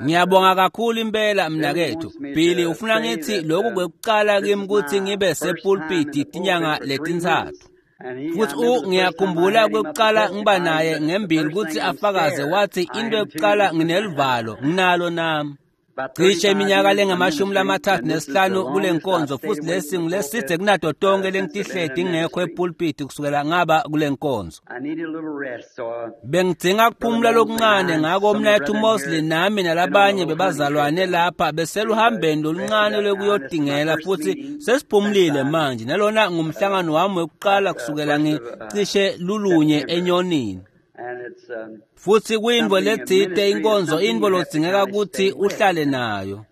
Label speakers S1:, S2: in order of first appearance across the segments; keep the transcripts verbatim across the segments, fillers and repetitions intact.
S1: Ngiyabonga kakhulu impela mnakethu. Billy ufuna ngithi lokhu kwekuqala kimi ukuthi ngibe sepulpiti tinyanga letintsatfu. Futhi ngiyakhumbula kwekuqala ngiba naye ngembili ukuthi afakaze wathi into yokuqala ngineluvalo nginalo nami. Cishe iminyaka lengamashumi lamathathu nesihlanu kule nkonzo futhi lesi ngileside kunato tonke lengitihleti ngingekho epulpiti kusukela ngaba kule nkonzo. Bengidzinga kuphumula lokuncane ngako mnakethu Mosley nami nalabanye bebazalwane lapha beseluhambeni loluncane lwekuyotingela futhi sesiphumulile manje nalona ngumhlangano wami wekuqala kusukela ngicishe lulunye enyonini. Futhi kuyintfo letsite inkonzo intfo lodzingeka kutsi uhlale nayo.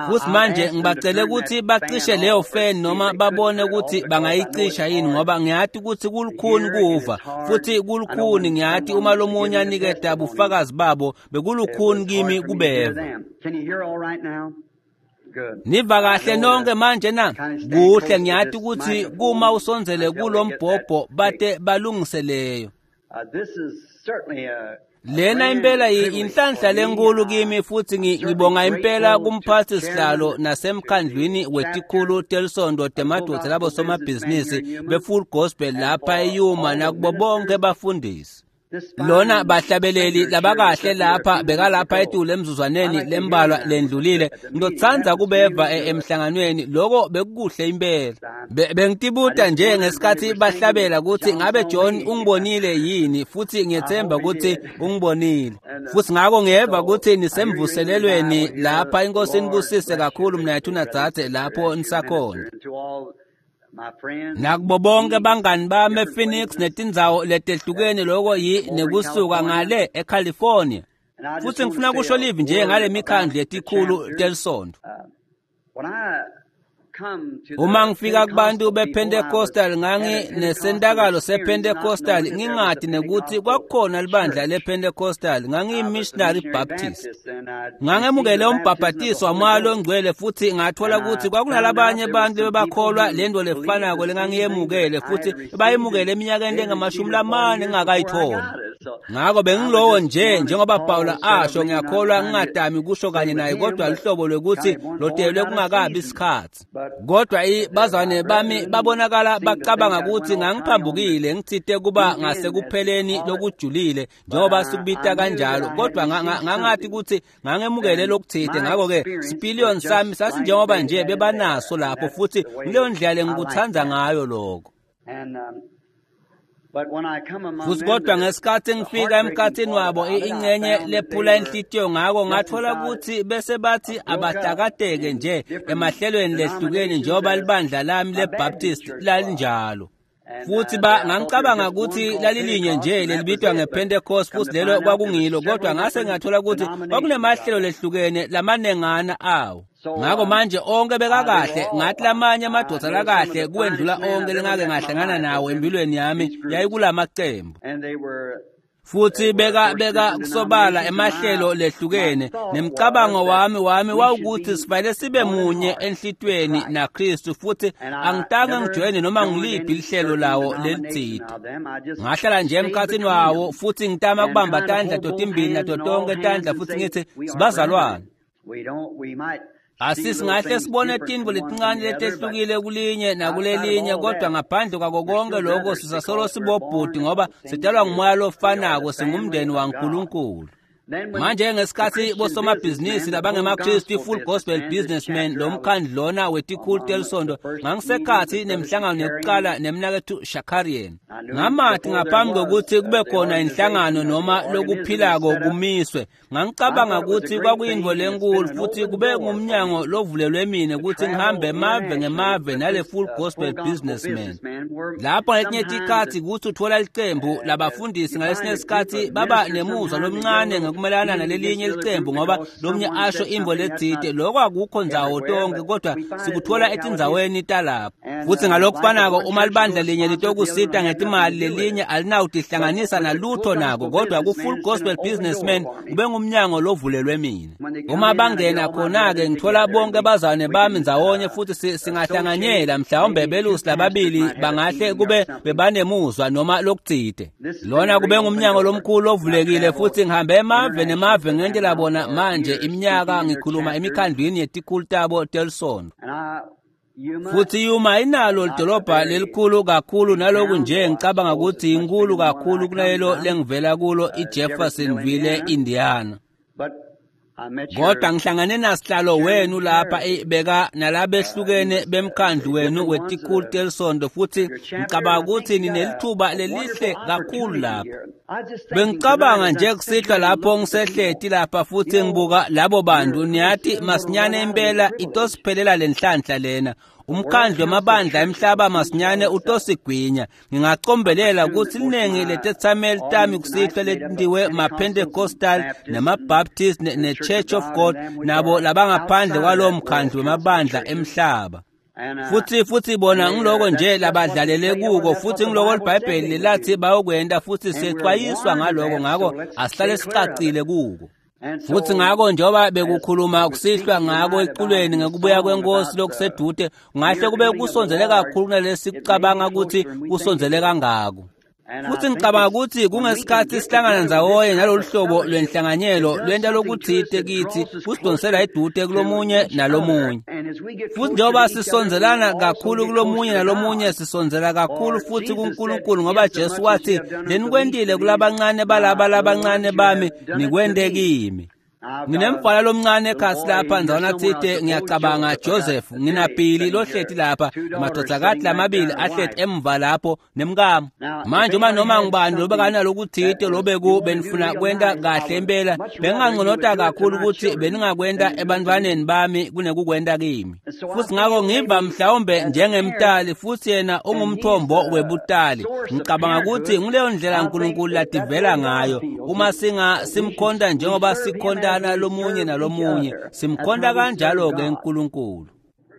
S1: Futhi manje ngibacele kutsi bacishe leyo fan noma babone kutsi bangayicisha yini ngoba ngiyati kutsi kulukhuni kuva futhi kulukhuni ngiyati uma lomunye aniketa bufakazi babo bekulukhuni kimi kubeva. Niva kahle nonke manje na? Kuhle ngiyati kutsi kuma usondzele kulombhobho bate balungiseleyo. Lena impela inhlanhla lenkulu kimi futhi ngibonga impela kumphathi sihlalo nasemkhandlwini wetikhulu telisondo temadvodza labo somabhizinisi be-Full Gospel lapha eYuma nakubo bonke bafundisi. Lona bahlabeleli labakahle lapha bekalapha etulu emzuzwaneni lembalwa lendlulile ngitotsandza kubeva emhlanganweni loko bekukuhle impela. Bengitibuta nje ngesikhathi bahlabela ukuthi ngabe John ungibonile yini futhi ngiyethemba ukuthi ungibonile. Futhi ngako ngiyeva ukuthi nisemvuselelweni lapha inkosi inibusise kakhulu mnakethu nadzadze lapho nisakhona. Nakubo bonke bangani bami ePhoenix netindzawo letehlukene loko yi nekusuka ngale eCalifornia. Futhi ngifuna kusho livi nje ngale mikhandlu yetikhulu telisondo. Uma ngifika kubantu bePentecostal ngangi nesentakalo sePentecostal ngingati nekuthi kwakukhona libandla lePentecostal ngangiyi-missionary Baptist. Ngangemukele umbhabhatiso wamoya longcwele futhi ngathola ukuthi kwakunalabanye abantu bebakholwa lento lefanako lengangiyemukele futhi bayemukele eminyakeni engamashumi lamane ngingakayitholi. Ngako bengilowo nje njengoba Paula asho ngiyakholwa ngingadami kusho kanye naye kodwa luhlobo lwekuthi lotelwe kungakabi isikhathi. Kodwa bazalwane bami babonakala bacabanga ukuthi ngangiphambukile ngitsite kuba ngasekupheleni lokujulile njengoba sikubita kanjalo kodwa ngangathi ukuthi ngangemukele lokuthite ngako-ke sipiliyoni sami sasinjengoba nje bebanaso lapho futhi kuleyo ndlela lengikutsandza ngayo lokho. Futhi kodwa ngesikhathi ngifika emkhathini wabo ingcenye lephula inhlitiyo ngako ngathola ukuthi bese bathi abahlakateke nje emahlelweni lehlukene njengoba libandla lami leBaptist lalinjalo. Futhi ba ngangicabanga ukuthi lalilinye nje lelibitwa ngePentecost futhi lelo kwakungilo kodwa ngase ngathola ukuthi kwakunemahlelo lehlukene lamanengana awo. Ngako manje onke bekakahle ngathi lamanye amadvodza lakahle kuwendlula onke lengake ngahlangana nawo empilweni yami yayikulamacembu. Futhi beka beka kusobala emahlelo lehlukene nemcabango wami wami wawukuthi sifanele sibe munye enhlitweni naKristu futhi angitange ngijoyine noma ngiliphi lihlelo lawo lelitsite. Ngahlala nje emkhathini wawo futhi ngitama kubamba tandla totimbili nato tonke tandla futhi ngithi sibazalwane. Asisingahle sibone tintfo letincane letehlukile kulinye nakulelinye kodwa ngaphandle kwako konke lokho sisasolo sibobhuti ngoba sidalwa ngumoya lofanako singumndeni waNkulunkulu. Manje ngesikhathi bosomabhizinisi labangemaKristu i-Full Gospel Businessmen lo mkhandlu lona wetikhulu telisondo ngangisekhathi nemhlangano yokuqala nemnakethu Shakarian. Ngamathi ngaphambi kokuthi kube khona inhlangano noma lokuphilako kumiswe ngangicabanga ukuthi kwakuyintfo lenkulu futhi kube ngumnyango lovulelwe mina ukuthi ngihambe emave ngemave nale Full Gospel Businessmen. Lapho ngetinye tikhatsi kutsi uthola licembu labafundisi ngalesinye isikhathi baba nemuzwa lomncane ngekumelana nalelinye licembu ngoba lomnye asho intfo letsite lokho akukho ndzawo tonke kodwa sikuthola etindzaweni talapho. Futhi ngalokufanako uma libandla linye litokusita ngetimali lelinye alinawutihlanganisa nalutho nako kodwa ku-Full Gospel Businessmen kube ngumnyango lovulelwe mina. Uma bangena khona-ke ngithola bonke bazalwane bami ndzawonye futhi singahlanganyela mhlawumbe belusi lababili bangahle kube bebanemuzwa noma lokutsite. Lona kube ngumnyango lomkhulu ovulekile futhi ngihambe emave Kunemave nemave ngentela bona manje iminyaka ngikhuluma emikhandlwini yetikhulu tabo telisonto. Futhi Yuma inalo lidolobha lelikhulu kakhulu naloku nje ngicabanga ukuthi inkulu kakhulu kunalelo lengivela kulo iJeffersonville, Indiana. Kodwa ngihlangane nasihlalo wenu lapha beka nalabehlukene bemkhandlu wenu wetikhulu telisonto futhi ngicabanga ukuthi ninelithuba lelihle kakhulu lapha. Bengicabanga nje kusihlwa lapho ngisehleti lapha futhi ngibuka labo bantu niyathi masinyane impela itosiphelela lenhlanhla lena. Umkhandlu wamabandla emhlaba masinyane utosigwinya. Ngingacombelela ukuthi liningi letethameli tami kusihlwa letindiwe ma-Pentecostal nama-Baptist ne-Church of God nabo labangaphandle kwalowo mkhandlu wamabandla emhlaba. Futhi futhi bona ngiloko nje labadlalele kuko futhi ngiloko iBhayibheli lilathi bayokwenda futhi sexwayiswa ngaloko, ngako asihlale sicacile kuko. Futhi ngako njengoba bekukhuluma kusihlwa ngako eculweni ngekubuya kwenkosi lokusedude, ngahle kube kusondzele kakhulu kunalesicabanga ukuthi kusondzele kangako. Futhi ngicabanga ukuthi kungesikhathi sihlangana ndzawonye nalolu hlobo lwenhlanganyelo lwenta lokuthite kithi kusidonsela edude kulomunye nalomunye. Futhi njengoba sisondzelana kakhulu kulomunye nalomunye sisondzela kakhulu futhi kuNkulunkulu, ngoba Jesu wathi lenikwentile kulabancane balaba labancane bami nikwente kimi. Nginemfana lomncane ekhasi lapha ndzawana tsite ngiyacabanga Joseph nginabhili lohleti lapha amadodakati lamabili ahleti emva lapho nemkami. Manje uma noma ngibani lobekanalokuthite lobeku benifuna kwenta kahle impela benginganconota kakhulu ukuthi beningakwenta ebantwaneni bami kunekukwenta kimi. Futhi ngako ngiva mhlawumbe njengemtali futhi yena ungumthombo webutali. Ngicabanga ukuthi nguleyo ndlela uNkulunkulu lativela ngayo uma singa simkhonta njengoba sikhonta nalomunye nalomunye simkhonta kanjalo ke uNkulunkulu.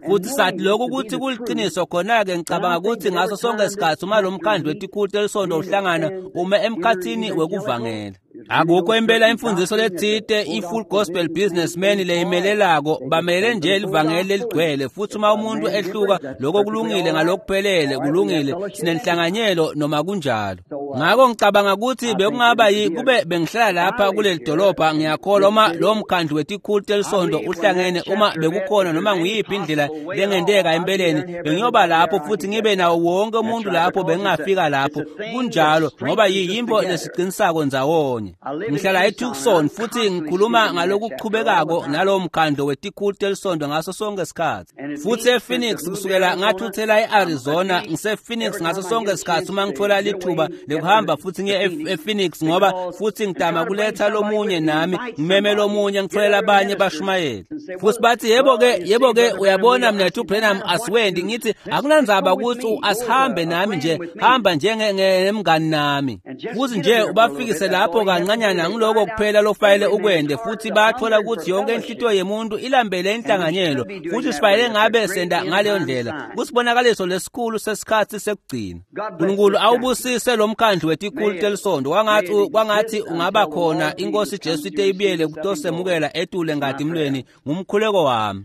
S1: Futhi sathi lokhu ukuthi kuliqiniso khona-ke ngicabanga ukuthi ngaso sonke isikhathi uma lo mkhandlu wetikhulu telisonto uhlangana ume emkhathini wekuvangela. Akukho impela imfundiso letsite i-Full Gospel Businessman leyimelelako bamelele nje livangeli leligcwele. Futhi uma umuntu ehluka lokho kulungile ngalokuphelele kulungile sinenhlanganyelo noma kunjalo. Ngako ngicabanga ukuthi bekungaba yi kube bengihlala lapha kuleli dolobha ngiyakholwa uma lo mkhandlu wetikhulu telisonto uhlangene uma bekukhona noma nguyiphi indlela lengenteka empeleni bengiyoba lapho futhi ngibe nawo wonke umuntu lapho bengingafika lapho kunjalo ngoba yiyimbo lesiqinisako ndzawonye. Ngihlala eTucson futhi ngikhuluma ngalokuchubekako nalowo mkhandlu wetikhulu telisonto ngaso sonke isikhathi. Futhi ePhoenix kusukela ngathuthela eArizona ngisePhoenix ngaso sonke isikhathi uma ngithola lithuba lekuhamba futhi ngiye ePhoenix ngoba futhi ngidama kuletha lomunye nami ngimeme lomunye ngitholela abanye bashumayeli. Futhi bathi yebo ke yebo ke uyabona mina Branham asiwendi ngithi akunandzaba ukuthi asihambe nami nje hamba njengemngani nami. Futhi nje ubafikise lapho kancanyana ngiloko kuphela lofanele ukwende futhi bathola ukuthi yonke inhlitiyo yemuntu ilambele inhlanganyelo futhi sifanele ngabe senda ngaleyo ndlela kusibonakaliso lesikhulu sesikhathi sekugcina. uNkulunkulu awubusise lo mkhandlu wetikhulu telisonto kwangathi kwangathi ungaba khona inkosi Jesu ite ibiyele kutosemukela etule ngatimlweni ngumkhuleko wami.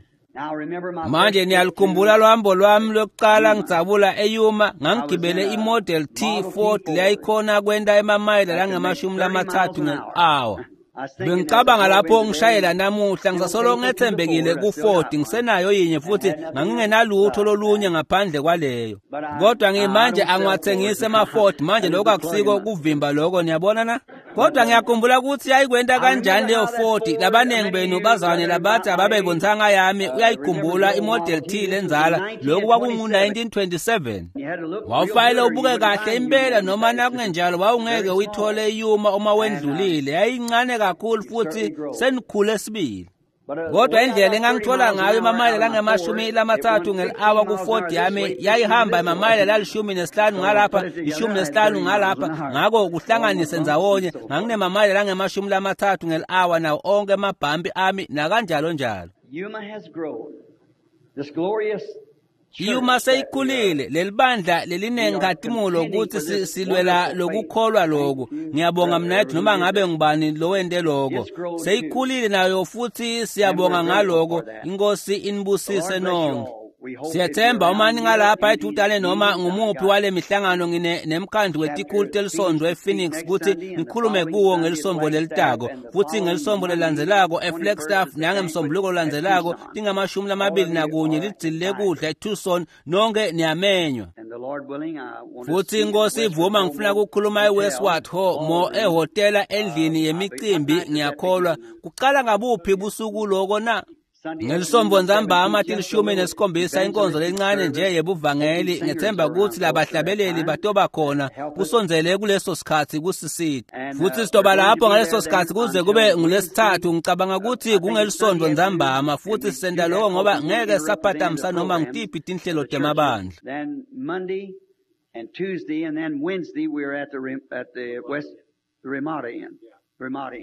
S1: Manje niyalikhumbula lwambo lwami lokuqala ngidzabula eYuma ngangigibele iModel T Ford leyayikhona kwenta emamayela langamashumi lamathathu nge-hour. Bengicabanga lapho ngishayela namuhla ngisasolo ngethembekile ku-Ford ngisenayo yinye futhi ngangingenalutho lolunye ngaphandle kwaleyo. Kodwa ngimanje angiwathengisi ema-Ford manje lokho akusiko kuvimba lokho niyabona na? Kodwa ngiyakhumbula ukuthi yayikwenta kanjani leyo Ford. Labaningi benu bazwane labathi ababebonthanga yami uyayikhumbula iModel T lenzala lokhu kwakungu nineteen twenty-seven. Wawufanele ubuke kahle impela noma nakungenjalo wawungeke uyithole iYuma uma wendlulile. Yayincane kakhulu futhi senikhule sibili. Kodwa indlela engangithola ngayo emamayela langamashumi lamathathu ngeli-hour ku-Ford yami yayihamba emamayela lalishumi nesihlanu ngalapha ishumi nesihlanu ngalapha ngako kuhlanganise ndzawonye nganginemamayela langamashumi lamathathu ngeli-hour nawo onke amabhampi ami nakanjalo njalo. Yuma seyikhulile lelibandla lelinenkhatimulo ukuthi silwela lokukholwa lokhu. Ngiyabonga mnethu noma ngabe ngubani lowente lokho. Seyikhulile nayo futhi siyabonga ngaloko. Inkosi inibusise nonke. Siyethemba uma ningalapha edutane noma ngumuphi wale mihlangano ngine nemkhandlu wetikhulu telisonto ePhoenix kutsi ngikhulume kuwo ngelisonto lelitako futsi ngelisonto lelandzelako eFlagstaff nangemsombuluko lolandzelako tingamashumi lamabili nakunye lidzili lekudla eTucson nonke niyamenywa. Futsi inkosi ivuma ngifuna ukukhuluma eWestward Ho Mo ehhotela endlini yemicimbi ngiyakholwa kuqala ngabuphi busuku loko na ngelisonto ntsambama tilishumi nesikhombisa inkonzo lencane nje yebuvangeli ngethemba kutsi labahlabeleli batoba khona kusondzele kuleso sikhatsi kusisita futsi sitoba lapho ngaleso sikhatsi kuze kube ngulesithathu ngicabanga kutsi kungelisonto ntsambama futsi sisenta loko ngoba ngeke saphatamisa noma ngitiphi tinhlelo temabandla.
S2: And Tuesday and then Wednesday we are at the at the West Ramada Inn.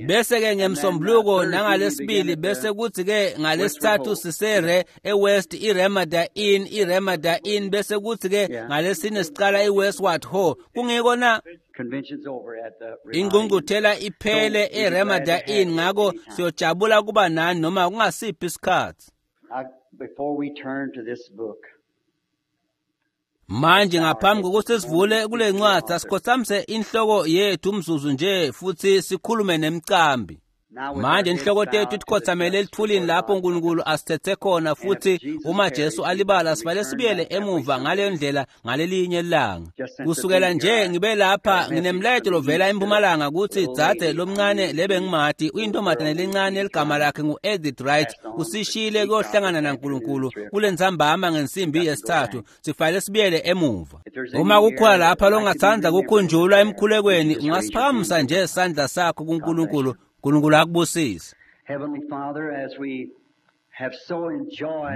S1: Bese ke ngemsombuluko nangalesibili bese kuthi ke ngalesithathu sisere eWest iRamada Inn iRamada Inn bese kuthi ke ngalesine siqala iWestward Ho kungiko na ingqungquthela iphele eRamada Inn ngako siyojabula kuba nani noma kungasiphi isikhathi.
S2: Before we turn to this book,
S1: manje ngaphambi kokuthi sivule kule ncwadi asikhothamise inhloko yethu umzuzu nje futhi sikhulume nemcambi. Manje inhloko tethu ikhothamele elithulini lapho uNkulunkulu asithethe khona futhi uma Jesu alibala sibale sibuyele emuva ngale ndlela ngalelinye ilanga. Kusukela nje ngibe lapha nginemlayeto lovela empumalanga kutsi dzadze lomncane lebe ngimati uyintombazane lencane eligama lakhe ngu-Edith Wright usishiyile kuyohlangana naNkulunkulu kule ntsambama ngensimbi yesithathu sifanele sibuyele emuva. Uma kukhona lapha longatsandza kukhunjulwa emkhulekweni ungasiphakamisa nje isandla sakho kuNkulunkulu. uNkulunkulu akubusise.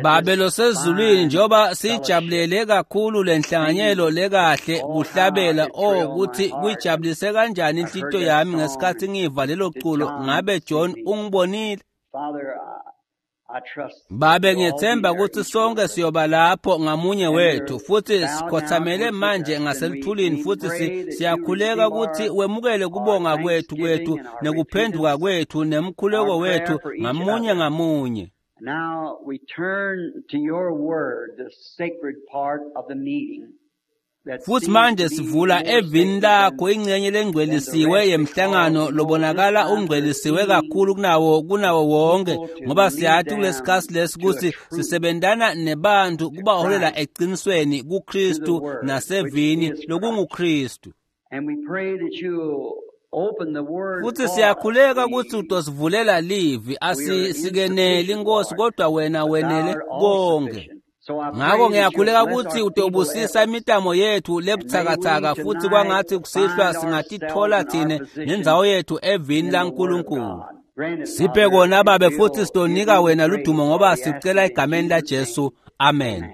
S1: Babe losezulwini njengoba sijabulele kakhulu lenhlanganyelo lekahle kuhlabela oh ukuthi kuyijabulise kanjani inhlito yami ngesikhathi ngiva lelo culo ngabe John ungibonile. Babe ngiyethemba ukuthi sonke siyoba lapho ngamunye wethu futhi sikhothamele manje ngaselithulini futhi siyakhuleka ukuthi wemukele kubonga kwethu kwethu nekuphenduka kwethu nemkhuleko wethu ngamunye ngamunye.
S2: Now we turn to your word, the sacred part of the meeting.
S1: Futhi manje sivula evini lakho ingcenye lengcwelisiwe yemhlangano lobonakala ungcwelisiwe kakhulu kunawo kunawo wonke ngoba siyathi kulesikhathi lesi ukuthi sisebentana nebantu kubaholela eqinisweni kuKristu nasevini lokunguKristu. Futhi siyakhuleka ukuthi utosivulela livi asisikeneli inkosi kodwa wena wenele konke. Ngakho ngiyakhuleka ukuthi utobusisa imitamo yethu lebuthakathaka futhi kwangathi kusihlwa singatithola thine nendzawo yethu evini laNkulunkulu. Siphe kona babe futhi sitonika wena ludumo ngoba sicela egameni laJesu. Amen.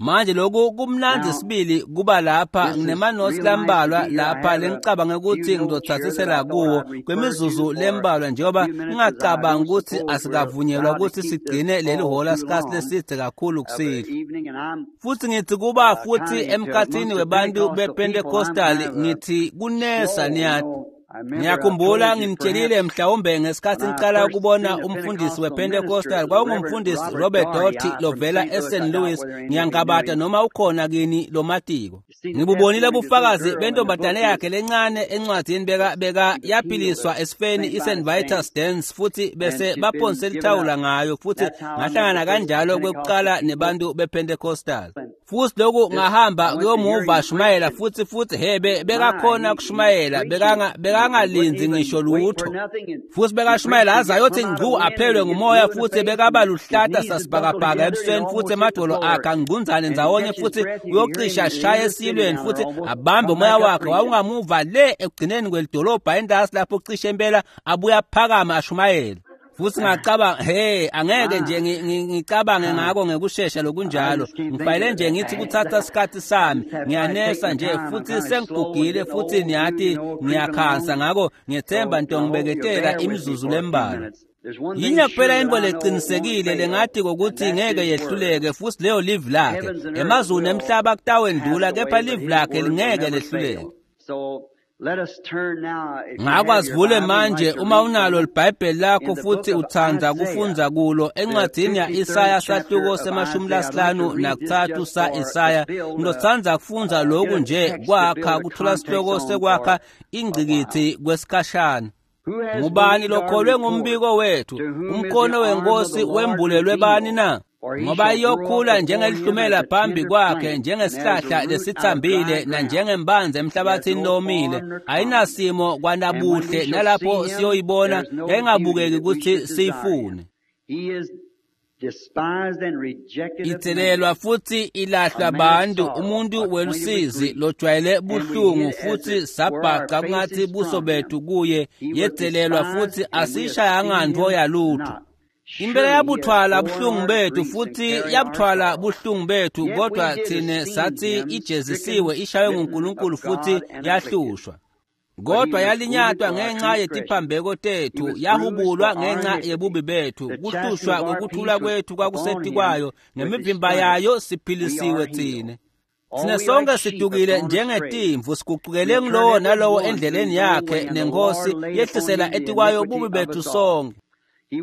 S1: Manje lokhu kumnandzi sibili kuba lapha nginemanothi lambalwa lapha lengicabanga ukuthi ngizothathisela kuwo kwemizuzu lembalwa njengoba ngingacabangi ukuthi asikavunyelwa ukuthi sigcine leli hola sikhathi lesidze kakhulu kusihlwa. Futhi ngithi kuba futhi emkhathini webantu bePentecostal ngithi kunesa niyathi. Ngiyakhumbula nginitshelile mhlawumbe ngesikhathi ngiqala ukubona umfundisi wePentecostal kwakungumfundisi Robert Doherty lovela eSaint Louis ngiyangabata noma ukhona kini lomatiko. Ngibubonile ubufakazi bentombazane yakhe lencane encwadini beka beka yaphiliswa esifeni iSaint Vitus Dance futhi bese baphonse lithawula ngayo futhi ngahlangana kanjalo kwekuqala nebantu bePentecostal. Futhi lokhu ngahamba kuyomuva shumayela futhi futhi hebe bekakhona kushumayela bekanga bekangalinzi ngisho lutho futhi bekashumayela azayothi ngcu aphelwe ngumoya futhi bekaba luhlata sasibhakabhaka ebusweni futhi emadolo akhe angqunzane ndzawonye futhi uyocisha ashaya esilweni futhi abambe umoya wakhe wawungamuva le ekugcineni kwelidolobha endasi lapho cishe impela abuya phakama ashumayela. Futhi ngacabanga hey angeke nje ngicabange ngako ngekushesha lokunjalo ngifanele nje ngithi kuthatha isikhathi sami ngiyanesa nje futhi sengigugile futhi niyathi ngiyakhansa ngako ngiyethemba nto ngibeketela imizuzu lembalwa. Yinye kuphela into leqinisekile lengathi kokuthi ngeke yehluleke futhi leyo live lakhe emazulu nemhlaba kutawendlula kepha live lakhe lingeke lehluleke. Ngako asivule manje uma unalo libhayibheli lakho futhi utsandza kufundza kulo encwadzini ya-Isaya sahluko semashumi lasihlanu nakutsatfu sa-Isaya. Ngitotsandza kufundza loku nje kwakha kuthola sihloko sekwakha ingcikitsi kwesikhashana. Ngubani lokholwe ngumbiko wethu? Umkhono wenkosi wembulelwe bani na? Ngoba iyokhula njengelihlumela phambi kwakhe, njengesihlahla lesitsambile nanjengembanzi emhlabathini lomile. Ayinasimo kwanabuhle, nalapho siyoyibona yayingabukeki ukuthi siyifune. Itselelwa futhi ilahlwa bantu, umuntu welusizi lojwayele buhlungu, futhi sabhaca kungathi buso bethu kuye. Yetselelwa futhi asishayanga ntfo yalutho. Impela yabuthwala buhlungu bethu futhi yabuthwala buhlungu bethu, kodwa thine sathi ijezisiwe, ishaywe nguNkulunkulu futhi yahlushwa. Kodwa yalinyatwa ngenxa yetiphambeko tethu, yahubulwa ngenxa yebubi bethu. Kuhlushwa kwekuthula kwethu kwakusetikwayo, ngemivimba yayo siphilisiwe thine. Sine sonke sidukile njengetimvu, sigucukele ngulowo nalowo endleleni yakhe, nenkosi yehlisela etikwayo bubi bethu sonke.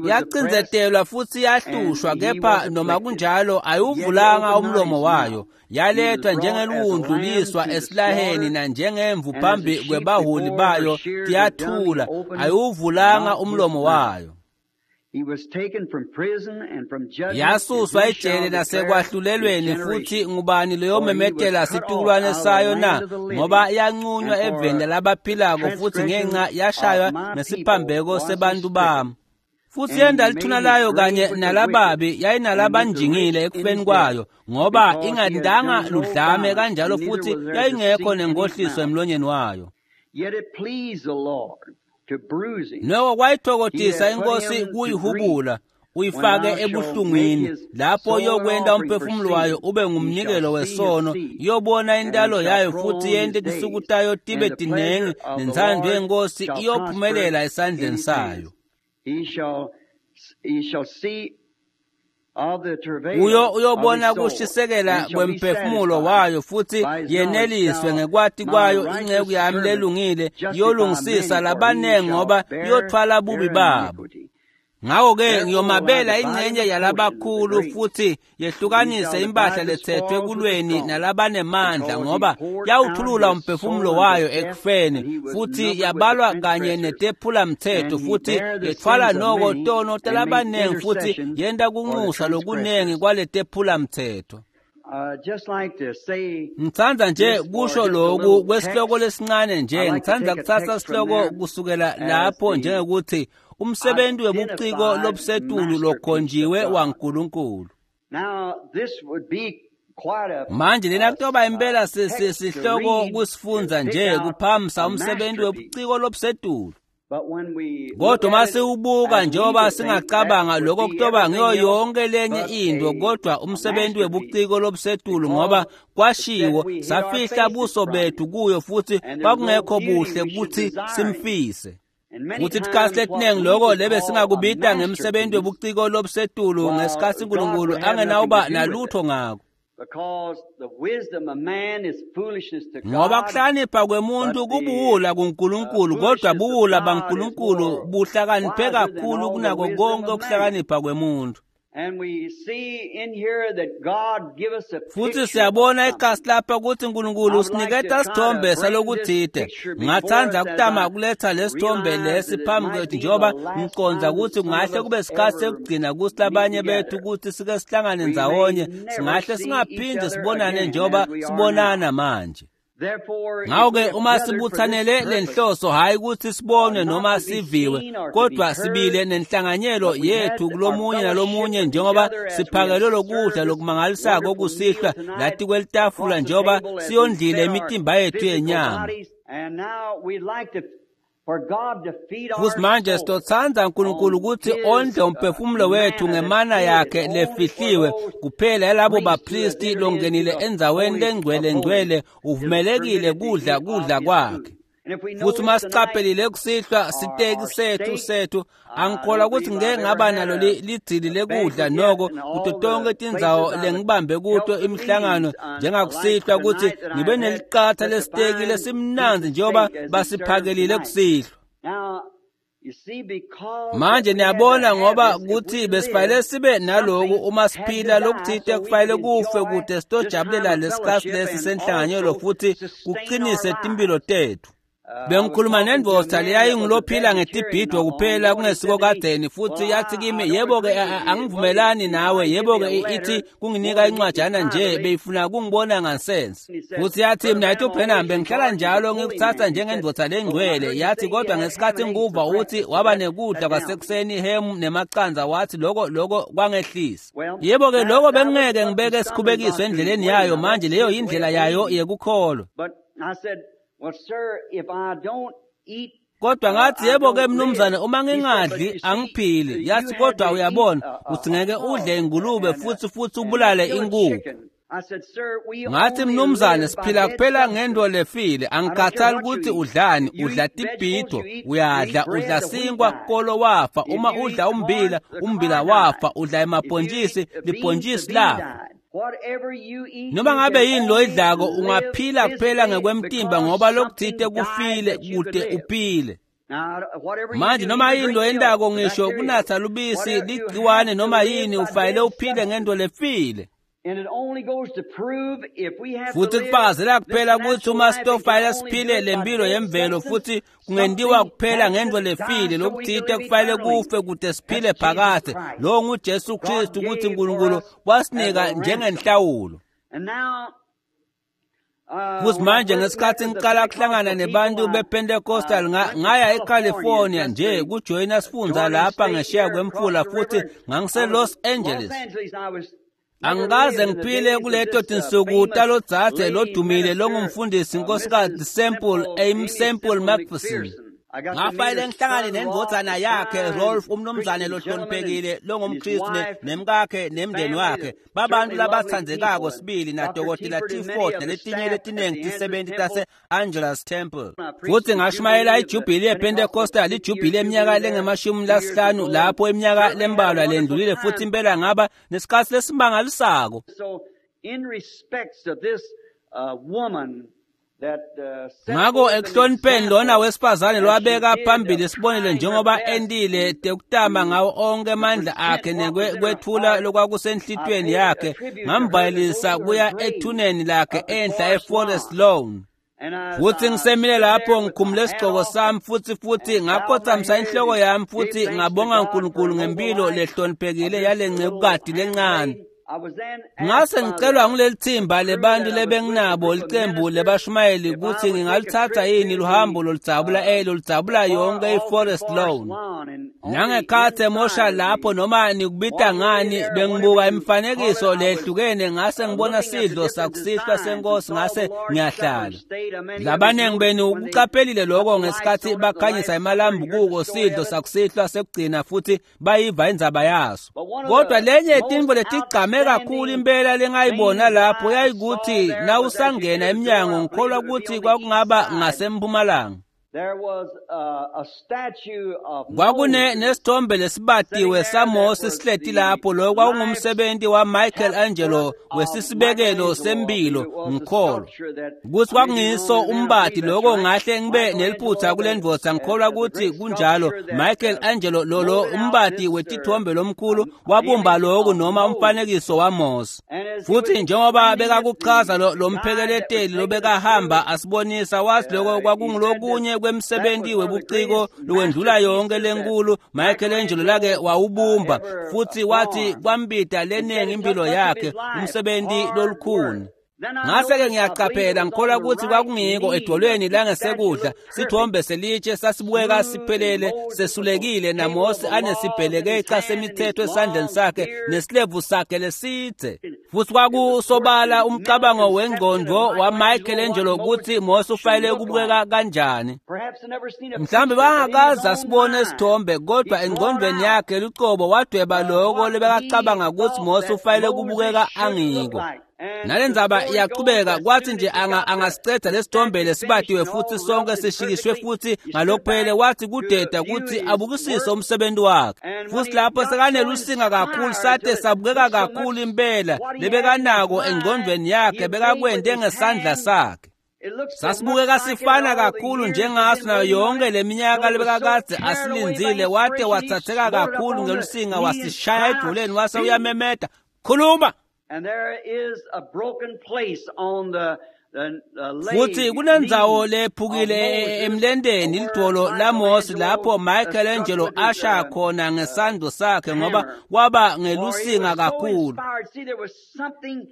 S1: Yacindzetelwa futhi yahlushwa, kepha noma kunjalo ayiwuvulanga umlomo wayo. Yalethwa njengeliwundlu liswa esilaheni, nanjengemvu phambi kwebaholi bayo tiyathula, ayiwuvulanga umlomo wayo. Yasuswa ejele nasekwahlulelweni, futhi ngubani loyomemetela situkulwane sayo na? Ngoba yanqunywa eveni labaphilako, futhi ngenxa yashaywa nesiphambeko sebantu bami. Futhi yenda lithuna layo kanye nalababi, yayinalabanjingile ekufeni kwayo, ngoba ingatindanga ludlame kanjalo, futhi yayingekho nenkohliso emlonyeni wayo. Noko kwayithokodisa inkosi kuyihubula, uyifake ebuhlungwini, lapho yokwenta umphefumulo wayo ube ngumnikelo wesono. Iyobona intalo yayo futhi yente tinsuku tayo tibe tinengi, nentsandvo yenkosi iyophumelela esandleni sayo. Uyo uyobona kushisekela kwemphefumulo wayo futhi yeneliswe ngekwati kwayo. Inceku yami lelungile iyolungisisa labanengi, ngoba iyothwala bubi babo. Ngako-ke ngiyomabela ingcenye yalabakhulu futhi yehlukanise impahla lethethwe kulweni nalabanemandla, ngoba yawuthulula umphefumulo wayo ekufeni, futhi yabalwa kanye netephulamthetho, futhi yethwala noko tono talabanengi, futhi yenta kunxusa lokunengi kwaletephulamthetho. Ngitsandza nje kusho loku kwesihloko lesincane nje. Ngitsandza kutsatsa sihloko kusukela lapho njengekuthi umsebenzi webuciko lobusetulu lokhonjiwe waNkulunkulu. Manje lena kutoba impela sihloko kusifundza nje kuphamisa umsebenzi webuciko lobusetulu. Kodwa uma siwubuka njengoba singacabanga lokho kutoba ngiyo yonke lenye into, kodwa umsebenzi webuciko lobusetulu, ngoba kwashiwo safihla buso bethu kuyo, futhi kwakungekho buhle ukuthi simfise. Futhi isikhathi letiningi loko lebe singakubita ngemsebenzi webuciko lobusetulu, ngesikhathi uNkulunkulu angenawuba nalutho ngako. Ngoba kuhlakanipha kwemuntu kubuwula kuNkulunkulu, kodwa buwula baNkulunkulu buhlakaniphe kakhulu kunako konke ukuhlakanipha kwemuntu. Futhi siyabona ikhasi lapha ukuthi uNkulunkulu usiniketa isithombe salokuthide. Ngingatsandza kutama kuletha lesithombe lesi phambi kwethu, njengoba ngicondza ukuthi kungahle kube sikhathi sekugcina kuthi labanye bethu ukuthi sike sihlangane ndzawonye, singahle singaphinde sibonane njengoba sibonana manje. Ngako-ke uma sibuthanele lenhloso, hhayi ukuthi sibonwe noma siviwe, kodwa sibile nenhlanganyelo yethu kulomunye nalomunye, njengoba siphakelwe lokudla lokumangalisako okusihlwa lathi kwelitafula, njengoba siyondlile imitimba yethu yenyama. Futhi manje sitotsandza uNkulunkulu ukuthi ondle umphefumulo wethu ngemana yakhe lefihliwe kuphela yalabo bapristi longenile endzaweni lengcwele ngcwele, uvumelekile kudla kudla kwakhe. Futhi uma siqaphelile kusihlwa siteki sethu sethu angikholwa ukuthi ngeke ngaba nalo lidzili lekudla noko kuto tonke tindzawo lengibambe kuto imihlangano njengakusihlwa ukuthi ngibe neliqatha lesiteki lesimnandzi njengoba basiphakelile kusihlwa. Manje niyabona ngoba kuthi besifanele sibe naloku uma siphila lokuthite kufanele kufe kude sitojabulela lesikhathi lesi senhlanganyelo futhi kuqinise timpilo tethu. Bengikhuluma nendvodza leyayingulophila ngetibhidvo kuphela kungesiko kadzeni futhi yathi kimi yebo-ke angivumelani nawe yebo-ke ithi kunginika incwajana nje beyifuna kungibona ngansense. Futhi yathi mina ithi uBrenham bengihlala njalo ngikuthatha njengendvodza lengcwele yathi kodwa ngesikhathi ngikuva uthi waba nekudla kwasekuseni ihemu nemaqanza wathi loko loko kwangehlisa. Yebo-ke loko bengingeke ngibeke sikhubekiso endleleni yayo manje leyo yindlela yayo yekukholwa.
S2: Well, sir, if I don't eat
S1: Kodwa ngathi yebo-ke mnumzane uma ngingadli angiphili. Yathi kodwa uyabona uthi ngeke udle ingulube futhi futhi ubulale inkukhu. Ngathi mnumzane siphila kuphela ngento lefile angikhathali ukuthi udlani udla tibhidvo uyadla udla sinkwa kolo wafa uma udla umbila umbila wafa udla emabhontshisi libhontshisi lafa. Noma ngabe yini loyidlako ungaphila kuphela ngekwemtimba ngoba lokuthite kufile kude uphile. Manje noma yini loyentako ngisho kunatsa lubisi ligciwane noma yini ufanele uphile ngento lefile. Futhi kufakazela kuphela ukuthi uma sitofanele siphile lempilo yemvelo futhi kungentiwa kuphela ngento lefile lokuthite kufanele kufe kude siphile phakadze. Lowo nguJesu Kristu ukuthi uNkulunkulu wasinika njengenhlawulo. Futhi manje ngesikhathi ngiqala kuhlangana nebantu bePentecostal ngaya eCalifornia nje kujoyina sifundza lapha ngesheya kwemfula futhi ngangise Los Angeles. Angikaze ngiphile kuleto tinsuku talodzadze lodumile longumfundisi inkosikazi Semple Amy Semple McPherson. Ngafanele ngihlangane nendvodzana yakhe Rolf umnumzane lohloniphekile longumKristu nemkakhe nemndeni wakhe babantu labatsandzekako sibili nadokotela T Ford naletinye letinengi tisebenti tase-Angelus Temple. Futhi ngashumayela ijubhili yePentecostal ijubhili eminyaka lengemashumi lasihlanu lapho iminyaka lembalwa lendlulile futhi impela ngaba nesikhatsi lesimangalisako.
S2: So in respects of this uh, woman
S1: Ngako ekuhlonipheni lona wesifazane lwabeka phambili isibonelo njengoba endile tekutama ngawo onke amandla akhe nekwethula lokwakusenhlitweni yakhe ngamvalelisa kuya ethuneni lakhe enhla eForest Lawn. Futhi ngisemile lapho ngikhumule isigqoko sami futhi futhi ngakhothamisa inhloko yami futhi ngabonga uNkulunkulu ngempilo lehloniphekile yale ncekukati lencane. Ngase ngicelwa nguleli thimba lebantu lebenginabo licembu lebashumayeli ukuthi ngingalithatha yini luhambo loludzabula eh loludzabula yonke iForest Lawn. Nangekhatsi emosha lapho noma nikubita ngani bengibuka imifanekiso lehlukene ngase ngibona sidlo sakusihlwa senkosi ngase ngiyahlala. Labanengi benu ukuqaphelile lokho ngesikhathi bakhanyisa emalambu kuko sidlo sakusihlwa sekugcina futhi bayiva indzaba yaso. Kodwa lenye tintfo letigcame kakhulu impela lengayibona lapho yayikuthi nawusangena emnyango ngikholwa ukuthi kwakungaba ngasempumalanga. Kwakune nesithombe lesibatiwe saMose sihleti lapho lo kwakungumsebenzi wa Michelangelo wesisibekelo sempilo ngikholwa ukuthi kwakungiso umbati lokho ngahle ngibe neliphutha kule ndvodza ngikholwa ukuthi kunjalo. Michelangelo lolo umbati wetithombe lomkhulu wabumba lokhu noma umfanekiso waMose. Futhi njengoba bekakuchaza lo mphekeleteli lobekahamba asibonisa wathi lokho kwakungulokunye kwemsebenzi webuciko lowendlula yonke lenkulu Michelangelo lake wawubumba futhi wathi kwambida leningi impilo yakhe umsebenzi lolukhuni. Ngase-ke ngiyaqaphela ngikholwa ukuthi kwakungiko edolweni langesekudla sithombe selitshe sasibukeka siphelele sesulekile naMose anesibhelekeca semithetho esandleni sakhe nesilevu sakhe lesidze. Futhi kwakusobala umcabango wengqondo waMichelangelo ukuthi Mose ufanele ukubukeka kanjani. Mhlawumbe bangakaze asibone isithombe kodwa engqondweni yakhe lucobo wadweba lokho lebekacabanga ukuthi Mose ufanele ukubukeka angiko. Nalendzaba iyachubeka kwathi nje anga angasiceda lesithombe lesibatiwe futhi sonke sishikishwe futhi ngalokuphelele wathi kudeda ukuthi abukisise umsebenzi wakhe. Futhi lapho sekanelusinga kakhulu sate sabukeka kakhulu impela lebekanako engqondweni yakhe bekakwente ngesandla sakhe. Sasibukeka sifana kakhulu njengaso nayo yonke leminyaka lebekakade asilindzile wate wathatheka kakhulu ngelusinga wasishaya edoleni wase uyamemeta khuluma. Futhi kunendzawo lephukile emlendeni lidolo laMose lapho Michelangelo asha khona ngesandlo sakhe ngoba kwaba ngelusinga kakhulu.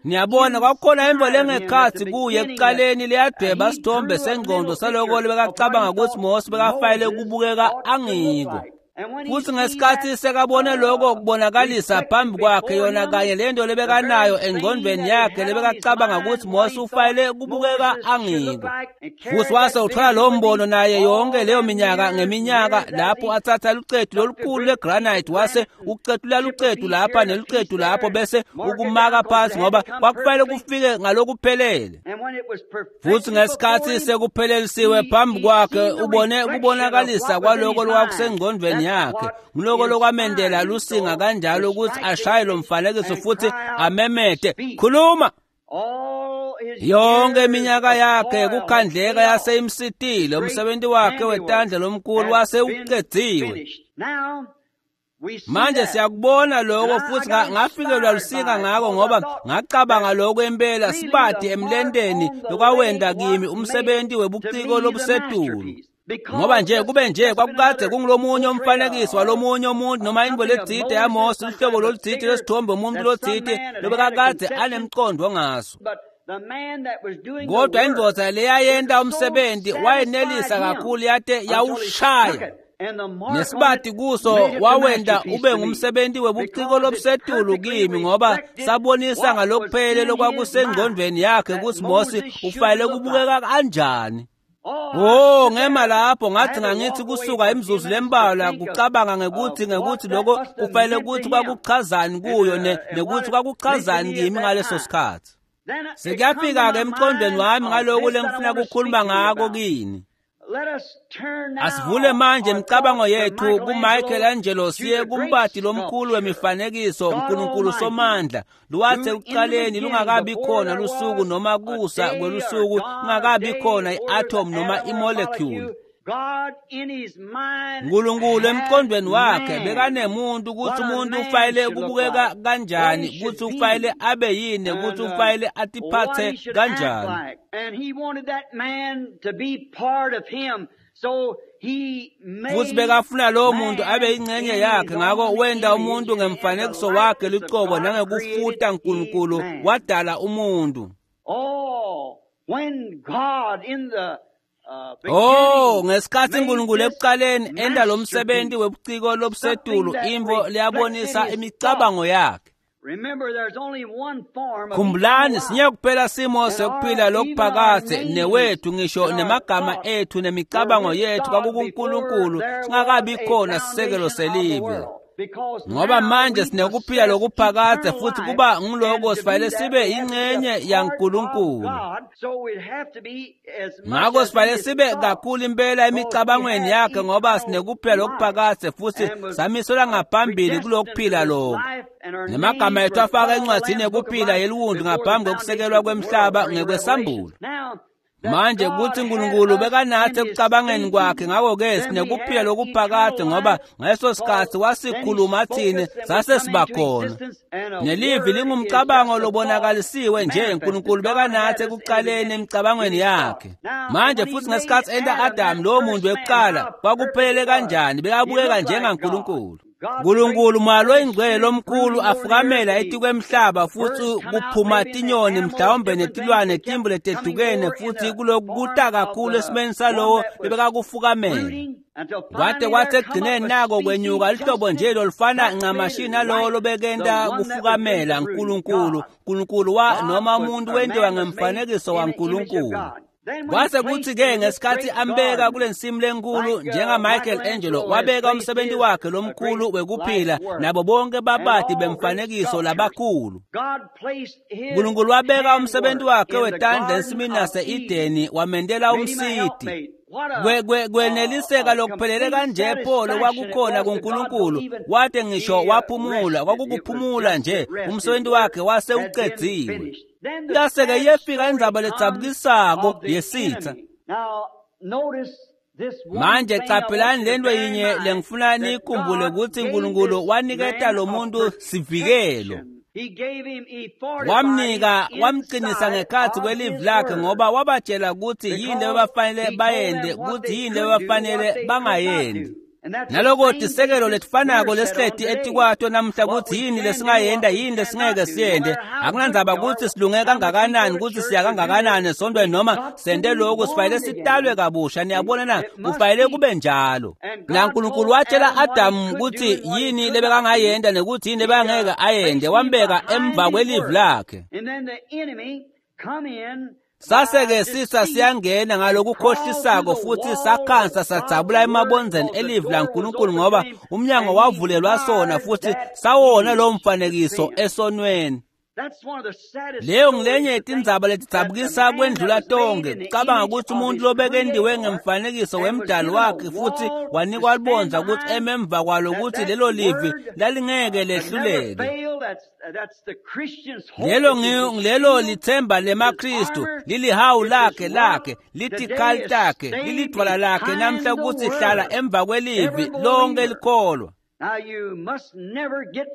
S1: Niyabona kwakukhona imvo lengekhatsi kuye ekuqaleni leyadweba sithombe sengqondo saloko lebekacabanga ukuthi Mose bekafayele kubukeka angiko. Futhi ngesikhathi sekabone lokho kubonakalisa phambi kwakhe yona kanye lento lebekanayo engqondweni yakhe lebekacabanga ukuthi Mose ufayele kubukeka angiko. Futhi wase uthola lo mbono naye yonke leyo minyaka ngeminyaka lapho athatha lucetu lolukhulu legranite wase ucetula lucetu lapha nelucetu lapho bese ukumaka phansi ngoba kwakufanele kufike ngalokuphelele. Futhi ngesikhathi sekuphelelisiwe phambi kwakhe ubone kubonakalisa kwaloko lokwakusengqondweni yakhe ngiloko lokwamendela lusinga kanjalo ukuthi ashaye lo mfanekiso futhi amemete khuluma. Yonke iminyaka yakhe kukhandleka yaseyimsitile umsebenzi wakhe wetandla lomkhulu wase uqediwe. Manje siyakubona lokho futhi ngafikelwa lusinga ngako ngoba ngacabanga lokho impela sibati emlendeni lokwawenda kimi umsebenzi webuciko lobusetulu. Ngoba nje kube nje kwakukade kungulomunye umfanekiso walomunye umuntu noma into letsite yaMose luhlobo lolutsite lesithombe umuntu lotsite lobekakade anemqondo ngaso. Kodwa indvodza leyayenta umsebenzi wayenelisa kakhulu yate yawushaya nesibati kuso wawenda ube ngumsebenzi webuciko lobusetulu kimi ngoba sabonisa ngalokuphelele lokwakusengqondweni yakhe ukuthi Mose ufanele kubukeka kanjani. Oh ngema lapho ngathi ngangithi kusuka imizuzu lembalwa kucabanga ngekuthi ngekuthi lokho kufanele ukuthi kwakuchazani kuyo nekuthi kwakuchazani kimi ngaleso sikhathi. Sekuyafika ke emqondweni wami ngaloko lengifuna ukukhuluma ngako kini. Asivule manje imicabango yethu kuMichelangelo siye kumbati lomkhulu wemifanekiso uNkulunkulu Somandla luwathe ekuqaleni lungakabi khona lusuku noma kusa kwelusuku kungakabi khona i-atom noma i-molecule. uNkulunkulu emqondweni wakhe bekanemuntu ukuthi umuntu ufanele kubukeka kanjani, ukuthi ufanele abe yini, ukuthi ufanele atiphathe kanjani. Futhi bekafuna lowo muntu abe ingxenye yakhe, ngakho wenda umuntu ngemfanekiso wakhe lucobo nangekufuta uNkulunkulu wadala umuntu. Oh, ngesikhathi uNkulunkulu ekuqaleni enda lo msebenzi webuciko lobusetulu imvo liyabonisa imicabango yakhe. Khumbulani sinye kuphela simo sekuphila lokuphakade newethu ngisho nemagama ethu nemicabango yethu kwakukuNkulunkulu singakabi khona sisekelo selive. Ngoba manje sinekuphila lokuphakade futhi kuba ngiloko sifanele sibe ingxenye yaNkulunkulu. Ngakho sifanele sibe kakhulu impela emicabangweni yakhe ngoba sinekuphila lokuphakade futhi samiselwa ngaphambili kulokuphila lokho. Nemagama ethu afaka encwadini yekuphila yeliwundlu ngaphambi kokusekelwa kwemhlaba ngekwesambulo. Manje kuthi uNkulunkulu bekanathi ekucabangeni kwakhe, ngakho-ke sinekuphila lokuphakade ngoba ngaleso sikhathi wasikhuluma thina sase siba khona. Nelivi lingumcabango lobonakalisiwe nje uNkulunkulu bekanathi ekuqaleni emicabangweni yakhe. Manje futhi ngesikhathi enta Adamu lowo muntu wekuqala kwakuphelele kanjani, bekabukeka njengaNkulunkulu. uNkulunkulu malo ingcwele lomkhulu afukamela etikwemhlaba futhi kuphuma tinyoni mhlawumbe netilwane timbu letehlukene futhi kulokuta kakhulu esimeni salowo bebekakufukamela. Kwade kwathi ekugcineni nako kwenyuka lihlobo nje lolufana ncamashi nalowo lobekenta kufukamela uNkulunkulu. uNkulunkulu wa noma umuntu wentiwa ngemfanekiso waNkulunkulu. Kwase kuthi-ke ngesikhathi ambeka kule nsimu lenkulu njenga-Michelangelo wabeka umsebenzi wakhe lomkhulu wekuphila nabo bonke babati bemfanekiso labakhulu. Nkulunkulu wabeka umsebenzi wakhe wetandla ensimini yase-Edeni wamendela umsiti. Kweneliseka lokuphelele kanje pho lokwakukhona kuNkulunkulu wate ngisho waphumula kwakukuphumula nje umsebenzi wakhe wase ucedziwe. Yase-ke iyefika indzaba ledzabukisako yesitha. Manje caphelani lento yinye lengifuna niyikhumbule kutsi Nkulunkulu waniketa lo muntu sivikelo. Wamnika wamqinisa ngekhatsi kwelivi lakhe ngoba wabatshela kutsi yini lebebafanele bayente kutsi yini lebebafanele bangayendi. Naloko tisekelo letifanako lesihleti etikwato namhla kutsi yini lesingayenda yini lesingeke siyende. Akunandzaba kutsi silunge kangakanani kutsi siya kangakanani esontweni noma sente loku sifanele sitalwe kabusha. Niyabona na kufanele kube njalo. Na Nkulunkulu watshela Adamu kutsi yini lebekangayenda nekuthi yini lebekangeke ayende wambeka emva kwelivi lakhe. Sase-ke sitha siyangena ngalokukhohlisako futhi sakhansa sadzabula emabondzeni elivi laNkulunkulu ngoba umnyango wavulelwa sona futhi sawona lowo mfanekiso esonweni. Leyo ngilenye yetindzaba letidzabukisa kwendlula tonkhe. Kucabanga kutsi umuntu lobekendiwe ngemfanekiso wemdali wakhe futhi wanikwa libondza kutsi eme emva kwalo kutsi lelo livi lalingeke lehluleke. Lelo ngilelo lithemba lemaKristu lilihawu lakhe lakhe litikhali takhe lilidvwala lakhe namhla kutsi hlala emva kwelivi lonke likholwa.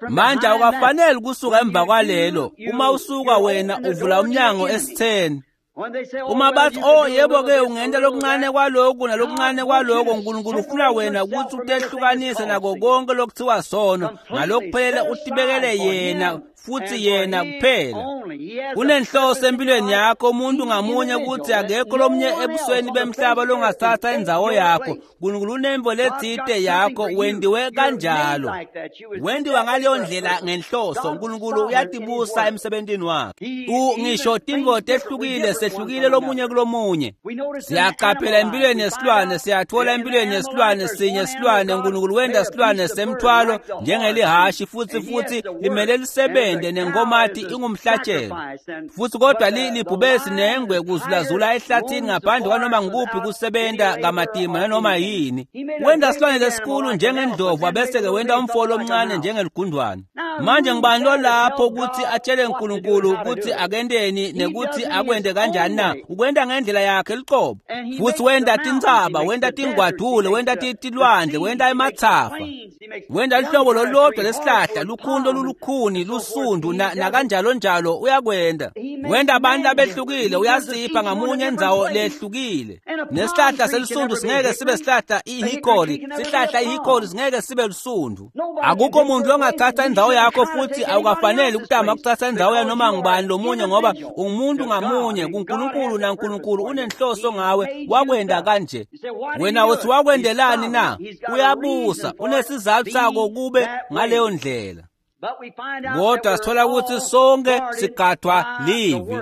S1: Manje awukafaneli kusuka emva kwalelo. Uma usuka wena uvula umnyango esitheni. Uma bathi oh yebo-ke ungenta lokuncane kwaloku nalokuncane kwaloko, Nkulunkulu ufuna wena kutsi utehlukanise nako konke lokuthiwa sono ngalokuphelele utibekele yena futhi yena kuphela. Kunenhloso empilweni yakho umuntu ngamunye kutsi akekho lomunye ebusweni bemhlaba longathatha indzawo yakho. Nkulunkulu unemvo letsite yakho wendiwe kanjalo. Wendiwa ngaleyo ndlela ngenhloso. Nkulunkulu uyatibusa emsebentini wakhe. Ngisho tintfo tehlukile sehlukile lomunye kulomunye. Siyaqaphela empilweni yesilwane, siyathola empilweni yesilwane sinye silwane Nkulunkulu wenda silwane semthwalo njengelihashi futhi futhi limele lisebenze nenkomati ingumhlatshelo. Futhi kodwa libhubesi nengwe kuzulazula ehlathini ngaphandle kwanoma ngikuphi kusebenta kamatima nanoma yini. Wenda silwane lesikhulu njengendlovu abese-ke wenda umfolo omncane njengeligundwane. Manje ngibani lo lapho ukuthi atshele uNkulunkulu ukuthi akendeni nekuthi akwende kanjani na? Ukwenda ngendlela yakhe luqobo. Futhi wenda tintsaba, wenda tingwadule, wenda tilwandle, wenda emathafa. Wenda luhlobo lolulodwa lesihlahla, lukhuni lolukhuni, lusundu nakanjalo njalo uyakwenda. Wenda abantu abehlukile, uyasipha ngamunye endzawo lehlukile. Nesihlahla selisundu singeke sibe sihlahla ihikori, sihlahla ihikori singeke sibe lusundu. Akukho muntu longathatha indzawo yakho futhi awukafaneli ukutama ukuthatha indzawo yanoma ngubani lomunye ngoba ungumuntu ngamunye kuNkulunkulu naNkulunkulu unenhloso ngawe wakwenda kanje. Wena uthi wakwendelani na? Uyabusa, unesizathu sako kube ngaleyo ndlela. Kodwa sithola ukuthi sonke sigadwa livi.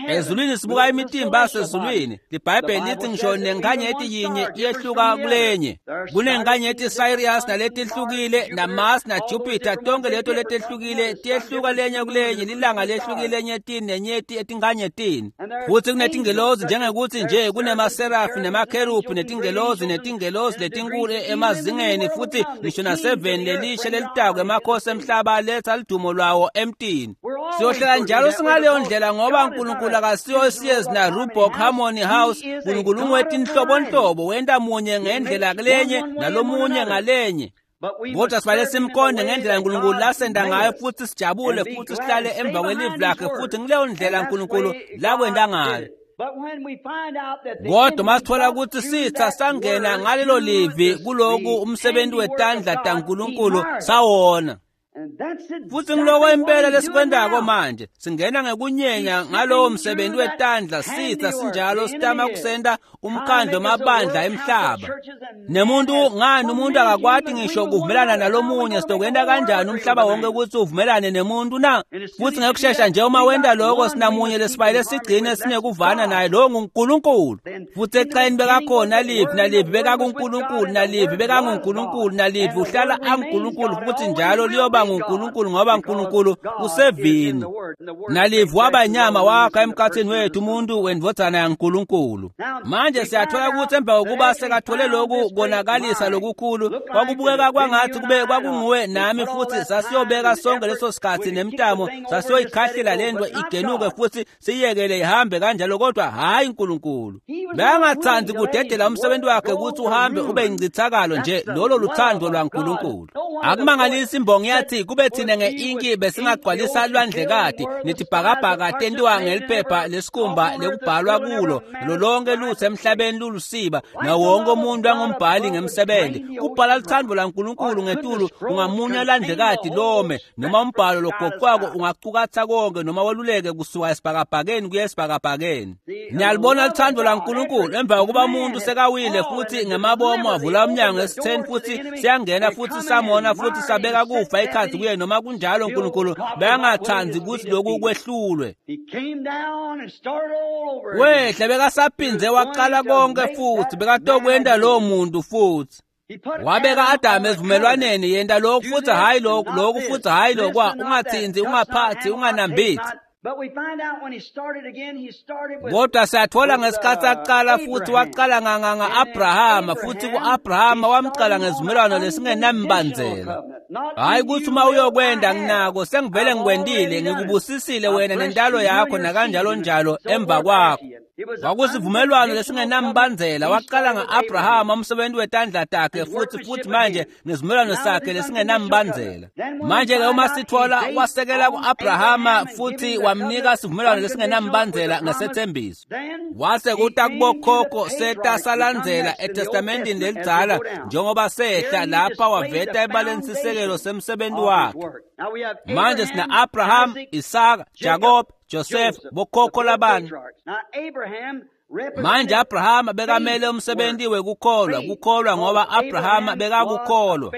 S1: Ezulwini sibuka imitimba yasezulwini. LiBhayibheli lithi ngisho nenkanyeti yinye iyehluka kulenye. Kunenkanyeti Sirius naletihlukile naMars naJupiter, tonke leto letihlukile tiyehluka lenye kulenye, lilanga lehlukile enyetini nenyeti etinkanyetini. Futhi kunetingelozi njengekuthi nje kunemaserafi nemakherubhi netingelozi netingelozi letinkulu emazingeni futhi ngisho naseveni lelisha lelitako emakhosi emhlaba aletha ludumo lwawo emtini. Siyohlala njalo singaleyo ndlela ngoba uNkulunkulu akasiyo Sears na Reebok Harmony House. uNkulunkulu ungetinhlobonhlobo, wenta munye ngendlela kulenye nalomunye ngalenye. Kodwa sifanele simqonde ngendlela uNkulunkulu lasenda ngayo futhi sijabule futhi sihlale emva kwelivi lakhe futhi ngileyo ndlela uNkulunkulu lakwenta ngayo. Kodwa masithola ukuthi sitha sangena ngalelo livi kuloku umsebenzi wetandla taNkulunkulu sawona. Futsi ngiloko impela lesikwentako manje, singena ngekunyenya ngalowo msebenzi wetandla sitsa sinjalo sitama kusenta umkhandlo mabandla emhlaba. Nemuntu ngani umuntu akakwati ngisho kuvumelana nalomunye, sitokwenta kanjani umhlaba wonke kutsi uvumelane nemuntu na? Futsi ngekushesha nje uma wenta lokho sinamunye lesibayile sigcine sinekuvana naye, lowo nguNkulunkulu. Futsi ekucaleni bekakhona Livi, naLivi bekakuNkulunkulu, naLivi bekanguNkulunkulu, naLivi uhlala anguNkulunkulu futhi njalo liyoba nguNkulunkulu ngoba uNkulunkulu usevini. NaLivi waba inyama wakha emkhathini wethu, umuntu wendvodzana yaNkulunkulu. Manje siyathola ukuthi emva kokuba sekathole lokhu konakalisa lokukhulu, kwakubukeka kwangathi kube kwakunguwe nami futhi sasiyobeka sonke leso sikhathi nemtamo, sasiyoyikhahlela lento igenuke futhi siyekele ihambe kanjalo, kodwa hhayi uNkulunkulu. Bekangathandi kudedela umsebenzi wakhe ukuthi uhambe ube incithakalo nje, lolo luthando lwaNkulunkulu. Akumangalisi imbongi yathi kube thina nge-inki besingagcwalisa lwandlekati netibhakabhaka tentiwa ngeliphepha lesikhumba lekubhalwa kulo, lo lonke lutho emhlabeni lulusiba, nawo wonke umuntu angumbhali ngemsebenzi. Kubhala luthando lwaNkulunkulu ngetulu ungamunya landlekati lome, noma umbhalo logoqwako ungacukatha konke noma weluleke kusuka esibhakabhakeni kuya esibhakabhakeni. Niyalibona luthando lwaNkulunkulu emva kokuba umuntu sekawile futhi ngemabomu wavula umnyango esitheni futhi siyangena futhi samona futhi sabeka kufa ikhathi kuye. Noma kunjalo uNkulunkulu bekangathandi ukuthi lokhu kwehlulwe. Wehla bekasaphinze waqala konke futhi bekatokwenta lowo muntu futhi. Wabeka Adamu esivumelwaneni, yenta lokhu futhi hhayi lokhu, lokhu futhi hhayi lokwa, ungathinzi, ungaphathi, unganambithi. Kodwa siyathola ngesikhathi aqala futhi waqala nga-Abrahama, futhi ku-Abrahama wamqala ngesivumelwano lesingenambandzela. Hhayi ukuthi uma uyokwenda nginako sengivele ngikwendile, ngikubusisile wena nentalo yakho nakanjalo njalo emva kwakho. Kwakusivumelwano lesingenambandzela, waqala nga-Abrahama umsebenzi wetandla takhe futhi futhi manje ngesivumelwano sakhe lesingenambandzela. Manje-ke uma sithola wasekela ku-Abrahama futhi wamnika sivumelwano lesingenambandzela ngesethembiso. Wase kuta kubokhokho seta salandzela eTestamentini lelidzala njengoba sehla lapha waveta ebaleni sisekelo semsebenzi wakhe. Manje sina Abraham, Isaka, Jacob, Joseph, bokhokho labane. Manje Abrahama bekamele umsebenzi wekukholwa, kukholwa ngoba Abrahama bekakukholwa.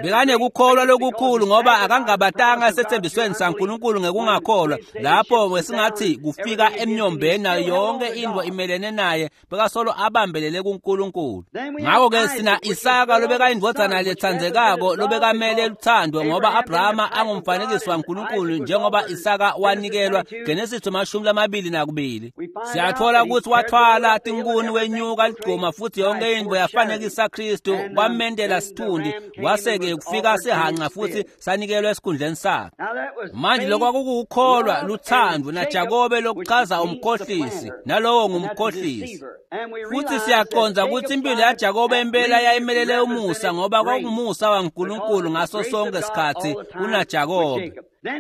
S1: Bekanekukholwa lokukhulu ngoba akangabatanga esethembisweni saNkulunkulu ngekungakholwa. Lapho wesingathi kufika emnyombeni nayo yonke into imelene naye, bekasolo abambelele kuNkulunkulu. Ngakho-ke sina Isaka lobekayindvodzana letsandzekako lobekamele luthando ngoba Abrahama angumfanekiso waNkulunkulu njengoba Isaka wanikelwa, Genesis mashumi lamabili nakubili. Siyathola ukuthi wathwala tinkuni wenyuka ligcuma futhi yonke into yafanekisa Kristu, kwamendela sithundi, wase-ke kufika sihanca futhi sanikelwa esikhundleni sakhe. Manje lokho kwakukukholwa luthando naJakobe lokuchaza umkhohlisi, nalowo ngumkhohlisi. Futhi siyaqonda ukuthi impilo yaJakobe impela yayimelele umusa ngoba kwakungumusa waNkulunkulu ngaso sonke isikhathi kunaJakobe.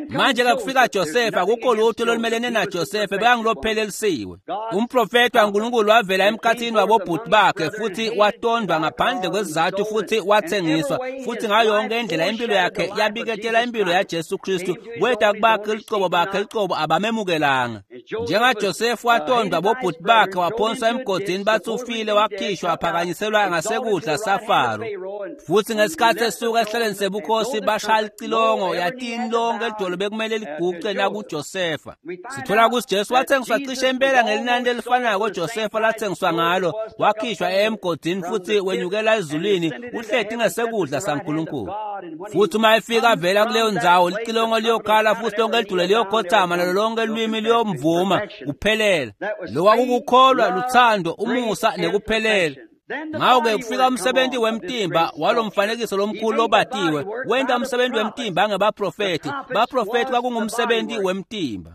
S1: Manje-ke kufika Josefa, akukho lutho lolumelene naJosefa, bekangilophelelisiwe. Umprofeti waNkulunkulu wavela emkhathini wabobhuti bakhe futhi watondwa ngaphandle kwesizathu futhi wathengiswa, futhi ngayo yonke indlela impilo yakhe yabiketela impilo yaJesu Kristu. Kweda kubakhe licobo bakhe licobo abamemukelanga. NjengaJosefa watondwa bobhuti bakhe, waphonswa emgodini, bathi ufile, wakhishwa waphakanyiselwa ngasekudla saFaro. Futhi ngesikhathi esuka esihlalweni sebukhosi bashaya licilongo, yatini lonke lidolo bekumele liguqe nakuJosefa. Sithola ukuthi Jesu wathengiswa cishe impela ngelinani elifanayo koJosefa lathengiswa ngalo, wakhishwa emgodini futhi wenyukela ezulwini, uhleti ngesekudla saNkulunkulu. Futhi uma efika vela kuleyo ndzawo, licilongo liyokhala futhi lonke lidolo liyokhothama nalo lonke lwimi liyomvuma kuphelela. Lokwa kukukholwa, luthando, umusa nekuphelela. Ngakho-ke kufika umsebenzi wemtimba walo mfanekiso lomkhulu lobatiwe, wenta umsebenzi wemtimba ngebaprofethi. Baprofethi kwakungumsebenzi wemtimba.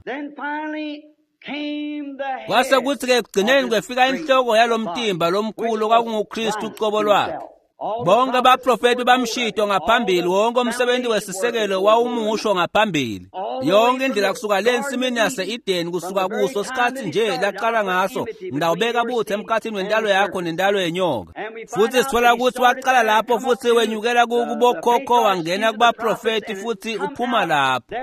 S1: Kwase kuthi-ke ekugcineni kwefika inhloko yalo mtimba lomkhulu kwakunguKristu uqobo lwakhe. Bonke abaprofethi bamshito ngaphambili, wonke umsebenzi wesisekelo wawumusho ngaphambili. Yonke indlela kusuka le nsimini yase-Edeni kusuka kuso sikhathi nje laqala ngaso, ngidawubeka butha emkhathini wentalo yakho nentalo yenyoka. Futhi sithola ukuthi waqala lapho futhi wenyukela kubokhokho wangena kubaprofethi futhi uphuma lapho.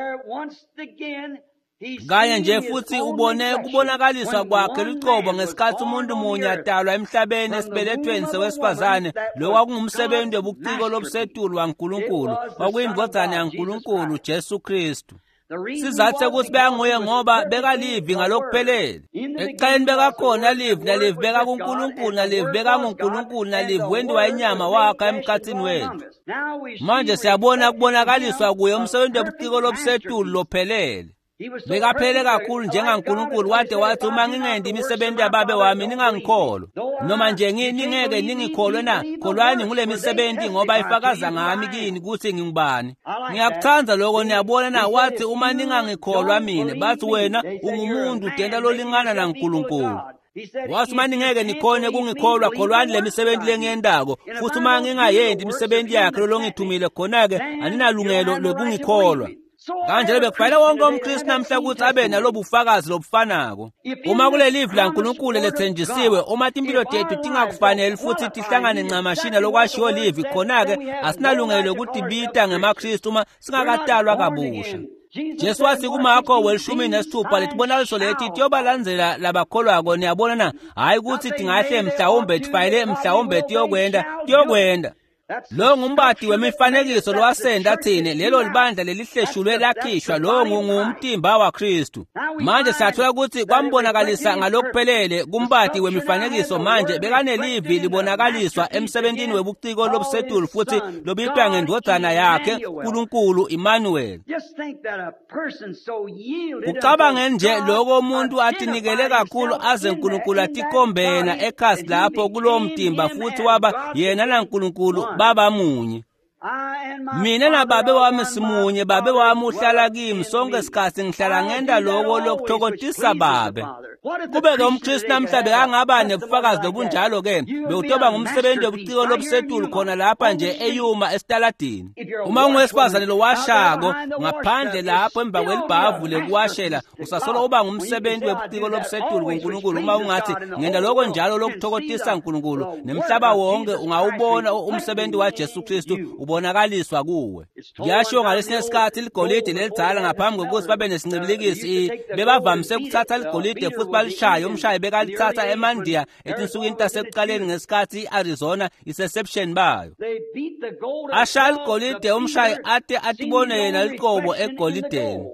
S1: Kanye nje futhi ubone kubonakaliswa kwakhe lucobo ngesikhathi umuntu munye adalwa emhlabeni esibelethweni sewesifazane. Lo kwakungumsebenzi wobuciko lobusetulu waNkulunkulu, kwakuyindvodzana yaNkulunkulu Jesu Kristu. Sizathu sekuthi bekanguye ngoba bekalivi ngalokuphelele. Ekuqaleni bekakhona livi, nalivi bekakuNkulunkulu, nalivi bekanguNkulunkulu, nalivi wenziwa inyama wakha emkhathini wethu. Manje siyabona kubonakaliswa kuye umsebenzi wobuciko lobusetulu lophelele. Bekaphele kakhulu njengaNkulunkulu wade wathi uma ngingendi imisebenzi yababe wami ningangikholwa. Noma nje ningeke ningikholwe na, kholwani ngule misebenzi ngoba ifakaza ngami kini ukuthi ngingubani. Ngiyakuthanda lokho, niyabona na, wathi uma ningangikholwa mina, bathi wena ungumuntu udenta lolingana naNkulunkulu. Wathi uma ningeke nikhone kungikholwa, kholwani le misebenzi lengiyendako, futhi uma ngingayendi imisebenzi yakhe lolongithumile, khona-ke aninalungelo lokungikholwa. Kanjalo bekufanele wonke umKristu namhla ukuthi abe nalobufakazi lobufanako. Uma kulelivi laNkulunkulu lethenjisiwe, uma timpilo tethu tingakufanele futhi tihlangane ncamashina lokwashiwo livi, khona-ke asinalungelo lokutibita ngemaKristu uma singakatalwa kabusha. Jesu wathi kuMarko welishumi nesithupha letibonakaliso leti tiyobalandzela labakholwako. Niyabona na, hhayi ukuthi tingahle mhlawumbe tifayele mhlawumbe tiyokwenda tiyokwenda. Lo ngumbati wemifanekiso lowasenda thina, lelo libandla lelihleshulwe lakhishwa, lo ngumtimba waKristu. Manje siyathola ukuthi kwambonakalisa ngalokuphelele kumbati wemifanekiso. Manje bekanelivi libonakaliswa emsebentini webuciko lobusetulu futhi lobitwa ngendvodzana yakhe uNkulunkulu Emmanuel. Kucabange nje lokho umuntu atinikele kakhulu aze uNkulunkulu atikhombena ekhasi lapho kulowo mtimba futhi waba yena naNkulunkulu baba munye. Mina nababe wami simunye, babe wami uhlala kimi sonke isikhathi, ngihlala ngenda lokho lokuthokozisa babe. Kube-ke umKristu namhla bekangaba nebufakazi lobunjalo-ke, bewutoba ngumsebenzi wobuciko lobusetulu khona lapha nje eYuma esitaladini. Uma ungowesifazane lowashako ngaphandle lapho emva kwelibhavu lekuwashela, usasolo uba ngumsebenzi webuciko lobusetulu kuNkulunkulu. Uma ungathi ngenda lokho njalo lokuthokozisa uNkulunkulu, nemhlaba wonke ungawubona umsebenzi waJesu Kristu ubonakaliswa kuwe. Kuyashiwo ngalesinye isikhathi ligolide lelidzala ngaphambi kokuthi babe nesincibilikisi, bebavamise ukuthatha ligolide futhi balishaye. Umshayi bekalithatha eMandiya etinsukwini tasekuqaleni ngesikhathi i-Arizona isesebusheni bayo. Ashaya ligolide umshayi ate atibone yena liqobo egolideni.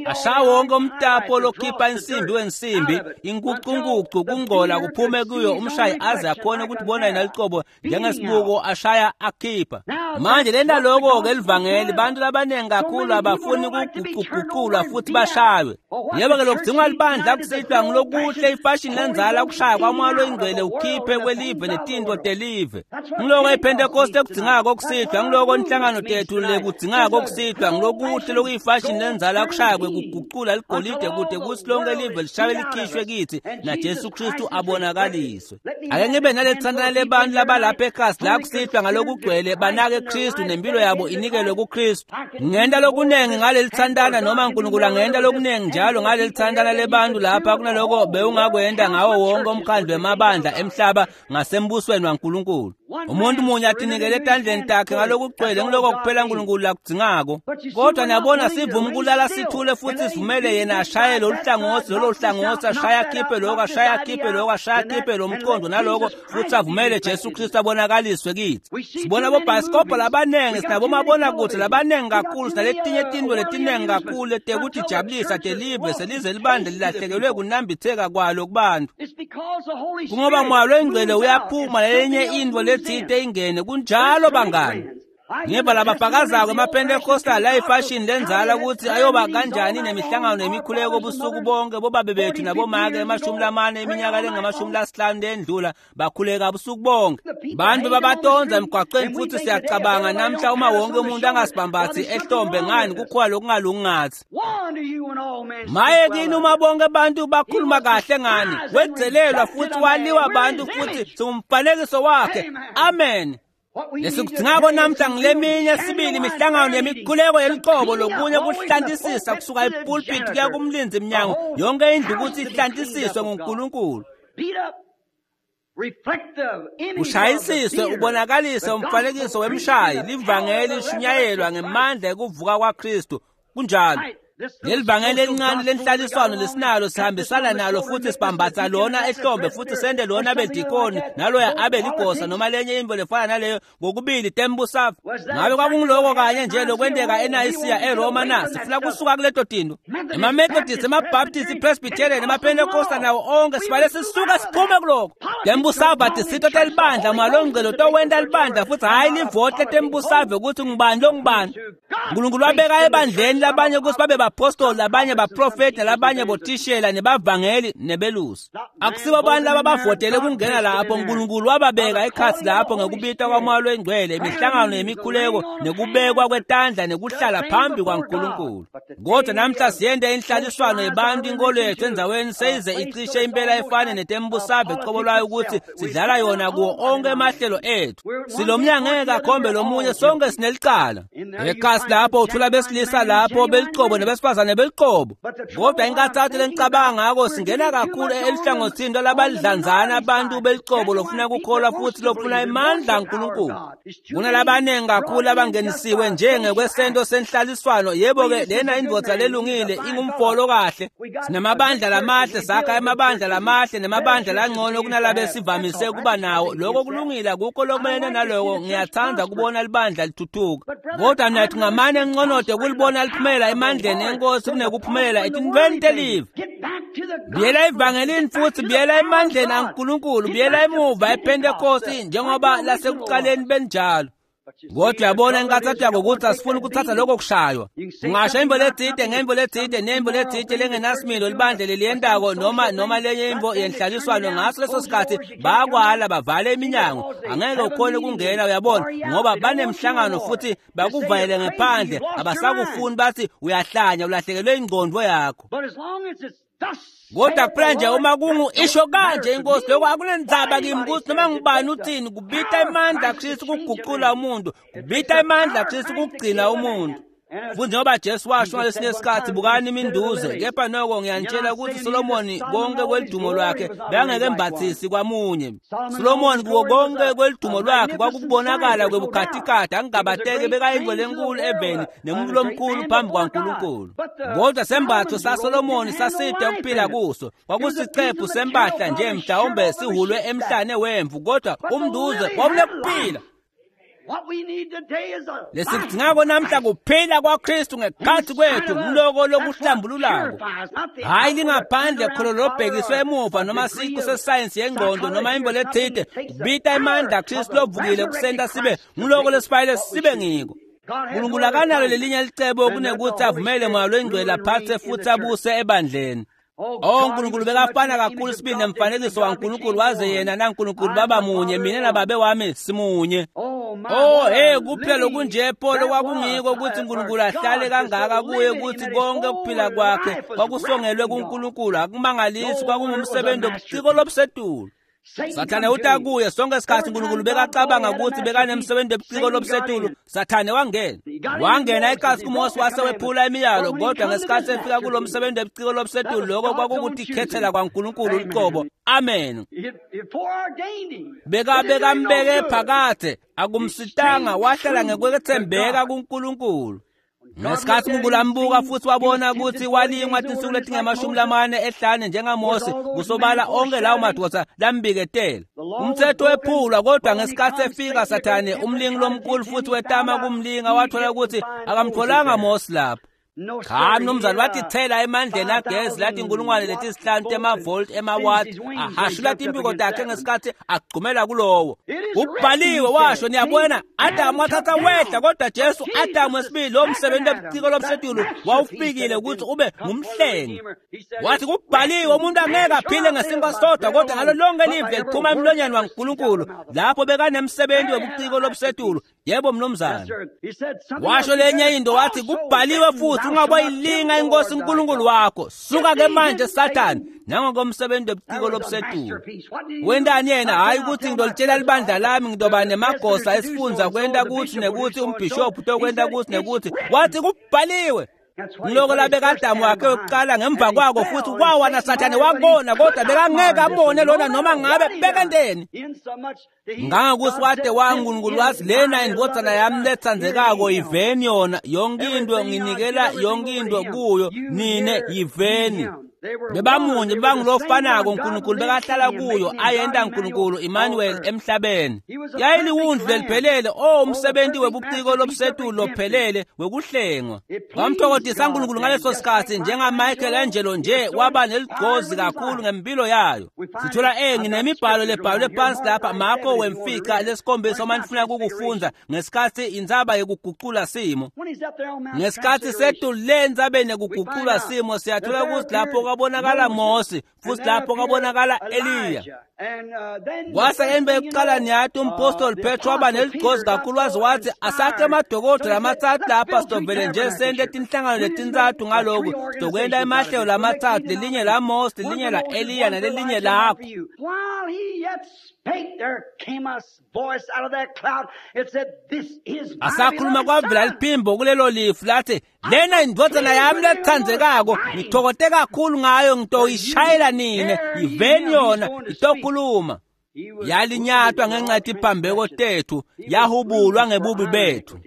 S1: Ashaya wonke umtapo lokhipha insimbi wensimbi, inkucunkucu kungcola kuphume kuyo, umshayi aze akhone ukuthi bona yena liqobo njengesibuko ashaya akhipha. Manje lena lokho-ke elivangeli, bantu labaningi kakhulu abafuni ukuguquguqulwa futhi bashaywe. Yebo-ke lokudingwa libandla kusihlwa ngilokuhle ifashini lenzala ukushaya kwamoya loyingcwele ukhiphe kwelive netinto telive. Ngiloko iPhentekoste ekudzingako kusihlwa, ngiloko inhlangano tethu lekudzingako kusihlwa, ngilokuhle lokuyifashini lenzala kushaya kwekuguqula ligolide kude kuthi lonke live lishaye likhishwe kithi naJesu Kristu abonakaliswe. Ake ngibe naletsandana lebantu labalapha ekhasi la kusihlwa ngalokugcwele banake Kristu nempilo yabo inikelwe kuKristu. Ngenta lokunengi ngaleli thandana noma uNkulunkulu angenta lokunengi njalo ngaleli thandana lebantu lapha kunaloko bewungakwenda ngawo wonke umkhandlu wemabandla emhlaba ngasembusweni waNkulunkulu. Umuntu munye atinikele etandleni takhe ngalokugcwele, ngiloko kuphela uNkulunkulu lakudzingako. Kodwa niyabona sivume ukulala sithule futhi sivumele yena ashaye lolu hlangothi lolo hlangothi, ashaye akhiphe lokho, ashaye akhiphe lokho, ashaye akhiphe lo mqondo naloko, futhi avumele Jesu Kristu abonakaliswe kithi. Sibona bobhasikobho labanengi, sinabomabonakude labanengi kakhulu, sinaletinye tinto letinengi kakhulu letekutijabulisa telive selize libandla lilahlekelwe kunambitheka kwalo kubantu. Kungoba moya loyingcwele uyaphuma lelinye into letsite ingene. Kunjalo bangani. Ngeva labafakazako emaPentecostal ayifashini lenzala ukuthi ayoba kanjani nemihlangano nemikhuleko busuku bonke. Bobabe bethu nabomake emashumi lamane iminyaka lengamashumi lasihlanu lendlula bakhuleka busuku bonke. Bantu babatonza emgwaqeni futhi siyacabanga namhla uma wonke umuntu angasibambathi ehlombe ngani kukhona lokungalungi ngathi. Maye kini uma bonke abantu bakhuluma kahle ngani, wedzelelwa futhi waliwa abantu futhi singumfanekiso wakhe. Amen. Lesikudingako namhla ngileminye sibili imihlangano yemikhuleko yeliqobo lokunye kuhlantisisa kusuka epulpit kuya kumlindzi mnyango yonke indlu ukuthi ihlantisiswe nguNkulunkulu. Ushayisiswe ubonakalise umfanekiso wemshayi livangeli lishunyayelwa ngemandla ekuvuka kwaKristu. Kunjalo. Lelivangeli elincane lenhlaliswano lesinalo sihambisana nalo futhi sibambatsa lona ehlombe futhi sende lona bedikoni naloya abe ligosa noma lenye into lefana naleyo ngokubili tembusave. Ngabe kwakungiloko kanye nje lokwenteka eNayisiya eRoma na? Sifuna kusuka kuleto tinto. EmaMethodist, emaBaptist, iPresbyterian, emaPentecostal nawo onke sibale sisuka siphume kuloko. Tembusave atisito telibandla malongcelo towenta libandla futhi hhayi livoti letembusave ukuthi ngubani longubani. Nkulunkulu wabeka ebandleni labanye ukuthi babe bapostoli, labanye baprofeti, nalabanye botishela nebavangeli nebelusi. Akusibo bantu laba bavotele kungena lapho. Nkulunkulu wababeka ekhatsi lapho ngekubita kwaMoya loNgcwele, imihlangano yemikhuleko nekubekwa kwetandla nekuhlala phambi kwaNkulunkulu. Kodwa namhla siyente inhlaliswano yebantu inkolo yethu endzaweni seyize icishe impela efane netembusave qobo lwayo ukuthi sidlala yona kuwo onke emahlelo ethu. Silomnyango ngeke akhombe lomunye, sonke sinelicala. Ekhasi lapho uthola besilisa lapho beliqobo nebesifazane beliqobo. Kodwa inkathatho lenicabanga ngako singena kakhulu elihlangothini lwabalidlanzana abantu beliqobo lofuna kukholwa futhi lofuna imandla kaNkulunkulu. Kunalabaningi kakhulu abangenisiwe njengekwesento senhlaliswano. Yebo-ke lena indvodza lelungile ingumfolo kahle. Sinamabandla lamahle, sakha emabandla lamahle nemabandla langcono kunalabe sivamise kuba nawo. Lokho kulungile, akukho lokumelene naloko. Ngiyathanda kubona libandla lithuthuka. Kodwa nathi ngamane nconode kulibona liphumela emandleni enkosi kunekuphumelela etintweni telive. Buyela evangelini futhi buyela emandleni aNkulunkulu, buyela emuva ePhentekosti njengoba lasekuqaleni benjalo. Kodwa uyabona inkathatho yako ukuthi asifuni ukuthatha lokho kushaywa. Ungasho imvo letsite ngemvo letsite nemvo letsite lengenasimilo libandla leliyentako noma noma lenye imvo yenhlaliswano ngaso leso sikhathi bayakwala bavale iminyango. Angeke ukhone ukungena, uyabona, ngoba banemhlangano futhi bakuvalele ngephandle, abasakufuni bathi uyahlanya ulahlekelwe ingqondo yakho. Kodwa kuphela nje uma kungu isho kanje inkosi, lokho akunendzaba kimi ukuthi noma ngubani uthini. Kubita emandla Kristu kuguqula umuntu, kubita emandla Kristu kugcina umuntu. Futhi njengoba Jesu washo ngalesinye isikhathi, bukani iminduze, kepha noko ngiyanitshela ukuthi Solomoni konke kwelidumo lwakhe bekangeke embathisi kwamunye. Solomoni kuwo konke kwelidumo lwakhe kwakubonakala kwebukhatikhathi, angingabateke bekayingcwele enkulu eveni nemuntu lomkhulu phambi kwaNkulunkulu. Kodwa sembatho saSolomoni saside ukuphila kuso, kwakusicephu sempahla nje mhlawumbe sihulwe emhlane wemvu, kodwa umnduze wawunekuphila. Lesikudingako namhla kuphila kwaKristu ngekhathi kwethu ngiloko lokuhlambululako. Hhayi lingaphandle kholo lobhekiswe emuva noma siqu sesayensi yengqondo noma imvo letsite. Kubita emandla Kristu lovukile kusenta sibe ngiloko lesifayele sibe ngiko. Nkulunkulu akanalo lelinye licebo kunekuthi avumele Moya loNgcwele aphathe futhi abuse ebandleni. Oh Nkulunkulu bekafana kakhulu sibili nemfanekiso waNkulunkulu waze yena naNkulunkulu baba munye, mina nababe wami simunye. Oh hey, kuphela lokunje Paul kwakungiko ukuthi uNkulunkulu ahlale kangaka kuye ukuthi konke ukuphila kwakhe kwakusongelwe kuNkulunkulu. Akumangalisi kwakungumsebenzi wobuciko lobusetulu. Sathane uta kuye sonke isikhathi uNkulunkulu bekacabanga ukuthi bekanemsebenzi wobuciko lobusetulu. Sathane wangena wangena ekasi kuMose wase wephula imiyalo, kodwa ngesikhathi efika kulo msebenzi wobuciko lobusetulu lokho kwakukutikhethela kwaNkulunkulu uqobo. Amen. Beka bekambeke phakathe, akumsitanga, wahlala ngekwethembeka kuNkulunkulu. Ngesikhathi uNkulunkulu ambuka futhi wabona ukuthi walingwa tinsuku letingemashumi lamane ehlane njengaMose, kusobala onke lawo madoda lambiketela. Umthetho wephulwa, kodwa ngesikhathi efika Sathane umlingi lomkhulu futhi wetama kumlinga, wathola ukuthi akamtholanga Mose lapho. Cha mnumzane, wathi thela emandleni agezi lathi inkulungwane letisihlanu temavolt emawatt, ahashula timpiko takhe ngesikhathi agcumela kulowo. Kubhaliwe washo, niyabona, Adamu wathatha wehla, kodwa Jesu Adamu wesibili lo msebenzi wobuciko lobusetulu wawufikile ukuthi ube ngumhlengi. Wathi kubhaliwe umuntu angeke aphile ngesinkwa sodwa kodwa ngalo lonke live liphuma emlonyeni waNkulunkulu. Lapho bekanemsebenzi wobuciko lobusetulu, Yebo mnumzane. Washo lenye into wathi kubhaliwe futhi ungaboyilinga inkosi uNkulunkulu wakho. Suka ke manje Sathane nangokomsebenzi webuciko lobusetulu. Wendani yena hayi ukuthi ngidolitshela libandla lami ngidoba nemagosa esifunza kwenta kuthi nekuthi umbishop utokwenta kuthi nekuthi wathi kubhaliwe. Ngiloko labeka Adamu wakhe yokuqala ngemva kwako futhi wawa naSathane wabona kodwa bekangeke abone lona noma ngabe bekenteni. Ngangokuthi wade waNkulunkulu wathi lena indvodzana yami letsandzekako yiveni yona yonke into nginikela yonke into kuyo nine yiveni. Bebamunye bebangulofanako uNkulunkulu bekahlala kuyo ayenta uNkulunkulu Emmanuel emhlabeni. Yayiliwundlu leliphelele o umsebenzi webuciko lobusetulu lophelele wekuhlengwa. Wamthokozisa uNkulunkulu ngaleso sikhathi njengaMichelangelo nje waba neligcozi kakhulu ngempilo yayo. Sithola eh nginemibhalo lebhalwe phansi lapha Marko wemfica lesikhombisa uma nifuna ukufunda ngesikhathi indzaba yekuguqula simo. Ngesikhathi sethu le ndzabeni yekuguqula simo siyathola ukuthi lapho kwabonakala Mose futhi lapho kwabonakala Eliya. Kwase emva ekuqala niyathi umpostoli Petro waba neligcozi kakhulu waze wathi asakhe amadokodela amathathu lapha sitovele nje sente tinhlangano letintsathu ngaloku sitokwenta emahlelo lamathathu lelinye la Mose lelinye la Eliya nalelinye lakho. Asakhuluma kwavela liphimbo kulelo lifu lathi lena indvodzana yami letsandzekako ngithokote kakhulu ngayo ngitoyishayela nine yiveni yona itokhuluma. Yalinyatwa ngenxa yetiphambeko tethu yahubulwa ngebubi bethu.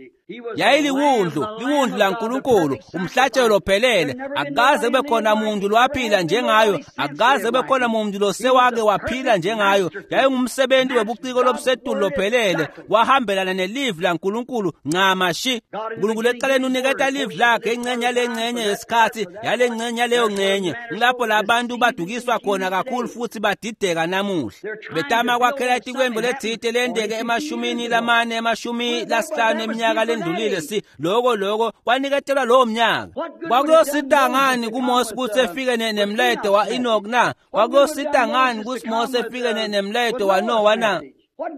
S1: Yayiliwundlu liwundlu laNkulunkulu umhlatshelo lophelele. Akukaze kube khona muntu lwaphila njengayo, akukaze kube khona muntu losewake waphila njengayo. Yayingumsebenzi webuciko lobusetulu lophelele, wahambelana nelivi laNkulunkulu ncamashi. uNkulunkulu ekuqaleni uniketa livi lakhe ingcenye yalengcenye yesikhathi yalengcenye yaleyo ngcenye. Ngilapho labantu badukiswa khona kakhulu futhi badideka namuhla. Betama kwakhela itikwembu lethite lendeke emashumini lamane emashumi lasihlanu eminyaka lendlulile si loko loko kwaniketelwa lowo mnyaka. Kwakuyosita ngani kuMose ukuthi efike nemlayeto wa-Enoch na? Kwakuyosita ngani ukuthi Mose efike nemlayeto waNowa na?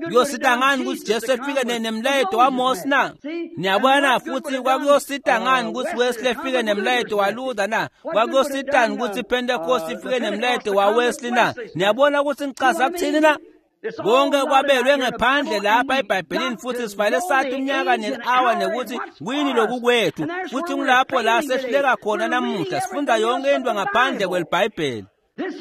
S1: Kuyosita ngani ukuthi Jesu efike nemlayeto waMose na? Niyabona futhi kwakuyosita ngani ukuthi Wesley efike nemlayeto waLuther na? Kwakuyositani ukuthi iPentecost ifike nemlayeto waWesley na? Niyabona ukuthi ngichaza kuthini na? Konke kwabelwe ngephandle lapha eBhayibhelini futhi sifanele sathi umnyaka ne-hour nekuthi kuyini loku kwethu futhi ngilapho la sehluleka khona namuhla sifunda yonke into ngaphandle kwelibhayibheli.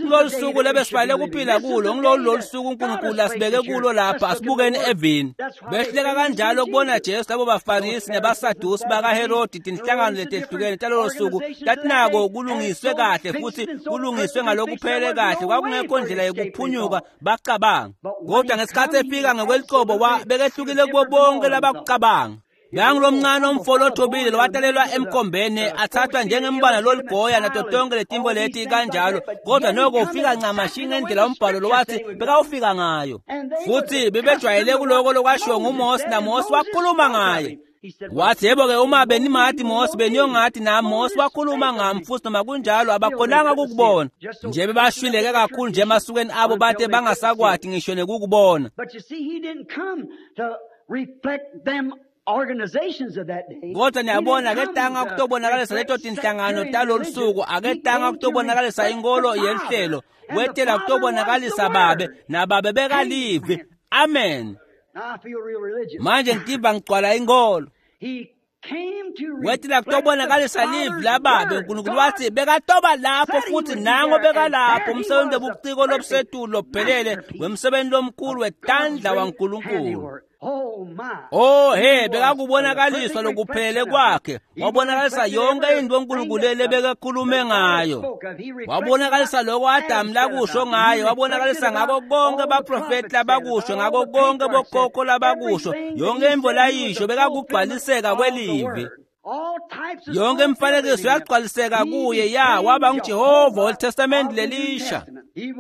S1: Kulolu suku lebesifanele kuphila kulo ngilolu lolu suku uNkulunkulu asibeke kulo lapha asibukeni evini. Behluleka kanjalo ukubona Jesu labo baFarisi nebaSadusi bakaHerodi tinhlangano letehlukene talolo suku tatinako kulungiswe kahle futhi kulungiswe ngalokuphele kahle kwakungekho ndlela yokuphunyuka bacabanga. Kodwa ngesikhathi efika ngokwelicebo bekehlukile kubo bonke labakucabanga. Bengilomncane umfolo othobile lowatalelwa emkhombeni athathwa njengembala loligoya nato tonke letimbo leti kanjalo kodwa noko ufika ncamashi ngendlela umbhalo lowathi bekawufika ngayo futhi bebejwayele kuloko lokwashiwo nguMose naMose wakhuluma ngaye. Wathi yebo-ke uma benimati Mose beniyongathi nami Mose wakhuluma ngami futhi noma kunjalo abakhonanga ukukubona nje bebashwileke kakhulu nje emasukweni abo bate bangasakwati ngisho nekukubona. Kodwa niyabona aketanga kutobonakalisa leto tinhlangano talolu suku, aketanga kutobonakalisa inkolo yelihlelo, wetela kutobonakalisa babe nababe bekalivi. Amen. Manje ngitiva ngigcwala inkolo. Wetela kutobonakalisa livi lababe. uNkulunkulu wathi bekatoba lapho futhi nango bekalapho umsebenzi webuciko lobusetulu lophelele wemsebenzi lomkhulu wetandla waNkulunkulu. Oh he bekakubonakaliswa lokuphelele kwakhe wabonakalisa yonke into uNkulunkulu lebekakhulume ngayo wabonakalisa lokho Adamu lakusho ngaye wabonakalisa ngako konke abaprofeti labakusho ngako konke bokhokho labakusho yonke into layisho bekakugcwaliseka kwelivi. Yonke imifanekiso yagcwaliseka kuye ya waba nguJehova weTestament lelisha.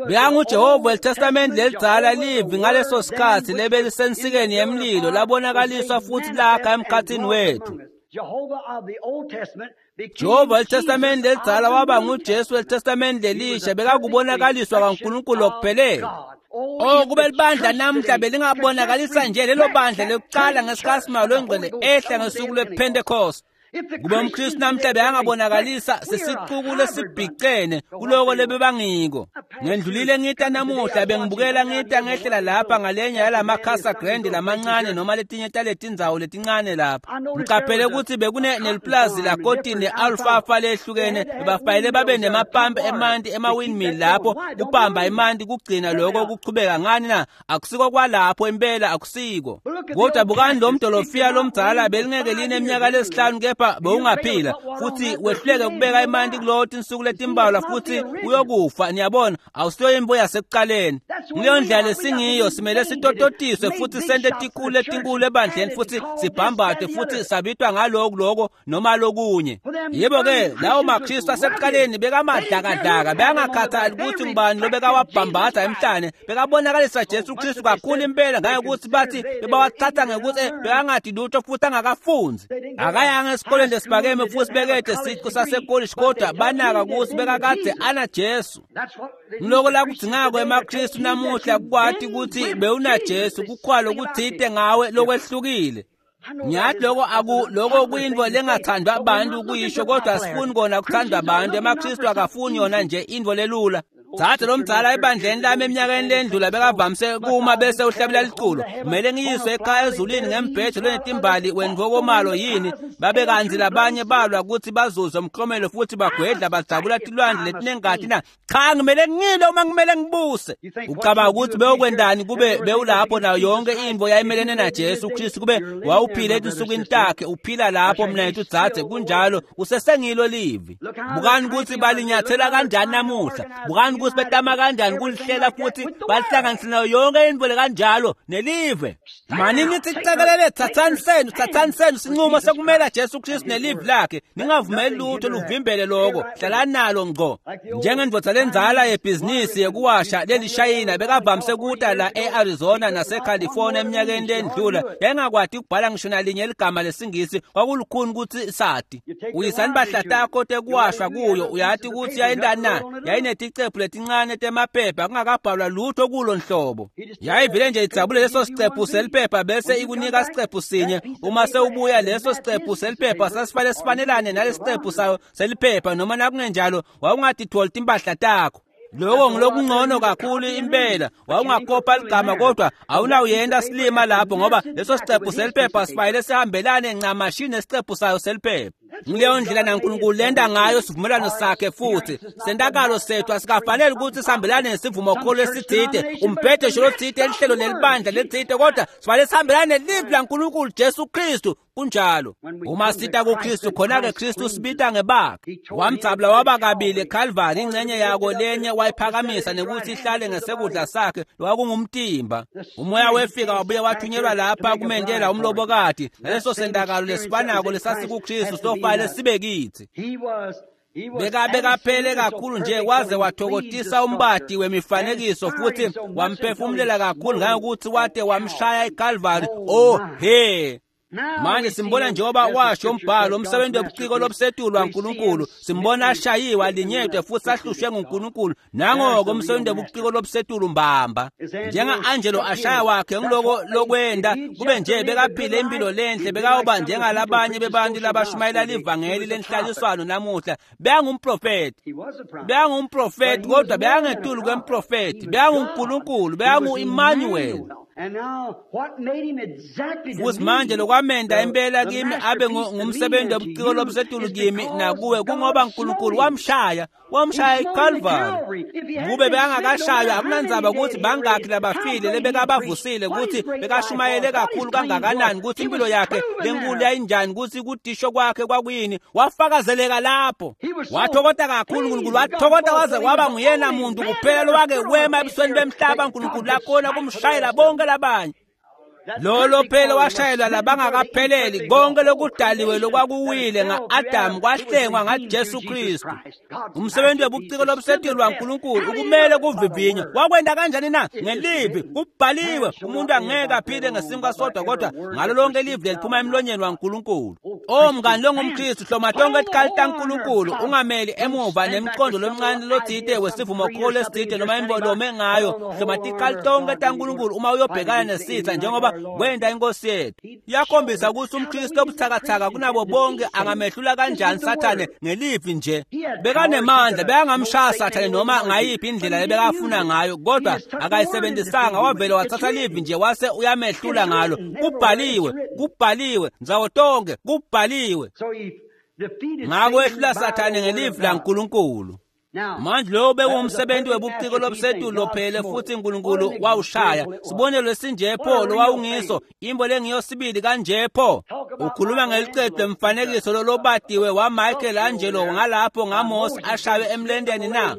S1: BekanguJehova weTestament lelidzala livi ngaleso sikhathi lebelisensikeni yemlilo labonakaliswa futhi lakha emkhathini wethu. Jehova weTestament lelidzala waba nguJesu weTestament lelisha bekakubonakaliswa kaNkulunkulu okuphelele. Oh, kube libandla namuhla belingabonakalisa nje lelo bandla lekucala ngesikhatsi Moya loNgcwele ehla ngesuku lwePentecost. Kube umKristu namhla beyangabonakalisa sesicuku lesibhicene kuloko lebebangiko. Ngendlulile ngita namuhla bengibukela ngita ngehlela lapha ngalenye yalamakhasa grande lamancane noma letinye taletindzawo letincane lapha. Ngicaphele ukuthi bekune neliplazi lakotini ne-alfalfa lehlukene bebafayele babe nemapampu emanti ema-windmill lapho kupamba emanti kugcina lokho kuchubeka ngani na akusiko kwalapho impela akusiko. Kodwa bukani lo mdolofiya lomdzala belingeke line eminyaka lesihlanu kepha bewungaphila futhi wehluleke ukubeka emanti kulowo tinsuku letimbalwa futhi uyokufa. Niyabona awusiyo imbo yasekuqaleni. Ngileyo ndlela lesingiyo simele sitototiswe futhi sente tikhulu letinkulu ebandleni futhi sibhambade futhi sabitwa ngaloku loko noma lokunye. Yebo-ke lawo maKristu asekuqaleni bekamadlakadlaka bekangakhathali ukuthi ngubani lobekawabhambatha emhlane bekabonakalisa Jesu Kristu kakhulu impela ngangekuthi bathi bebawathatha ngekuthi bekangadi lutho futhi angakafunzi. Akayanga esikoleni lesiphakeme futhi bekede siqu sasekolishi kodwa banaka ukuthi bekakade ana Jesu. Ngiloko lakudzingako emaKristu namuhla kwati ukuthi bewuna Jesu kukhwalo kuthite ngawe lokwehlukile. Ngiyathi loko aku loko kuyintfo lengathandwa abantu kuyisho kodwa asifuni kona kuthandwa abantu. EmaKristu akafuni yona nje intfo lelula. Dzadze lomdzala ebandleni lami eminyakeni lendlula bekavamise kuma bese uhlabela liculo. Kumele ngiyiswe ekhaya ezulwini ngembhejo lonetimbali wentfokomalo yini. Babe kantsi labanye balwa ukuthi bazuze umklomelo futhi bagwedla badzabula tilwandle letinengati na. Cha ngimele ngile uma ngimele ngibuse. Ucabanga ukuthi bewukwendani kube bewulapho nayo yonke intfo yayimelene na Jesu Kristu kube wawuphila etinsukwini takhe uphila lapho mnethu dzadze kunjalo usesengilo livi. Bukani ukuthi balinyathela kanjani namuhla. Bukani ukuthi betama kanjani kulihlela futhi balihlanganise nayo yonke intfo kanjalo nelive. Manini nithi cekelele thathani senu thathani senu sinqumo sekumela Jesu Kristu nelive lakhe. Ningavumeli lutho luvimbele lokho. Hlalani nalo ngqo. Njengendvodza lenzala yebhizinisi yekuwasha lelishayina bekavamise kuta la e-Arizona naseCalifornia eminyakeni lendlula yayingakwati ukubhala ngisho nalinye ligama lesingisi kwakulukhuni ukuthi sati. Uyisani bahla takho tekuwashwa kuyo uyati ukuthi yayintani na yayineticephu letincane temaphepha kungakabhalwa lutho kulo nhlobo. Yayivele nje idzabule leso sicephu seliphepha bese ikunika sicephu sinye. Uma sewubuya leso sicephu seliphepha sasifanele sifanelane nalesicephu sayo seliphepha noma nakungenjalo wawungatitholi timpahla takho. Lokho ngilokungcono kakhulu impela. Wawungakopa ligama kodwa awunawuyenda silima lapho ngoba leso sicephu seliphepha sifanele sihambelane ncamashi nesicephu sayo seliphepha. Ngileyo ndlela naNkulunkulu lenda ngayo sivumelwano sakhe futhi sentakalo sethu asikafanele ukuthi sihambelane nesivumokholo esithide umbhedesho lothide elihlelo lelibandla lethide kodwa sifanele sihambelane nelivi laNkulunkulu Jesu Kristu. Kunjalo uma sita kuKristu khona-ke Kristu sibita ngebakhe. Wamdzabula waba kabili eKalvari ingcenye yako lenye wayiphakamisa nekuthi ihlale ngesekudla sakhe lwakungumtimba. Umoya wefika wabuye wathunyelwa lapha kumendela umlobokati naleso sentakalo lesifanako lesasikuKristu sofanele sibe kithi. Bekabekaphele kakhulu nje waze wathokotisa umbati wemifanekiso futhi wamphefumulela kakhulu ngangokuthi wate wamshaya eKalvari. Oh he. Manje simbona njengoba washo umbhalo umsebenzi wobuciko lobusetulu waNkulunkulu. Simbona ashayiwe alinyedwe futhi ahlushwe nguNkulunkulu. Nangoko umsebenzi wobuciko lobusetulu mbamba. Njenga-Angelo ashaya wakhe ngiloko lokwenda kube nje bekaphile impilo lenhle bekawuba njengalabanye bebantu labashumayela livangeli lenhlaliswano namuhla. Bekangumprofeti. Bekangumprofeti kodwa bekangetulu kwemprofeti. BekanguNkulunkulu, bekangu-Emmanuel. Futhi manje lokwamenda impela kimi abe ngumsebenzi wobuciko lobusetulu kimi nakuwe kungoba uNkulunkulu wamshaya wamshaya eKalvari. Kube bekangakashaywa akunandzaba ukuthi bangakhi labafile lebekabavusile ukuthi bekashumayele kakhulu kangakanani ukuthi impilo yakhe lenkulu yayinjani ukuthi kudisho kwakhe kwakuyini. Wafakazeleka lapho. Wathokota kakhulu uNkulunkulu wathokota waze waba nguyena muntu kuphela lowake wema ebusweni bemhlaba uNkulunkulu lakhona kumshayela bonke labanye. Lolo phela washayelwa labangakapheleli konke lokudaliwe lokwakuwile nga-Adamu kwahlengwa ngaJesu Kristu. Umsebenzi webuciko lobusetulu waNkulunkulu ukumele kuvivinywa. Wakwenda kanjani na? Ngelivi kubhaliwe, umuntu angeke aphile ngesinkwa sodwa kodwa ngalo lonke livi leliphuma emlonyeni waNkulunkulu. O mngani longumKristu, hloma tonke tikhali taNkulunkulu, ungameli emuva nemqondo lomncane lotsite wesivumokholo esitsite noma imbolome ngayo. Hloma tikhali tonke taNkulunkulu uma uyobhekana nesitha njengoba kwenda inkosi yethu. Iyakhombisa ukuthi umKristu obuthakathaka kunabo bonke angamehlula kanjani Sathane ngelivi nje. Bekanemandla, bekangamshaya Sathane noma ngayiphi indlela lebekafuna ngayo, kodwa akayisebenzisanga, wavele wathatha livi nje wase uyamehlula ngalo. Kubhaliwe, kubhaliwe, ndzawo tonke kubhaliwe. Ngako wehlula Sathane ngelivi laNkulunkulu. Manje lowo bekuwumsebenzi webuciko lobusetulu lophele futhi uNkulunkulu wawushaya. Sibonelo esinje pho lowawungiso, imbo lengiyo sibili kanje pho. Ukhuluma ngeliqedu lemfanekiso lolobatiwe waMichelangelo ngalapho ngaMose ashaywe emlendeni na?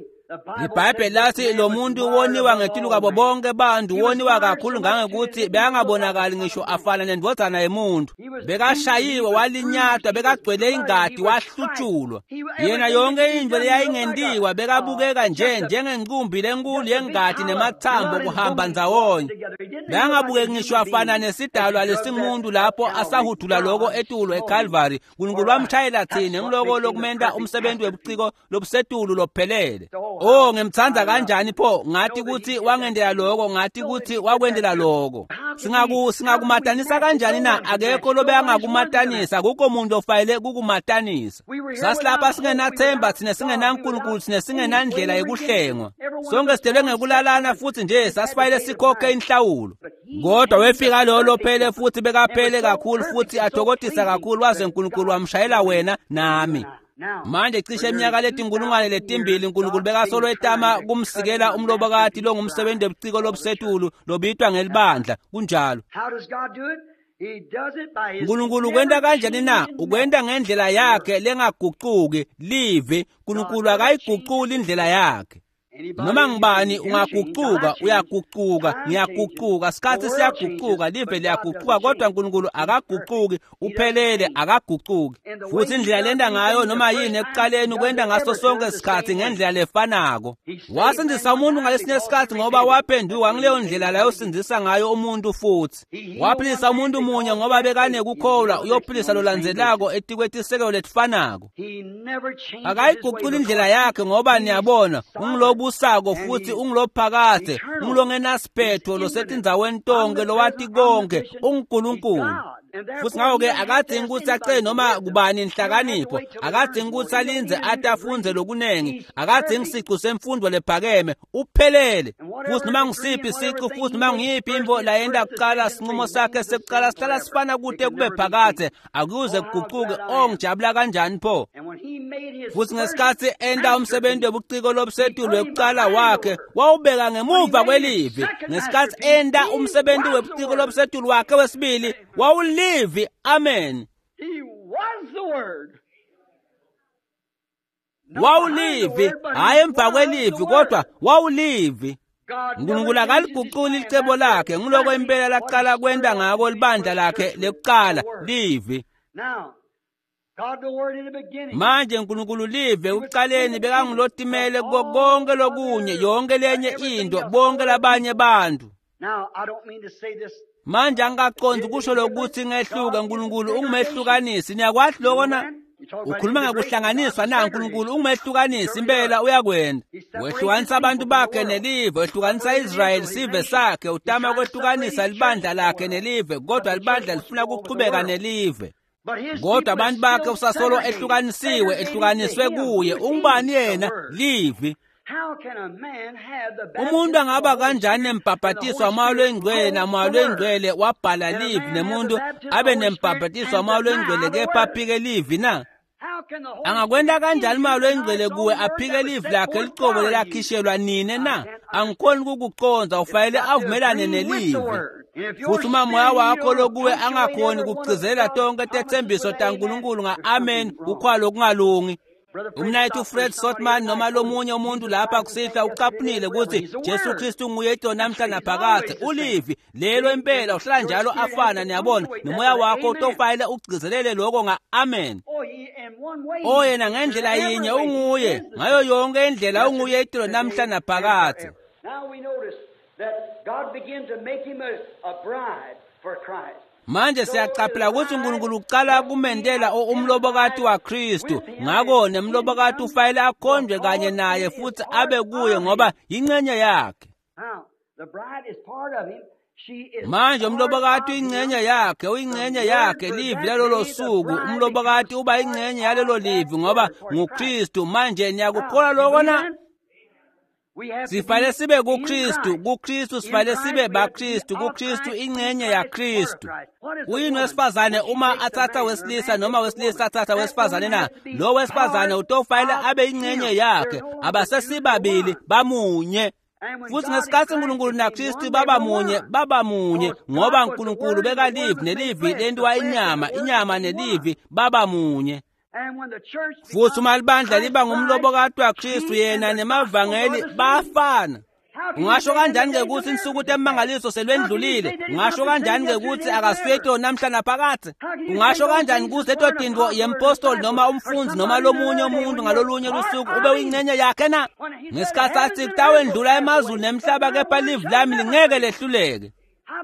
S1: IBhayibheli lathi lo muntu woniwa ngetulu kwabo bonke bantu, woniwa kakhulu ngangokuthi bekangabonakali ngisho afana nendvodzana yemuntu. Bekashayiwe, walinyatwa, bekagcwele ingadi, wahlutshulwa. Yena yonke into leyayingentiwa bekabukeka nje njengenqumbi lenkulu yengadi nemathambo kuhamba ndzawonye. Bekangabukeki ngisho afana nesidalwa lesingumuntu lapho asahudula loko etulo eCalvary. Nkulunkulu wamshayela thina ngiloko lokumenta umsebenzi webuciko lobusetulu lophelele. Oh, ngimthanda kanjani pho, ngathi kuthi wangendela lokho, ngathi kuthi wakwendela lokho. Singaku singakumatanisa kanjani na? Akekho lobe angakumatanisa, akukho muntu ofayele kukumatanisa. Sasilapha singenathemba thina, singenaNkulunkulu thina, singenandlela yokuhlengwa. Sonke sidelwe ngekulalana futhi nje sasifayele sikhokhe inhlawulo. Kodwa wefika lo lophele futhi bekaphele kakhulu futhi athokodisa kakhulu waze uNkulunkulu wamshayela wena nami. Manje cishe iminyaka letinkulungwane letimbili uNkulunkulu bekasolo etama kumsikela umlobokati longumsebenzi webuciko lobusetulu lobitwa ngelibandla. Kunjalo. uNkulunkulu kwenta kanjani na? Ukwenta ngendlela yakhe lengagucuki, livi. uNkulunkulu akayiguculi indlela yakhe. Noma ngibani ungagucuka, uyagucuka, ngiyagucuka, sikhathi siyagucuka, live liyagucuka, kodwa uNkulunkulu akagucuki, uphelele, akagucuki. Futhi indlela lenda ngayo noma yini ekuqaleni ukwenda ngaso sonke isikhathi ngendlela lefanako. Wasindisa umuntu ngalesinye isikhathi ngoba waphenduka ngileyo ndlela layosindzisa ngayo umuntu futhi. Waphilisa umuntu munye ngoba bekanekukholwa, uyophilisa lolandzelako etikwetisekelo letifanako. Akayiguculi indlela yakhe ngoba niyabona ungilobu sako futhi ungilophakade, ungilongenasiphetho losetindzaweni tonke, lowati konke, unguNkulunkulu. Futhi ngakho-ke akadingi ukuthi acele noma kubani inhlakanipho, akadingi ukuthi alindze ate afundze lokunengi, akadingi sicu semfundo lephakeme, uphelele. Futhi noma ngisiphi sicu futhi noma ngiyiphi intfo layenta kucala, sinqumo sakhe sekucala sihlala sifana kute kube phakade, akuze kugucuke. Oh, ngijabula kanjani pho. Futhi ngesikhathi enta umsebenzi webuciko lobusetulu wekucala wakhe, wawubeka ngemuva kwelivi. Ngesikhathi enta umsebenzi webuciko lobusetulu wakhe wesibili, wawulivi. Amen.
S2: He was the Word.
S1: Wawulivi, hhayi emva kwelivi, kodwa wawulivi. uNkulunkulu akaliguculi licebo lakhe, ngiloko impela laqala kwenta ngako libandla lakhe lekucala, livi.
S2: Now, God the Word in the beginning.
S1: Manje uNkulunkulu live ekuqaleni bekangulotimele kuko konke lokunye, yonke lenye into, bonke labanye bantu.
S2: Now, I don't mean to say this.
S1: Manje angikaqondi kusho lokuthi ngehluke, uNkulunkulu ungumehlukanisi. Niyakwazi lokho na? Ukhuluma ngekuhlanganiswa na? uNkulunkulu ungumehlukanisi, impela uyakwenda. Wehlukanisa abantu bakhe nelive, wehlukanisa Israyeli sive sakhe, utama kwehlukanisa libandla lakhe nelive, kodwa libandla lifuna ukuchubeka nelive.
S2: But his
S1: Kodwa
S2: people
S1: abantu
S2: is
S1: bakhe
S2: still
S1: usasolo
S2: segregated,
S1: ehlukanisiwe,
S2: segregated
S1: ehlukaniswe
S2: to him
S1: kuye.
S2: who is
S1: Ungubani
S2: the
S1: yena?
S2: Word.
S1: Livi.
S2: How can a man have the baptism
S1: Umuntu
S2: of
S1: angaba
S2: the Holy
S1: kanjani
S2: Spirit and the
S1: nembhabhatiso
S2: Holy
S1: wamoya
S2: Spirit
S1: lwengcwele
S2: hold
S1: namoya
S2: the Word?
S1: lwengcwele wabhala
S2: And a
S1: livi
S2: man have the
S1: nemuntu
S2: baptism of
S1: abe
S2: the Holy Spirit
S1: nembhabhatiso
S2: and
S1: wamoya
S2: deny
S1: lwengcwele
S2: the
S1: kepha
S2: Word?
S1: aphike livi na?
S2: How can the Holy
S1: Angakwenta
S2: Spirit
S1: kanjani
S2: in
S1: umoya
S2: you deny
S1: lwengcwele
S2: his
S1: kuwe
S2: own word
S1: aphike
S2: that was
S1: livi
S2: set
S1: lakhe
S2: forth
S1: licobo
S2: for you?
S1: lelakhishelwa nine
S2: I
S1: na?
S2: can't understand.
S1: Angikhoni kukucondza,
S2: It's
S1: ufanele
S2: got to
S1: avumelane
S2: agree with the
S1: nelivi.
S2: Word. And if your
S1: Futhi uma
S2: spirit
S1: moya
S2: in you
S1: wakho
S2: don't
S1: lokuwe
S2: punctuate
S1: angakhoni
S2: every one of
S1: kugcizelela
S2: God's
S1: tonke
S2: promises
S1: tetsembiso
S2: with amen,
S1: taNkulunkulu
S2: there's
S1: nga-amen,
S2: something wrong.
S1: kukhwalo okungalungi. Umnayethu Fred Sotman noma lomunye umuntu lapha kusihlwa ucaphunile ukuthi Jesu Kristu nguye itolo namhla naphakadze. Ulivi lelo impela uhlala njalo afana, niyabona, nomoya wakho utofayile ugcizelele lokho nga-amen. O yena ngendlela yinye unguye, ngayo yonke indlela unguye itolo namhla naphakadze. Manje siyaqaphela ukuthi uNkulunkulu uqala kumendela umlobokati waKristu, ngako nemlobokati ufanele akhonjwe kanye naye futhi abe kuye ngoba yingxenye yakhe. Manje umlobokati uyingxenye yakhe, uyingxenye yakhe, livi lalolo suku. Umlobokati uba ingxenye yalelo livi ngoba nguKristu. Manje niyakukholwa lokho na? Sifanele sibe kuKristu, kuKristu sifanele sibe baKristu, kuKristu ingxenye yaKristu. Uyini wesifazane uma athatha wesilisa noma wesilisa athatha wesifazane na? Lo wesifazane utofanele abe ingxenye yakhe, abasesibabili bamunye. Futhi ngesikhathi uNkulunkulu naKristu baba munye, baba munye ngoba uNkulunkulu bekalivi nelivi lentiwa inyama, inyama nelivi baba munye. Futhi uma libandla liba ngumlobokati waKristu, yena nemavangeli bafana. Ungasho kanjani-ke ukuthi insuku temangaliso selwendlulile? Ungasho kanjani-ke ukuthi akasuye namhla naphakadze? Ungasho kanjani ukuthi leto tinto yempostoli noma umfundzi noma lomunye umuntu ngalolunye lusuku ube uyingxenye yakhe na? Ngesikhathi athi kutawendlula emazulu nemhlaba kepha livi lami lingeke lehluleke.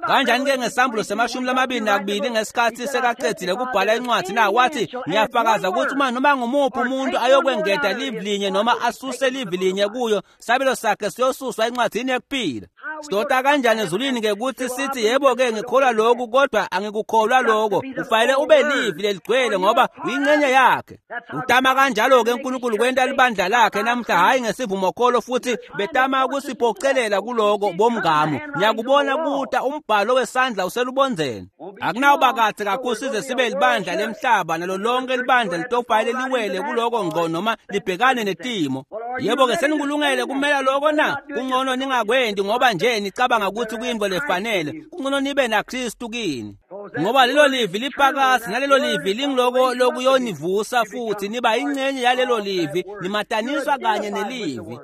S1: Kanjani-ke ngesambulo semashumi lamabili nakubili ngesikhathi sekaqedile kubhala incwadi na? Wathi ngiyafakaza ukuthi uma noma ngumuphi umuntu ayokwengeta livi linye noma asuse livi linye kuyo, sabelo sakhe siyosuswa encwadini yekuphila. Sidota kanjani ezulwini-ke ukuthi sithi yebo-ke ngikholwa lokhu kodwa angikukholwa lokho? Ufanele ube livi leligcwele ngoba uyingxenye yakhe. Utama kanjalo-ke uNkulunkulu kwenta libandla lakhe namhla, hhayi ngesivumokholo, futhi betama ukusiphocelela kuloko bomngamo. Ngiyakubona kuta umbhalo wesandla uselubondzeni. Akunawuba kahle kakhulu size sibe libandla lemhlaba nalo lonke libandla litofayele liwele kuloko ngqo noma libhekane netimo. Yebo-ke senikulungele kumela lokho na? Kungcono ningakwendi ngoba nje nicabanga ukuthi kuyinto lefanele. Kungcono nibe naKristu kini, ngoba lelo livi liphakasi nalelo livi lingiloko lokuyonivusa futhi niba ingxenye yalelo livi, nimataniswa kanye nelivi.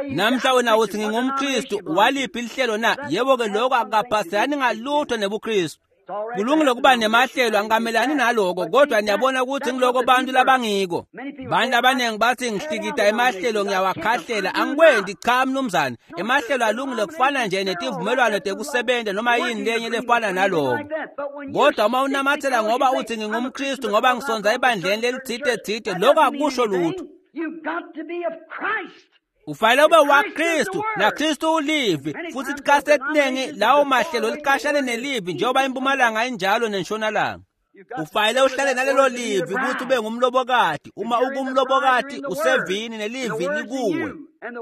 S1: Namhla wena uthi ngingumKristu, waliphi lihlelo na? Yebo-ke lokho akukaphaselani ngalutho nebuKristu. Kulungile kuba nemahlelo, angikamelani naloko, kodwa niyabona ukuthi ngiloko bantu labangiko. Bantu abaningi bathi ngihlikita emahlelo ngiyawakhahlela. Angikwendi, cha mnumzane. Emahlelo alungile kufana nje netivumelwano tekusebenza noma yini lenye lefana naloko. Kodwa uma unamathela ngoba uthi ngingumKristu ngoba ngisonza ebandleni lelithite thite, lokho akusho lutho. Ufanele ube waKristu naKristu ulivi. Futhi isikhathi esiningi lawo mahlelo liqashane nelivi njengoba impumalanga injalo nentshonalanga. Ufanele uhlale nalelo livi ukuthi ube ngumlobokati. Uma ukumlobokati usevini nelivi likuwe.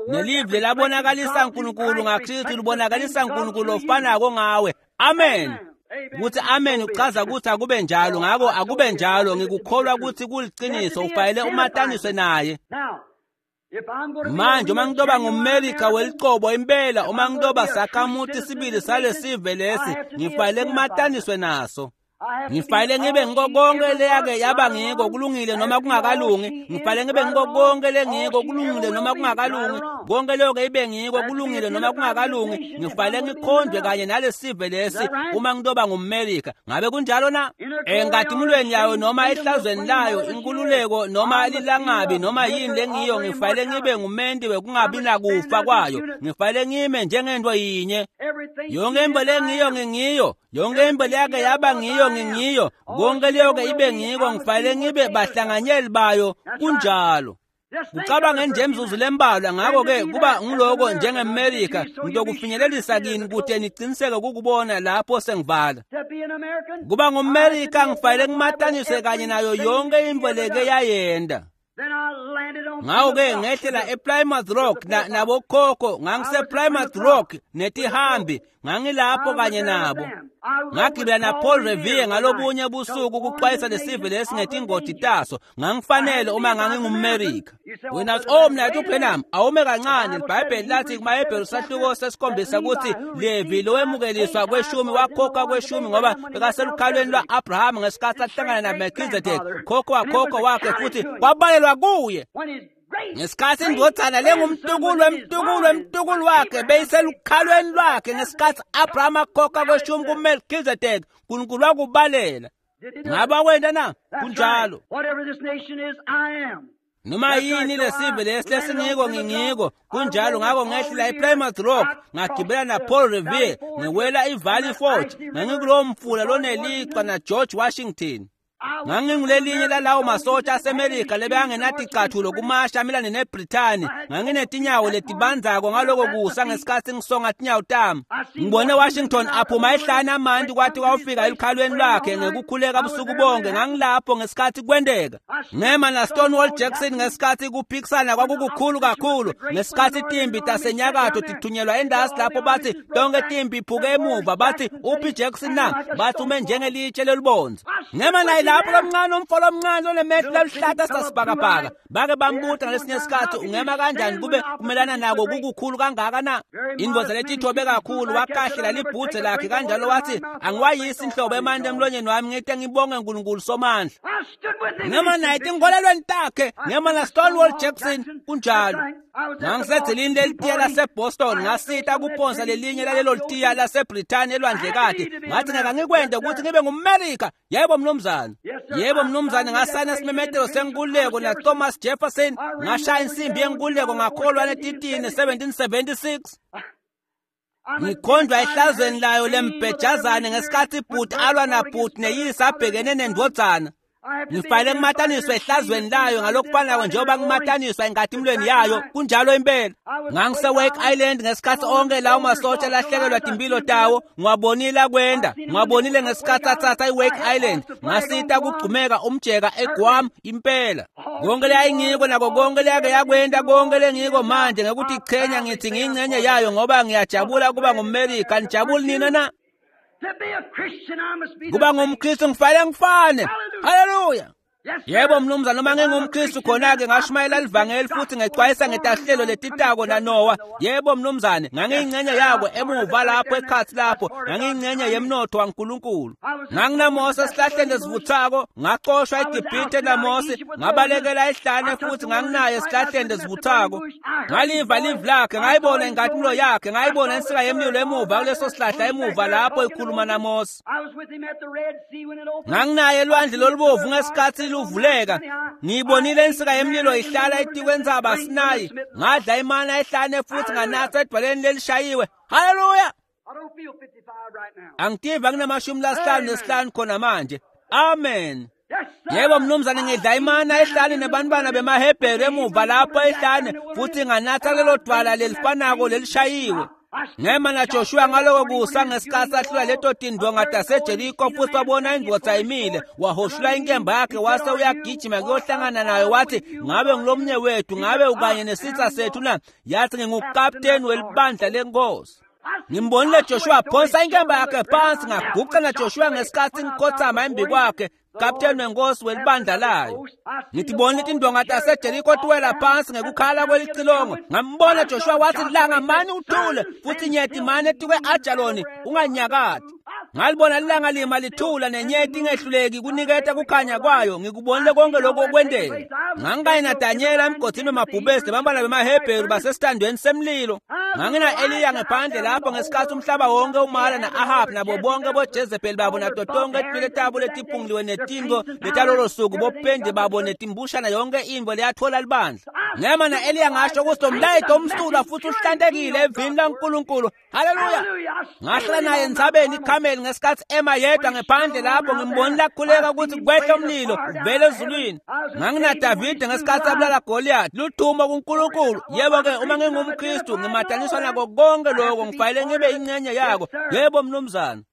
S1: Nelivi lelabonakalisa uNkulunkulu ngaKristu libonakalisa uNkulunkulu ofanako ngawe. Amen. Kuthi amen uchaza ukuthi akube njalo, ngako akube njalo. Ngikukholwa ukuthi kuliqiniso. Ufanele umataniswe naye. Manje uma ngitoba ngumMelika welicobo impela, uma ngitoba sakhamuti sibili salesive lesi, ngifanele kumataniswe naso. Ngifanele ngibe ngiko konke leyake yaba ngiko, kulungile noma kungakalungi. Ngifanele ngibe ngiko konke lengiko, kulungile noma kungakalungi. Konke leyo-ke ibe ngiko, kulungile noma kungakalungi. Ngifanele ngikhonjwe kanye nalesive lesi uma ngitoba ngumMelika. Ngabe kunjalo na? Enkatimulweni yayo noma ehlazweni layo, inkululeko noma lilangabi noma yini lengiyo, ngifanele ngibe ngumenti wekungabi nakufa kwayo. Ngifanele ngime njengento yinye. Yonke into lengiyo ngingiyo, yonke into leyake yaba ngiyo ngingiyo, konke leyo-ke ibe ngiko. Ngifanele ngibe bahlanganyeli bayo. Kunjalo. Kucabange nje imizuzu lembalwa. Ngakho-ke kuba ngiloko njengeMelika, ngitokufinyelelisa kini kude niciniseke kukubona lapho sengivala. Kuba ngumMelika ngifanele ngimataniswe kanye nayo yonke into leke yayenda. Ngako-ke ngehlela ePlymouth Rock nabokhokho, ngangise-Plymouth Rock netihambi, ngangilapho kanye nabo. Ngagibela na-Paul Revere ngalobunye busuku kuxwayisa lesive lesi ngetingoti taso. Ngangifanele uma ngangingumMerika. Wena uthi, oh mnaketfu Branham, awume kancane. IBhayibheli lathi kumaHebheru sahluko sesikhombisa ukuthi Levi lowemukeliswa kweshumi wakhokha kweshumi ngoba bekaselukhalweni lwa-Abraham ngesikhathi ahlangana naMelchizedek, khokho wakhokho wakhe, futhi kwabalelwa kuye. Ngesikhathi indvodzana lengumtukulu wemtukulu wemtukulu wakhe beyiselukhalweni lwakhe ngesikhathi Abraham akhokha kweshumi kuMelchizedek, Nkulunkulu wakubalela. Ngaba wenta na? Kunjalo. Noma yini lesive lesi lesingiko ngingiko kunjalo. Ngako ngehlela ePlymouth Rock, ngagibela na Paul Revere, ngewela iValley Forge, ngangikulowo mfula lonelichwa na George Washington. Ngangingulelinye lalawo masotsha aseMelika lebekangenaticathulo kumasha amelane neBrithani. Nganginetinyawo letibandzako ngaloko kusa ngesikhathi ngisonga tinyawo tami. Ngibone Washington aphuma ehlane amanti kwathi kwawufika elukhalweni lwakhe ngekukhuleka busuku bonke. Ngangilapho ngesikhathi kwenteka. Ngema na Stonewall Jackson ngesikhathi kuphikisana kwakukukhulu kakhulu, ngesikhathi timbi tasenyakatho tithunyelwa endasi lapho bathi tonke timbi iphuke emuva, bathi uphi Jackson na? Bathi ume njengelitshe lelibonzi. Ngema naye lapho lomncane umfo lomncane onemehlo laluhlata sasibhakabhaka. Bake bambuta ngalesinye isikhathi, ungema kanjani kube kumelana nako kukukhulu kangaka na? Indvodza letithobe kakhulu wakahlela libhudze lakhe kanjalo, wathi angiwayisi inhlobo emanti emlonyeni wami ngite ngibonge uNkulunkulu somandla. Ngema naye tinkholelweni takhe, ngema na Stonewall Jackson kunjalo. Ngangisedzelini lelitiya laseBoston, ngasita kuphonsa lelinye lalelo litiya laseBrithani elwandlekati. Ngathi ngeke ngikwente ukuthi ngibe ngumMerika. Yebo mnumzane. Yebo mnumzane, ngasayina isimemetelo senkululeko na Thomas Jefferson, ngashaya insimbi yenkululeko ngakholwa letitini seventeen seventy-six. Ngikhonjwa ehlazweni layo lembhejazane ngesikhathi ibhuti alwa nabhuti neyise abhekene nendvodzana. Ngifanele ngimataniswe ehlazweni layo ngalokufanako njengoba ngimataniswa enkatimulweni yayo. Kunjalo impela. Ngangise-Wake Island ngesikhathi onke lawo masotsha alahlekelwa timpilo tawo. Ngiwabonile akwenda, ngiwabonile ngesikhathi athatha i-Wake Island. Ngasita kugcumeka umjeka eGuam impela. Konke leyayingiko nako konke leyake yakwenda, konke lengiko manje ngekuthi ichenya ngithi ngiyingcenye yayo ngoba ngiyajabula kuba ngumMerika. Nijabuli nina na? Kuba ngumKristu ngifanele ngifane. Haleluya. Yebo mnumzane, noma ngingumKristu khona-ke ngashumayela livangeli futhi ngexwayisa ngetahlelo letitako naNowa. Yebo mnumzane, ngangiyingcenye yako emuva lapho ekhathi lapho, ngangiyingcenye yemnotho waNkulunkulu. NganginaMose esihlahleni esivuthako, ngaxoshwa eGibhithe naMose, ngabalekela ehlane futhi nganginaye esihlahleni esivuthako. Ngaliva livi lakhe, ngayibona inkatimlo yakhe, ngayibona insika yemlilo emuva kuleso sihlahla emuva lapho ikhuluma naMose. Nganginaye elwandle lolubovu ngesikhathi luvuleka. Ngiyibonile insika yemlilo ihlala etikwentsaba Sinayi. Ngadla imana ehlane futhi nganatha edwaleni lelishayiwe. Haleluya. Angitiva nginamashumi lasihlanu nesihlanu khona manje. Amen. Yebo mnumzane, ngidla imana ehlane nebantwana bemaHebheru emuva lapho ehlane futhi nganatha lelo dwala lelifanako lelishayiwe. Ngema na Joshua ngaloko kusa ngesikhathi ahlula leto tindvonga taseJeriko futhi wabona indvodza imile, wahoshula inkemba yakhe wase uyagijima kuyohlangana nayo, wathi ngabe ngilomnye wethu, ngabe ukanye nesitha sethu na? Yathi ngingukapteni welibandla lenkosi. Ngimbonile Joshua phonsa inkemba yakhe phansi, ngaguqa na Joshua ngesikhathi ngikhothama embi kwakhe, kapteni wenkosi welibandla layo. Ngitibonile tindvonga taseJeriko tiwela phansi ngekukhala kwelicilongo. Ngambona Joshua wathi langa mani uthule futhi nyeti mane etikwe Ajaloni unganyakati. Ngalibona lilanga lima lithula nenyeti ingehluleki kuniketa kukhanya kwayo. Ngikubonile konke lokho okwenteka. Ngangikanye naDanyela emgodini wemabhubesi nebantwana bemaHebheru basesitandweni semlilo. Ngangina-Eliya ngephandle lapho ngesikhathi umhlaba wonke umala na-Ahab nabo bonke boJezebheli babo nato tonke tinwele tabo letiphunguliwe netinto letalolo suku bopendi babo netimbushana yonke intfo leyathola libandla. Ngema na-Eliya ngasho ukuthi lo mlayeto umsulwa futhi uhlantekile evini laNkulunkulu. Haleluya. Ngahlala naye entsabeni iKhameli ngesikhathi ema yedwa ngephandle lapho. Ngimbonile akhuleka ukuthi kwehle umlilo uvele ezulwini. NganginaDavide ngesikhathi abulala Goliath. Ludumo kuNkulunkulu. Yebo-ke uma ngingumKristu ngimataniswa nako konke lokho, ngifanele ngibe ingcenye yako. Yebo mnumzane.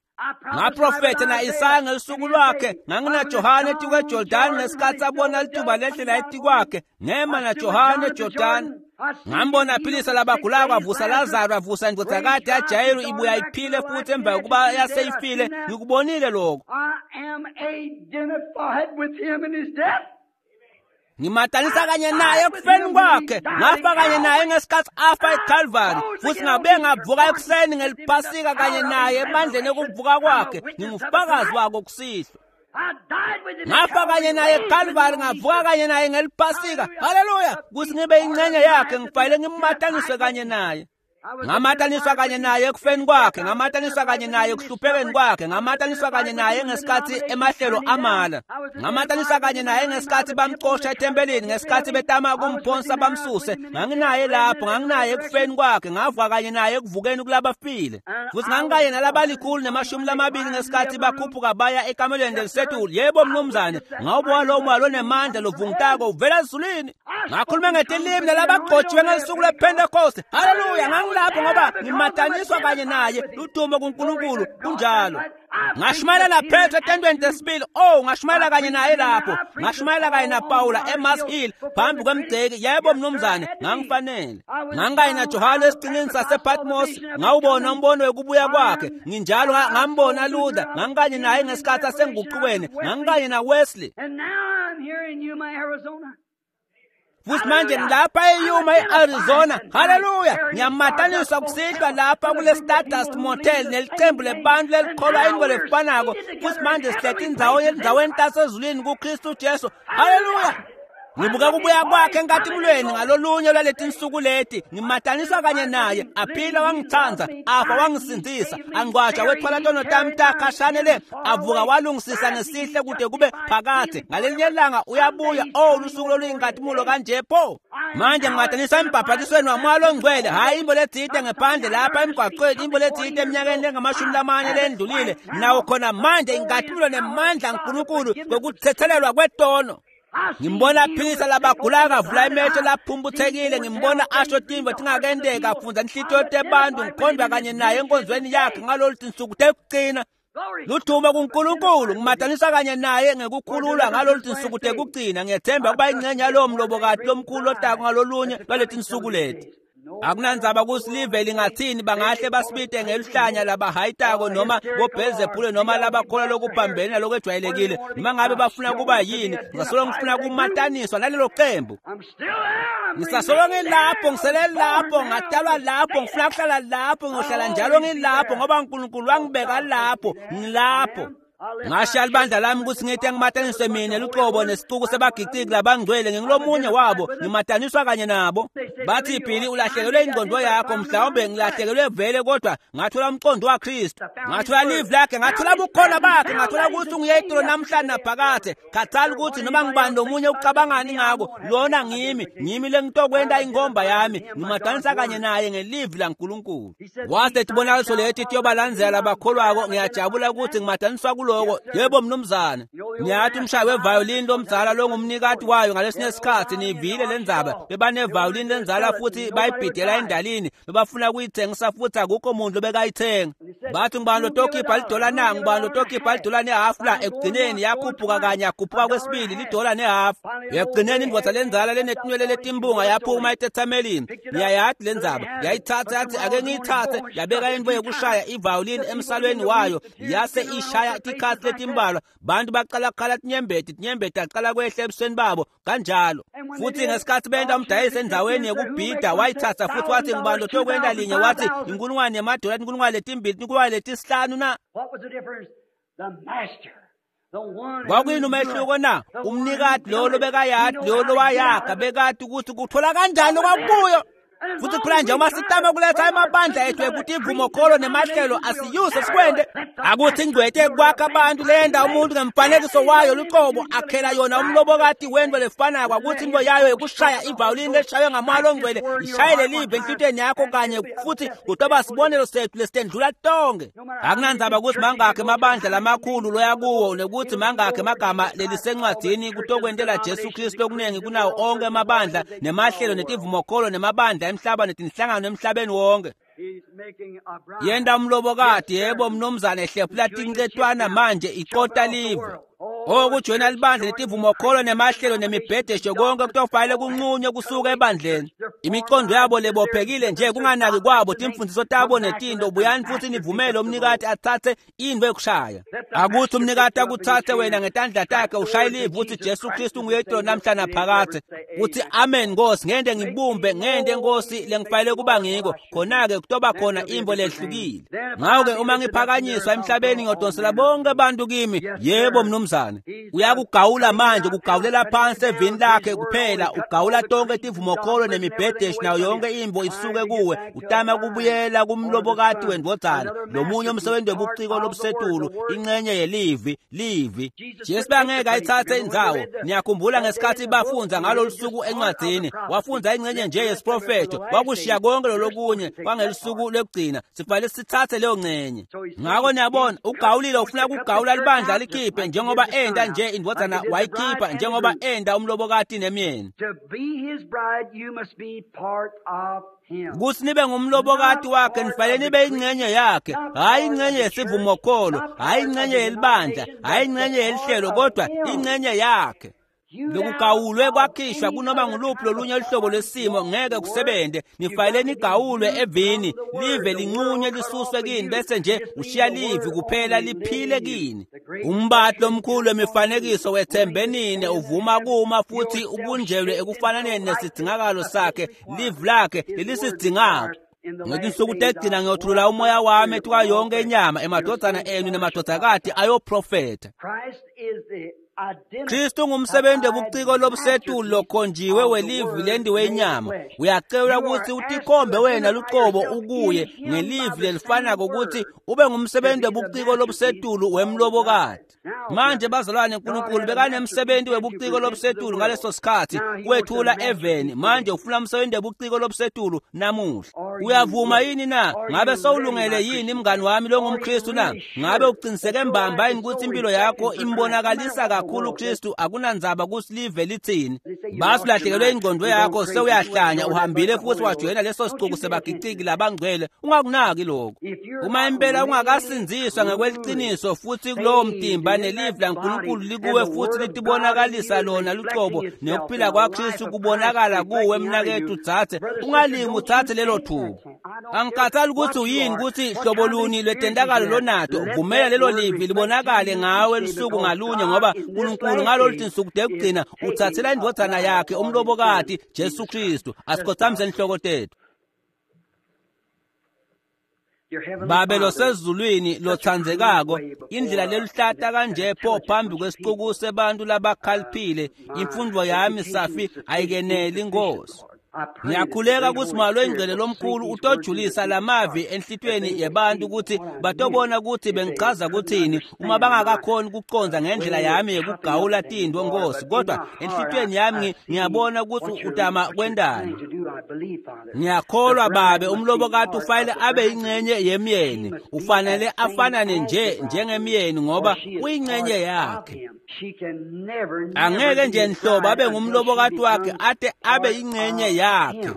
S1: Ngaprofetha na-Isaya ngelusuku lwakhe, nganginaJohane etikweJordani ngesikhathi abona lituba lehlela etikwakhe, ngema naJohane eJordani. Ngambona aphilisa labagulako, avusa Lazaro, avusa indvodzakati yaJayiru ibuya iphile futhi emva kokuba yaseyifile. Ngikubonile lokho.
S2: I am identified with him in his death.
S1: Ngimatanisa kanye naye ekufeni kwakhe, ngafa kanye naye ngesikhathi afa eCalvary, futhi ngabe ngavuka ekuseni ngeliphasika kanye naye emandleni ekuvuka kwakhe. Ngingufakazi wako kusihlwa.
S2: I died with him.
S1: Ngafa kanye naye eCalvary, ngavuka kanye naye ngeliphasika. Haleluya! Kuthi ngibe ingxenye yakhe, ngifanele ngimataniswe kanye naye. Ngamataniswa kanye naye ekufeni kwakhe, ngamataniswa kanye naye ekuhluphekeni kwakhe, ngamataniswa kanye naye ngesikhathi emahlelo amala, ngamataniswa kanye naye ngesikhathi bamxosha ethempelini, ngesikhathi betama kumphonsa bamsuse. Nganginaye lapho, nganginaye ekufeni kwakhe, ngavuka kanye naye ekuvukeni kulabafile. Futhi ngangikanye nalabalikhulu nemashumi lamabili ngesikhathi bakhuphuka baya ekamelweni lelisetulu. Yebo mnumzane, ngawubona lowo moya lonemandla lovungutako uvela ezulwini. Ngakhuluma ngetilimi nalabagcotshiwe ngesuku lwePentecost. Haleluya! Ngangilapho ngoba ngimataniswa kanye naye. Ludumo kuNkulunkulu. Kunjalo. Ngashumayela naPetro etendweni lesibili. Oh, ngashumayela kanye naye lapho. Ngashumayela kanye naPawula eMars Hill phambi kwemgceki. Yebo mnumzane, ngangifanele. Ngangikanye naJohane esiqhingini sasePatmos. Ngawubona umbono wekubuya kwakhe. Nginjalo ngambona Luther. Ngangikanye naye ngesikhathi asenguqukweni. Ngangikanye naWesley.
S2: And now I'm here in Yuma, Arizona.
S1: Futhi manje ngilapha eYuma e-Arizona. Haleluya! Ngiyamataniswa kusihlwa lapha kule Stardust Motel nelicembu lebantu lelikholwa into lefanako. Futhi manje sihlethe indzawo endzaweni tasezulwini kuKristu Jesu. Haleluya! Ngibuka kubuya kwakhe enkatimulweni ngalolunye lwaleti nsuku leti. Ngimataniswa kanye naye. Aphila wangithanda, afa wangisindzisa, angcwatsha wethwala tono tami takhashane le, avuka walungisisa ngesihle kude kube phakadze. Ngalelinye ilanga uyabuya. Oh, lusuku loluyinkatimulo kanje pho. Manje ngimataniswa embhabhatisweni wamoya longcwele, hhayi imbo letsite ngephandle lapha emgwaqweni, imbo letsite eminyakeni lengamashumi lamane lendlulile. Nawo khona manje inkatimulo nemandla aNkulunkulu kwekuthethelelwa kwetono. Ngimbona aphilisa labagulako, avula emehlo laphumputhekile. Ngimbona asho tintfo tingakenteka, afundza inhlitiyo tebantu. Ngikhondwa kanye naye enkonzweni yakhe ngalolu tinsuku tekugcina. Ludumo kuNkulunkulu. Ngimataniswa kanye naye ngekukhululwa ngalolu tinsuku tekugcina. Ngiyethemba ukuba ingxenye yalowo mlobokati lomkhulu otako ngalolunye lwaleti nsuku leti. Akunandzaba kutsi live lingathini, bangahle basibite ngeluhlanya labahayitako noma boBhelzebule noma labakholwa lokuphambene nalokwejwayelekile, noma ngabe bafuna kuba yini, ngisasolo ngifuna kumataniswa nalelo qembu.
S2: I'm still there. I'm
S1: Ngisasolo ngilapho, ngisele lapho, ngatalwa lapho, ngifuna kuhlala lapho, ngiyohlala njalo ngilapho ngoba uNkulunkulu wangibeka lapho, ngilapho. Ngashiya libandla lami ukuthi ngithi ngimataniswe mina luqobo nesixuku sebagiciki labangcwele. Ngingulomunye wabo, ngimataniswa kanye nabo. Bathi Billy, ulahlekelwe ingqondo yakho. Mhlawumbe ngilahlekelwe vele, kodwa ngathola umqondo waKristu, ngathola live lakhe, ngathola bukhona bakhe, ngathola ukuthi unguyedolo namhlanje naphakade. Khathali ukuthi noma ngibani lomunye ucabangani ngako, lona ngimi, ngimi lengitokwenta ingomba yami. Ngimatanisa kanye naye ngelivi laNkulunkulu. Wase tibonakaliso leti tiyobalandzela labakholwako. Ngiyajabula ukuthi ngimataniswa kuloko. Yebo mnumzane. Ngiyathi umshayi wevayolini lomdzala longumnikati wayo ngalesinye isikhathi nivile lendzaba. Bebanevayolini lenzala futhi bayibhidela endalini, bebafuna kuyithengisa futhi akukho muntu lobekayithenga. Bathi ngubani lotokhipha lidola na? Ngubani lotokhipha lidola nehafu la? Ekugcineni yakhuphuka kanye, yakhuphuka kwesibili lidola nehafu. Ekugcineni indvodza lenzala lenetinwele letimbunga yaphuma etethamelini. Ngiyayati lendzaba. Yayithatha yathi ake ngiyithathe, yabeka into yokushaya ivayolini emsalweni wayo, yase ishaya tikhatsi letimbalwa. Bantu baqala kukhala tinyembeti, tinyembeti aqala kwehla ebusweni babo kanjalo. Futhi ngesikhathi benta umdayisi endzaweni yekubhida, wayithatha futhi wathi ngubani lotokwenta linye? Wathi inkulungwane yemadola, inkulungwane letimbili, inkulungwane letisihlanu na?
S2: What was the difference? The master. The one
S1: Kwakuyini umehluko na? Umnikati lo lobekayadi, lo lowayakha bekati ukuthi kuthola kanjani lokwakuyo. Futhi phela nje uma sitama kuletha emabandla ethu ekuthi ivumokholo nemahlelo asiyuse sikwende. Akuthi ingcwete kwakha abantu lenda umuntu ngemfanekiso wayo luqobo akhela yona umlobokati wento lefanako. Akuthi into yayo yokushaya ivayolini leshaywe ngamoya longcwele ishayele live enhlitiyweni yakho kanye futhi kutoba sibonelo sethu lesitendlula tonke. Akunandzaba ukuthi mangakhi emabandla lamakhulu loya kuwo nekuthi mangakhi emagama lelisencwadzini kutokwentela Jesu Kristu lokunengi kunawo onke emabandla nemahlelo netivumokholo nemabandla emhlaba netinhlangano emhlabeni wonke. Yenta umlobokati, yebo mnumzane, hlephula tincetwana manje iqota live. Okujoyina libandla letivumokholo nemahlelo nemibhedesho konke kutofanele kunqunywe kusuka ebandleni. Imiqondo yabo lebophekile nje kunganaki kwabo timfundiso tabo netinto. Buyani futhi nivumele umnikati atsatse intfo ekushaya. Akuthi umnikati akutsatse wena ngetandla takhe ushaye live uthi Jesu Kristu nguye itolo namhla naphakadze. Uthi amen Nkosi, ngente ngibumbe, ngente Nkosi lengifanele kuba ngiko. Khona-ke kutoba khona intfo lehlukile. Ngako-ke uma ngiphakanyiswa emhlabeni ngiyodonsela bonke abantu kimi. Yebo mnumzane. Uyakugawula manje, kugawulela phansi evini lakhe kuphela, ugawula tonke tivumokholo nemibhedesho nayo yonke imbo isuke kuwe, utama kubuyela kumlobokati wendvodzana, lomunye umsebenzi webuciko lobusetulu, incenye yelivi, livi. Jesu bangeke ayitsatse indzawo. Niyakhumbula ngesikhathi bafundza ngalolu suku encwadzini, wafundza incenye nje yesiprofetho, wakushiya konke lolokunye kwangelusuku lwekugcina. Sifanele sitsatse leyo ncenye. Ngako niyabona, ugawulile, ufuna kugawula libandla likhiphe njengoba enda nje indvodzana wayikhipha, njengoba enda umlobokati nemyeni.
S2: To be his bride, you must be part of him.
S1: Kutsi nibe ngumlobokati wakhe nifanele nibe ingcenye yakhe, hhayi ingcenye yesivumokholo, hhayi ingcenye yelibandla, hhayi ingcenye yelihlelo, kodwa ingcenye yakhe. Lokugawulwe kwakhishwa kunoma nguluphi lolunye luhlobo lwesimo ngeke kusebente. Nifanele nigawulwe evini, live linqunywe lisuswe kini, bese nje ushiya livi kuphela liphile kini. Umbati lomkhulu wemifanekiso wethembe nine uvuma kuma futhi ubunjelwe ekufananeni nesidzingakalo sakhe, livi lakhe lelisidzingako. Ngetinsuku tekugcina ngiyothulula umoya wami etukwa yonke inyama, emadvodzana enu nemadvodzakati ayoprofetha.
S2: Christ is the
S1: Kristu ngumsebenzi webuciko lobusetulu lokhonjiwe welivi lendiwe inyama. Uyacelwa ukuthi utikhombe wena lucobo ukuye ngelivi lelifanako ukuthi ube ngumsebenzi webuciko lobusetulu wemlobokati. Manje bazalwane, uNkulunkulu bekanemsebenzi webuciko lobusetulu ngaleso sikhathi kwethula eveni. Manje ufuna umsebenzi webuciko lobusetulu namuhla. Uyavuma yini na? Ngabe sewulungele yini mngani wami longumKristu na? Ngabe uqiniseke mbamba yini ukuthi impilo yakho imbonakalisa kakhulu Kristu? Akunandzaba kutsi live litsini. Basulahlekelwe ingqondo yakho, sewuyahlanya, uhambile futhi wajoyina leso sicuku sebagiciki labangcwele. Ungakunaki lokho. Uma impela ungakasindziswa ngekweliciniso futhi kulowo mtimba nelivi laNkulunkulu likuwe futhi litibonakalisa lona lucobo nekuphila kwaKristu kubonakala kuwe, mnaketfu dzadze, ungalingi utsatse lelo thuba. Angikhathali ukuthi uyini, ukuthi hlobo luni lwetentakalo lonato, vumela lelo livi libonakale ngawe lusuku ngalunye, ngoba uNkulunkulu ngalolu tinsuku tekugcina utsatsela indvodzana yakhe umlobokati Jesu Kristu. Asikhothamise inhloko tethu.
S2: Your heavenly
S1: Babe
S2: Father,
S1: losezulwini lotsandzekako, indlela leluhlata kanje pho phambi kwesicuku sebantu labakhaliphile, imfundvo yami safi ayikeneli Nkosi. Ngiyakhuleka kutsi Moya loyingcwele lomkhulu utojulisa lamavi enhlitiyweni yebantu ukuthi batobona ukuthi bengichaza kuthini uma bangakakhoni ukucondza ngendlela yami yekugawula tintfo Nkosi, kodwa enhlitiyweni yami ngiyabona ukuthi utama kwentani. Ngiyakholwa Babe, umlobokati ufanele abe yingcenye yemyeni, ufanele afanane nje njengemyeni ngoba uyingcenye yakhe. Angeke nje nhlobo abe ngumlobokati wakhe ate abe yingcenye yakhe.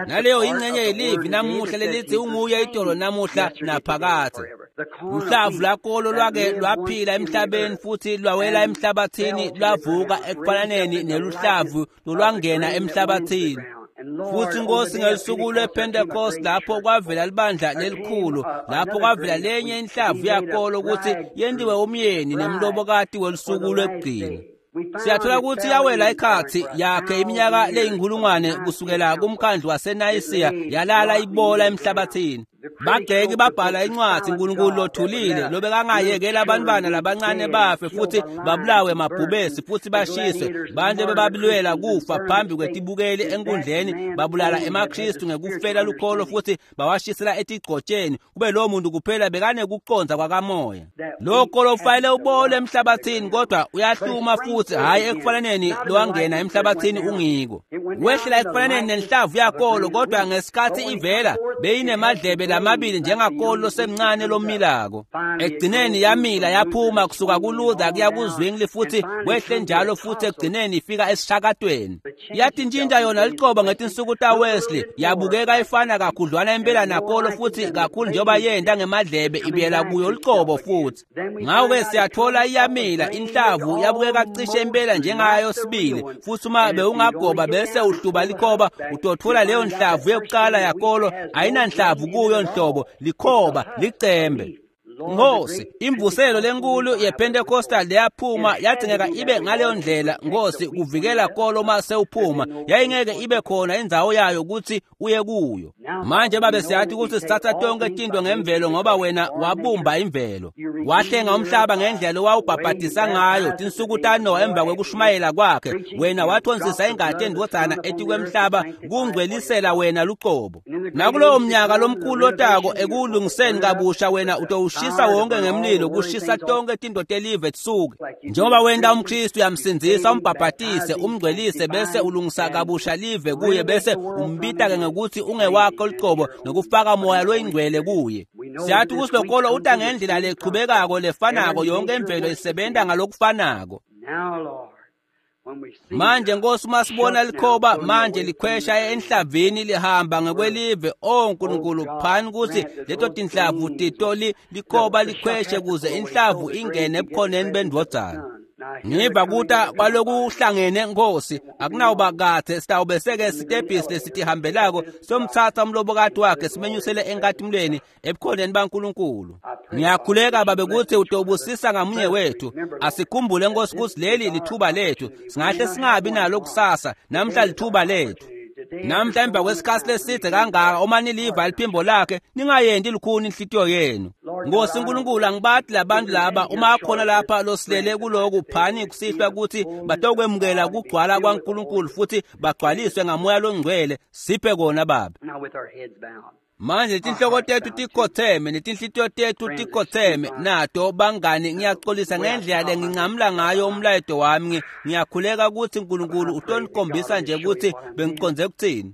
S1: Naleyo ingcenye yelivi namuhla lelithi unguye itolo namuhla naphakadze. Luhlavu lwakolo lwake lwaphila emhlabeni futhi lwawela emhlabathini, lwavuka ekufananeni neluhlavu lolwangena emhlabathini. Futhi Nkosi, ngelusuku lwePentecost lapho kwavela libandla lelikhulu, lapho kwavela lenye inhlavu yakolo ukuthi yentiwe umyeni nemlobokati welusuku lwekugcina. Siyathola ukuthi yawela ikhathi yakhe iminyaka leyinkulungwane kusukela kumkhandlu waseNayisiya, yalala ibola emhlabathini. Bagxeki babhala incwadi uNkulunkulu lothulile lobekangayekela abantwana labancane bafe futhi babulawe mabhubesi futhi bashiswe. Bantu bebabilwela kufa phambi kwetibukeli enkundleni, babulala emaKristu ngekufela lukholo futhi bawashisela etigcotsheni. Kube lowo muntu kuphela bekanekucondza kwakamoya. Lokho lofanele ubole emhlabathini, kodwa uyahluma futhi hhayi ekufananeni lowangena emhlabathini ungiko. Wehlela ekufananeni nenhlavu yakolo, kodwa ngesikhathi ivela Beyinemadlebe lamabili njengakolo semncane lomilako. Ekugcineni yamila yaphuma kusuka kuLuther kuya kuZwingli futhi kwehle njalo futhi ekugcineni ifika esishakatweni. Yatintshintsha yona licobo ngetinsuku taWesley, yabukeka ifana kakhudlwana impela nakolo futhi kakhulu njengoba yenta ngemadlebe ibuyela kuyo licobo futhi. Ngakho-ke siyathola iyamila inhlavu yabukeka cishe impela njengayo sibili, futhi uma bewungagoba bese uhluba likhoba utothola leyo nhlavu yokuqala yakolo ayinanhlavu kuyo nhlobo, likhoba licembe. Nkosi, imvuselo lenkulu yePentecostal leyaphuma yadingeka ibe ngaleyo ndlela, Nkosi, kuvikela kolo uma sewuphuma. Yayingeke ibe khona indzawo yayo ukuthi uye kuyo. Manje babe siyathi ukuthi sithatha tonke tinto ngemvelo ngoba wena wabumba imvelo. Wahlenga umhlaba ngendlela owawubhabhadisa ngayo tinsuku taNowa emva kwekushumayela kwakhe. Wena wathonsisa ingati endvodzana etikwemhlaba kungcwelisela wena lucobo. Nakulowo mnyaka lomkhulu lotako ekuwulungiseni kabusha wena utowushisa wonke ngemlilo kushisa tonke tinto telive tisuke. Njengoba wenta umKristu uyamsindzisa umbhabhatise umngcwelise bese ulungisa kabusha live kuye bese umbita-ke ngekuthi ungewakho lucobo ngekufaka moya loyingcwele kuye. Siyathi ukuthi lokolo uta ngendlela lechubekako lefanako, yonke imvelo isebenta ngalokufanako. Manje Nkosi, uma sibona likhoba manje likhwesha enhlavini lihamba ngekwelive, o Nkulunkulu, phani ukuthi leto tinhlavu titoli likhoba likhweshe kuze inhlavu ingene ebukhoneni bendvodzana. Ngiva kuta kwalokuhlangene Nkosi, akunawuba kathe sitawube seke sitebhisi lesitihambelako somthatha umlobokati wakhe simenyusele enkatimulweni ebukhoneni baNkulunkulu. Ngiyakhuleka babe ukuthi utobusisa ngamunye wethu. Asikhumbule Nkosi ukuthi leli lithuba lethu, singahle singabi nalo kusasa, namhla lithuba lethu. Namhla emva kwesikhathi leside kangaka uma niliva liphimbo lakhe ningayendi lukhuni inhlitiyo yenu. Nkosi Nkulunkulu, angibathi labantu laba uma akhona lapha losilele kuloku phani kusihlwa ukuthi batokwemukela kugcwala kwaNkulunkulu futhi bagcwaliswe ngamoya longcwele. Siphe kona Baba. Manje tinhloko tethu tikhotheme netinhlitiyo tethu tikhotheme nato bangani. Ngiyaxolisa ngendlela lengincamula ngayo umlayeto wami. Ngiyakhuleka ukuthi uNkulunkulu utonikhombisa nje ukuthi bengiconze kuthini.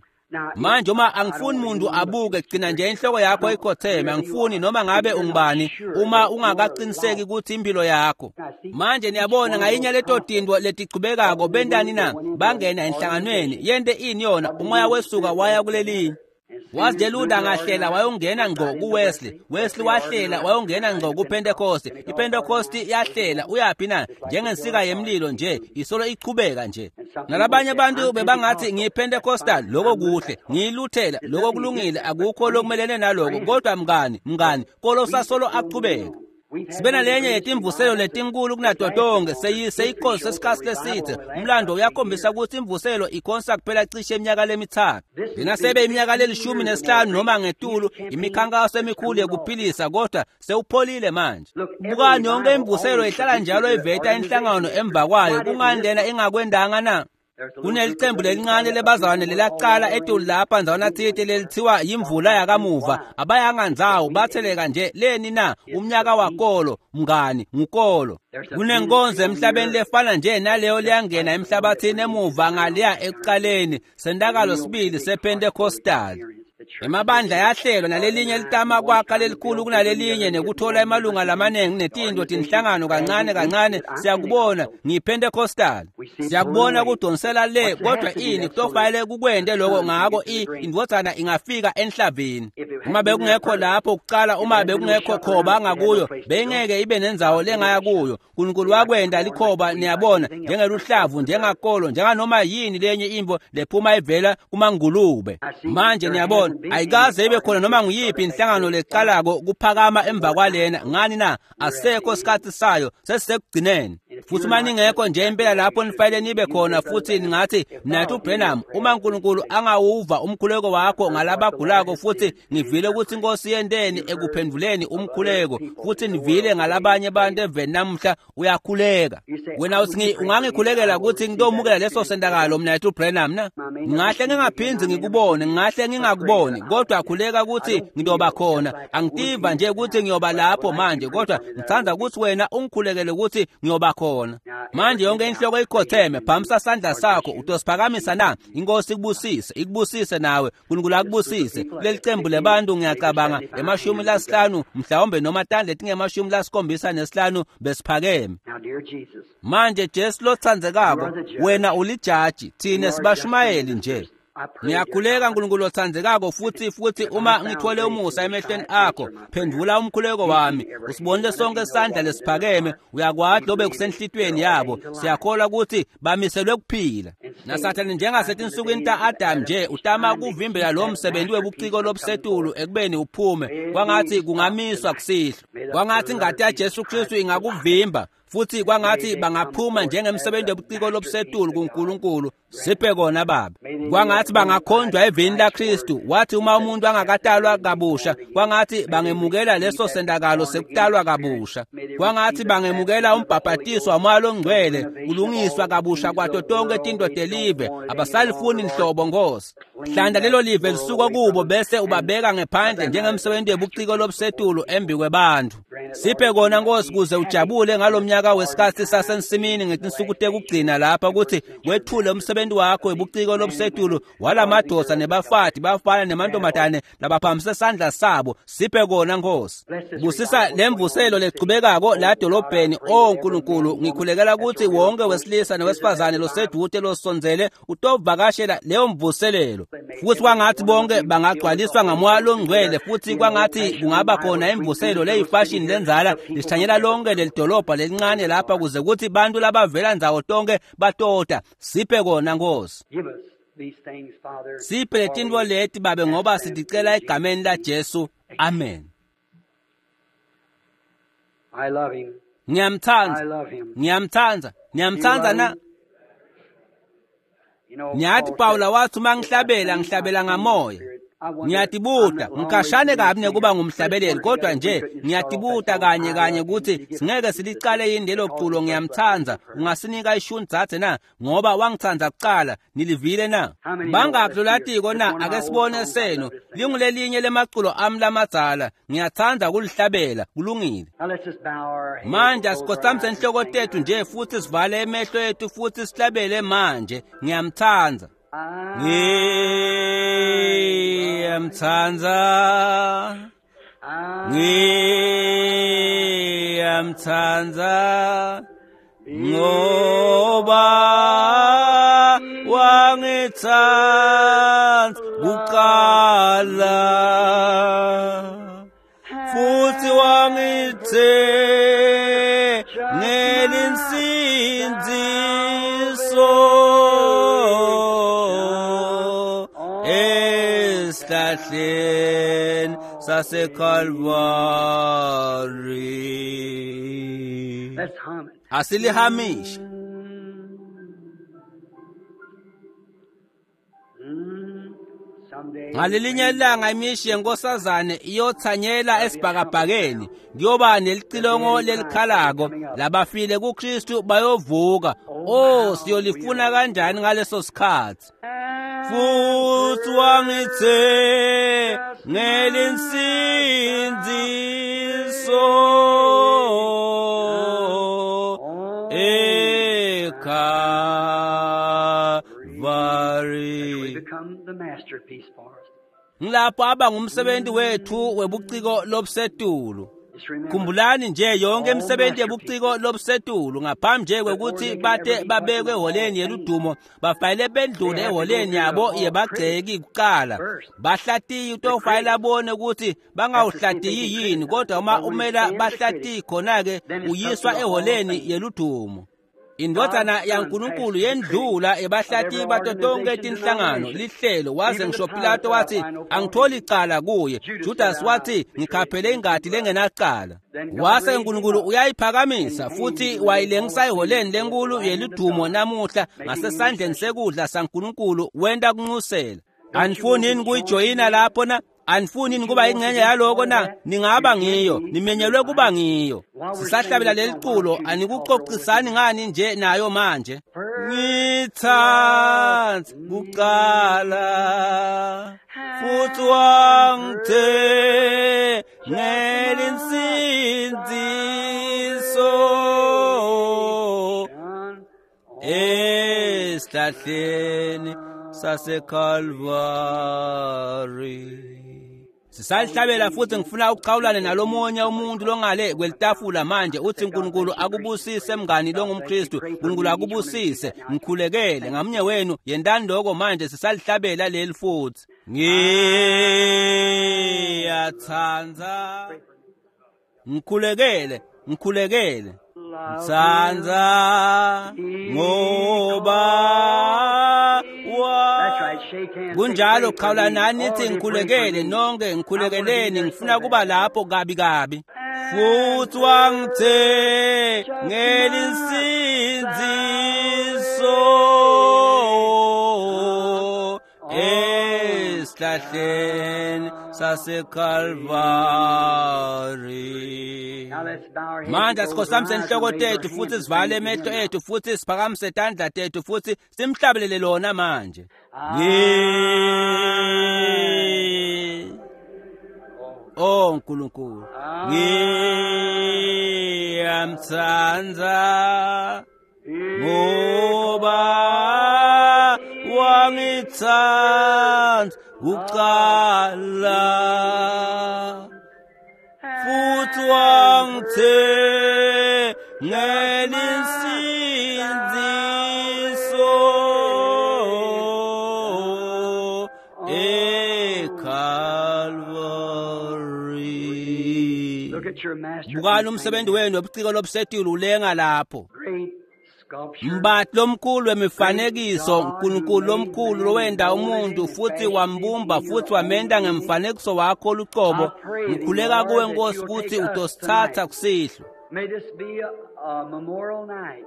S1: Manje uma angifuni muntu abuke, gcina nje inhloko yakho ikhotheme. Angifuni noma ngabe ungubani uma ungakaqiniseki ukuthi impilo yakho. Manje niyabona ngayinye leto tinto letichubekako bentani na bangena enhlanganweni yente ini yona, umoya wesuka waya kulelinye. Waze Luther ngahlela wayongena ngqo kuWesley, Wesley wahlela wayongena ngqo kuPentecost, iPentecost yahlela uyaphi na njengensika yemlilo nje isolo ichubeka nje. Nalabanye abantu bebangathi ngiyiPentecostal, lokho kuhle, ngiyiLuthela, lokho kulungile, akukho lokumelene naloko, kodwa mngani mngani kolo sasolo aqhubeka. Sibe nalenye yetimvuselo letinkulu kunato tonke seyikhosi sesikhathi lesithe. Umlando uyakhombisa ukuthi imvuselo ikhonsa kuphela cishe iminyaka lemithathu. Lena sebe iminyaka lelishumi nesihlanu noma ngetulu, imikhankaso emikhulu yekuphilisa, kodwa sewupholile manje. Bukani, yonke imvuselo ihlala njalo iveta inhlangano emva kwayo. Kungani lena ingakwendanga na? Kunelicembu lelincane lebazalwane lelaqala etulu lapha ndzawana tsite lelithiwa yimvula yakamuva. Abayanga ndzawo, batheleka nje leni na umnyaka wakolo mngani ngukolo. Kunenkonzo emhlabeni lefana nje naleyo leyangena emhlabathini emuva ngaleya ekuqaleni sentakalo sibili sePentecostal. Emabandla yahlelwa nalelinye litama kwakha lelikhulu kunalelinye nekuthola emalunga lamanengi netinto tinhlangano kancane kancane. Siyakubona ngiyiPentecostal, siyakubona kudonsela le, kodwa ini kutofanele kukwente lokho. Ngako indvodzana ingafika enhlavini. Uma bekungekho lapho kuqala, uma bekungekho khoba ngakuyo, beyingeke ibe nendzawo lengaya kuyo. Nkulunkulu wakwenta likhoba, niyabona, njengeluhlavu, njengakolo, njenganoma yini lenye imvo lephuma ivela kumangulube. Manje niyabona ayikaze ibe khona noma nguyiphi inhlangano leqalako kuphakama emva kwalena. Ngani na? Asekho sikhathi sayo, sesisekugcineni. Futhi uma ningekho nje impela lapho nifanele nibe khona, futhi ningathi mnathu Branham, uma uNkulunkulu angawuva umkhuleko wakho ngalabagulako, futhi ngivile ukuthi inkosi yenteni ekuphenduleni umkhuleko, futhi nivile ngalabanye abantu eveni namuhla uyakhuleka. Wena uthi ungangikhulekela ukuthi ngitomukela leso sentakalo mnathu Branham na? Ngingahle ngingaphindzi ngikubone, ngingahle ngingakuboni, kodwa khuleka ukuthi ngiyoba khona. Angitiva nje ukuthi ngiyoba lapho manje, kodwa ngithanda ukuthi wena ungikhulekele ukuthi ngiyoba khona. Manje yonke inhloko ikhotheme, phamisa sandla sakho, utosiphakamisa na? Inkosi ikubusise, ikubusise nawe, uNkulunkulu akubusise. Kuleli cembu lebantu ngiyacabanga emashumi lasihlanu mhlawumbe noma tandla letingemashumi lasikhombisa nesihlanu besiphakeme. Manje Jesu lotsandzekako, wena ulijaji, thine sibashumayeli nje. Ngiyakhuleka nkulunkulu otsandzekako futhi futhi uma ngithole umusa emehlweni akho, phendvula umkhuleko wami. Usibonile sonke isandla lesiphakeme, uyakwati lobe kusenhlitiyweni yabo. Siyakholwa ukuthi bamiselwe kuphila. Nasathane njengasetinsukwini ta-Adam nje utama ukuvimbela lo msebenzi webuciko lobusetulu ekubeni uphume. Kwangathi kungamiswa kusihlwa. Kwangathi ingati yaJesu Kristu ingakuvimba. Futhi kwangathi bangaphuma njengemsebenzi webuciko lobusetulu kuNkulunkulu. Siphe kona Baba. Kwangathi bangakhonjwa evini laKristu. Wathi uma umuntu angakatalwa kabusha, kwangathi bangemukela leso sendakalo sekutalwa kabusha. Kwangathi bangemukela umbhabhatiso waMoya loNgcwele, kulungiswa kabusha kwato tonke tintfo telive. Abasalifuni nhlobo Nkosi. Hlanda lelo live lisuka kubo bese ubabeka ngephandle njengemsebenzi webuciko lobusetulu embi kwebantfu. Siphe kona Nkosi kuze ujabule ngalomnyaka wesikhatsi sasensimini ngetinsuku tekugcina lapha ukuthi wethule umsebenzi wakho webuciko lobusetulu walamadoda nebafati bafana nemantombazane labaphamise sandla sabo. Siphe kona Nkosi. Busisa lemvuselo lechubekako la dolobheni. O Nkulunkulu, ngikhulekela ukuthi wonke wesilisa nowesifazane losedude losondzele utovakashela leyo mvuselelo. Futhi kwangathi bonke bangagcwaliswa ngaMoya loNgcwele, futhi kwangathi kungaba khona imvuselo leyifashini lenzala lishanyela lonke lelidolobha lelincane lapha kuze kuthi bantu labavela ndzawo tonke batota. Siphe kona Nkosi. Siphe letintfo leti Babe, ngoba siticela egameni laJesu. Amen. Ngiyamtsandza, ngiyamtsandza, ngiyamtsandza na. Ngiyathi Pawula wathi uma ngihlabela ngihlabela ngamoya. Ngiyatibuta, ngikhashane kabi nekuba ngumhlabeleli, kodwa nje ngiyatibuta kanye kanye ukuthi singeke silicale yini lelo culo. Ngiyamtsandza, ungasinika ishuni dzadze na? Ngoba wangitsandza kucala, nilivile na? Bangakhi lolatiko na? Ake sibone senu. Lingulelinye lemaculo ami lamadzala, ngiyatsandza kulihlabela. Kulungile. Manje asikhotsamise inhloko tethu nje futhi sivale emehlo ethu futhi sihlabele manje. Ngiyamtsandza. Ngiyamtsandza, ngiyamtsandza, ngoba wangitsandza kuqala futhi wangithengela insindziso esihlahleni saseKalvari. Asilihamishe. Ngalelinye ilanga imishi yenkosazane iyothanyela esibhakabhakeni, kuyoba nelicilongo lelikhalako, labafile kuKristu bayovuka. Oh, siyolifuna kanjani ngaleso sikhathi? Futhi wangithengela insindziso eKalvari. Ngilapho aba ngumsebenzi wethu webuciko lobusetulu. Khumbulani nje yonke imisebenzi yebuciko lobusetulu ngaphambi nje kwekuthi bate babekwe eholeni yeludumo, bafayile bendlule eholeni yabo yebagceki kuqala. Bahlatiyi utofayile abone ukuthi bangawuhlatiyi yini, kodwa uma umela bahlatiyi khona-ke uyiswa eholeni yeludumo. Indvodzana yaNkulunkulu yendlula ebahlati bato tonke tinhlangano lihlelo, waze ngisho Pilato wathi angitholi icala kuye. Judas wathi ngikhaphele ingati lengenacala. Wase uNkulunkulu uyayiphakamisa futhi wayilengisa eholeni lenkulu yeludumo namuhla ngasesandleni sekudla saNkulunkulu, wenta kunxusela. Anifuni yini kuyijoyina lapho na? Anifuni yini kuba ingxenye yaloko na? Ningaba ngiyo, nimenyelwe kuba ngiyo. Sisahlabela leli culo, anikuxoxisani ngani nje nayo manje? Ngitsandza kuqala futhi wangithengela insindziso Esihlahleni saseKalvari. Sisalihlabela futhi ngifuna ukuchawulane nalomunye umuntu longale kwelitafula manje uthi uNkulunkulu akubusise mngani longumKristu, uNkulunkulu akubusise, ngikhulekele ngamunye wenu yentani lokho manje sisalihlabela leli futhi. Ngiyathanda ngikhulekele ngikhulekele ngithanda ngoba kunjalo qhawula nani nithi ngikhulekele nonke ngikhulekeleni ngifuna kuba lapho kabi kabi futhi wangithengela insindiso esihlahleni saseKalvari. Manje asikhothamise inhloko tethu futhi sivale emehlo ethu futhi siphakamise tandla tethu futhi simhlabelele lona manje. Oh uNkulunkulu, ngiyamthanda ngoba wangithanda kuqala futhi wangithengela insindiso eKalvari. Bukani umsebenzi wenu wobuciko lobusetile ulenga lapho. Mbathi lomkhulu wemifanekiso, uNkulunkulu lomkhulu lowenda umuntu futhi wambumba futhi wamenda ngemfanekiso wakho oluqobo. Ngikhuleka kuwe Nkosi ukuthi utosithatha kusihlwa.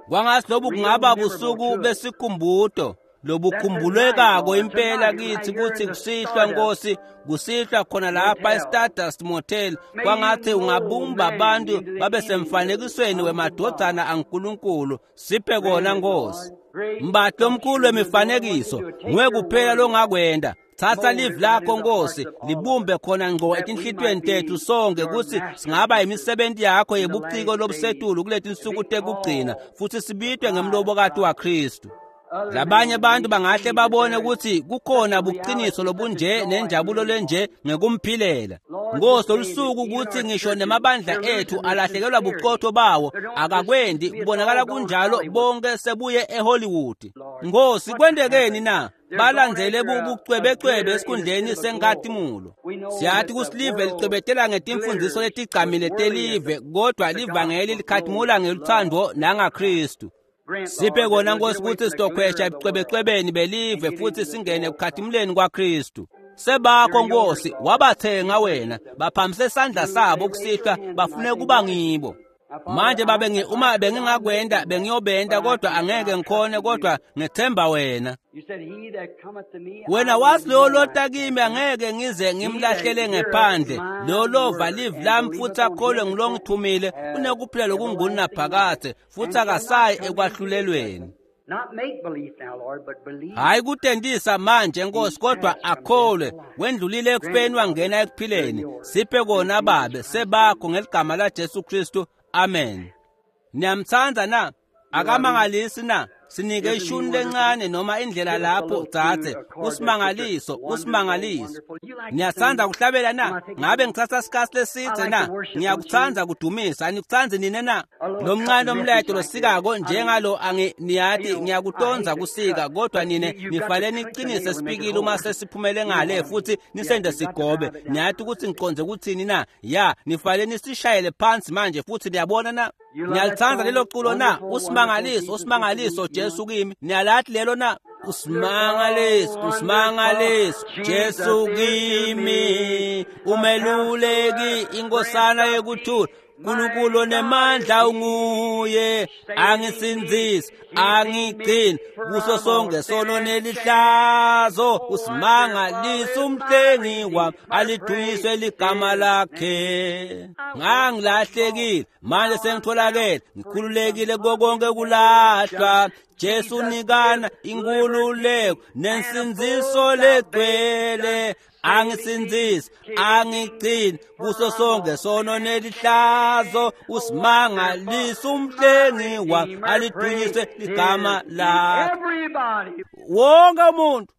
S1: Kwangathi lobu kungaba busuku besikhumbuto lobukhumbulekako impela kithi kuthi kusihlwa Nkosi, kusihlwa khona lapha eStardust Motel. Kwangathi ungabumba abantu babe semfanekisweni wemadodana aNkulunkulu. Siphe kona Nkosi. Mbathi lomkhulu wemifanekiso, nguwe kuphela longakwenda. Thatha live lakho Nkosi, libumbe khona ngqo etinhlitweni tethu sonke ukuthi singaba imisebenzi yakho yebuciko lobusetulu kuleti nsuku tekugcina futhi sibitwe ngemlobokati waKristu. Labanye abantu bangahle babone ukuthi kukhona buqiniso lobunje nenjabulo lenje ngekumphilela. Nkosi lolusuku ukuthi ngisho nemabandla ethu alahlekelwa buqotho bawo akakwendi kubonakala kunjalo bonke sebuye eHollywood. Nkosi kwendekeni na? Balandzele bubucwebecwebe esikhundleni senkatimulo. Siyathi kusilive licwebetela ngetimfundiso letigcamile telive kodwa livangeli likhatimula ngeluthando nangaKristu. Siphe kona Nkosi ukuthi sitokhwesha ebucwebecwebeni belive futhi singene ekukhatimuleni kwaKristu. Sebakho Nkosi wabathenga wena, baphamise isandla sabo kusihlwa bafune kuba ngibo. Manje babe ngi uma bengingakwenda bengiyobenda kodwa angeke ngikhone kodwa ngethemba wena. Wena wathi loyo lota kimi angeke ngize ngimlahlele ngephandle. Loyo lova live lami futhi akholwe ngilongithumile unekuphila lokungunaphakade futhi akasayi ekwahlulelweni. Hayi kutendisa manje Nkosi kodwa akholwe wendlulile ekufeni wangena ekuphileni. Siphe kona babe sebakho ngeligama la Jesu Kristu. Amen. Niyamthanda na? Akamangalisi na? Sinike ishuni lencane noma indlela lapho dzadze usimangaliso usimangaliso. Niyathanda kuhlabela na? Ngabe ngithatha isikhathi lesithe na? Ngiyakuthanda kudumisa, anikuthandi nina na? Lo mncane omleto losikako njengalo angi niyathi ngiyakutonza kusika kodwa nine nifanele niqinise sipikile uma sesiphumele ngale futhi nisende sigobe. Niyathi ukuthi ngiqonze ukuthini na? Ya, nifanele nisishayele phansi manje futhi niyabona na? Niyalithanda lelo culo na? Usimangaliso usimangaliso Jesu kimi. Niyalathi lelo na? Usimangaliso usimangaliso Jesu kimi, umeluleki inkosana yekuthula, uNkulunkulu nemandla unguye, angisindzisi angigcini kuso sonke sono nelihlazo. Usimangaliso umhlengi wami, alidunyiswe ligama lakhe. Ngangilahlekile manje sengitholakele, ngikhululekile konke kulahlwa. Jesu nikana inkululeko nensindziso legcwele, angisindzise angigcine kuso sonke sono nelihlazo usimangalisa umhlengi wami alidunyiswe ligama lakhe
S2: Everybody.
S1: wonke umuntu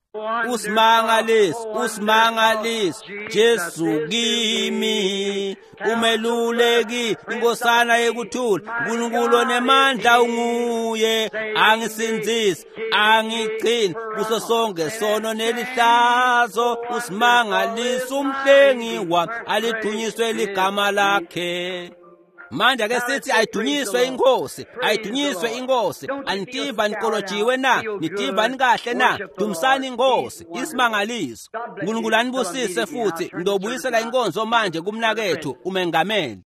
S1: usimangaliso usimangaliso Jesu kimi umeluleki inkosana yekuthula uNkulunkulu onemandla unguye angisindzise angigcine kuso sonke sono nelihlazo usimangaliso umhlengi wami alidunyiswe ligama lakhe manje ake sithi ayidunyiswe inkosi ayidunyiswe inkosi anitiva nikolojiwe na nitiva nikahle na dumisani inkosi isimangaliso uNkulunkulu anibusise futhi ngidobuyisela inkonzo manje kumnakethu umengameli.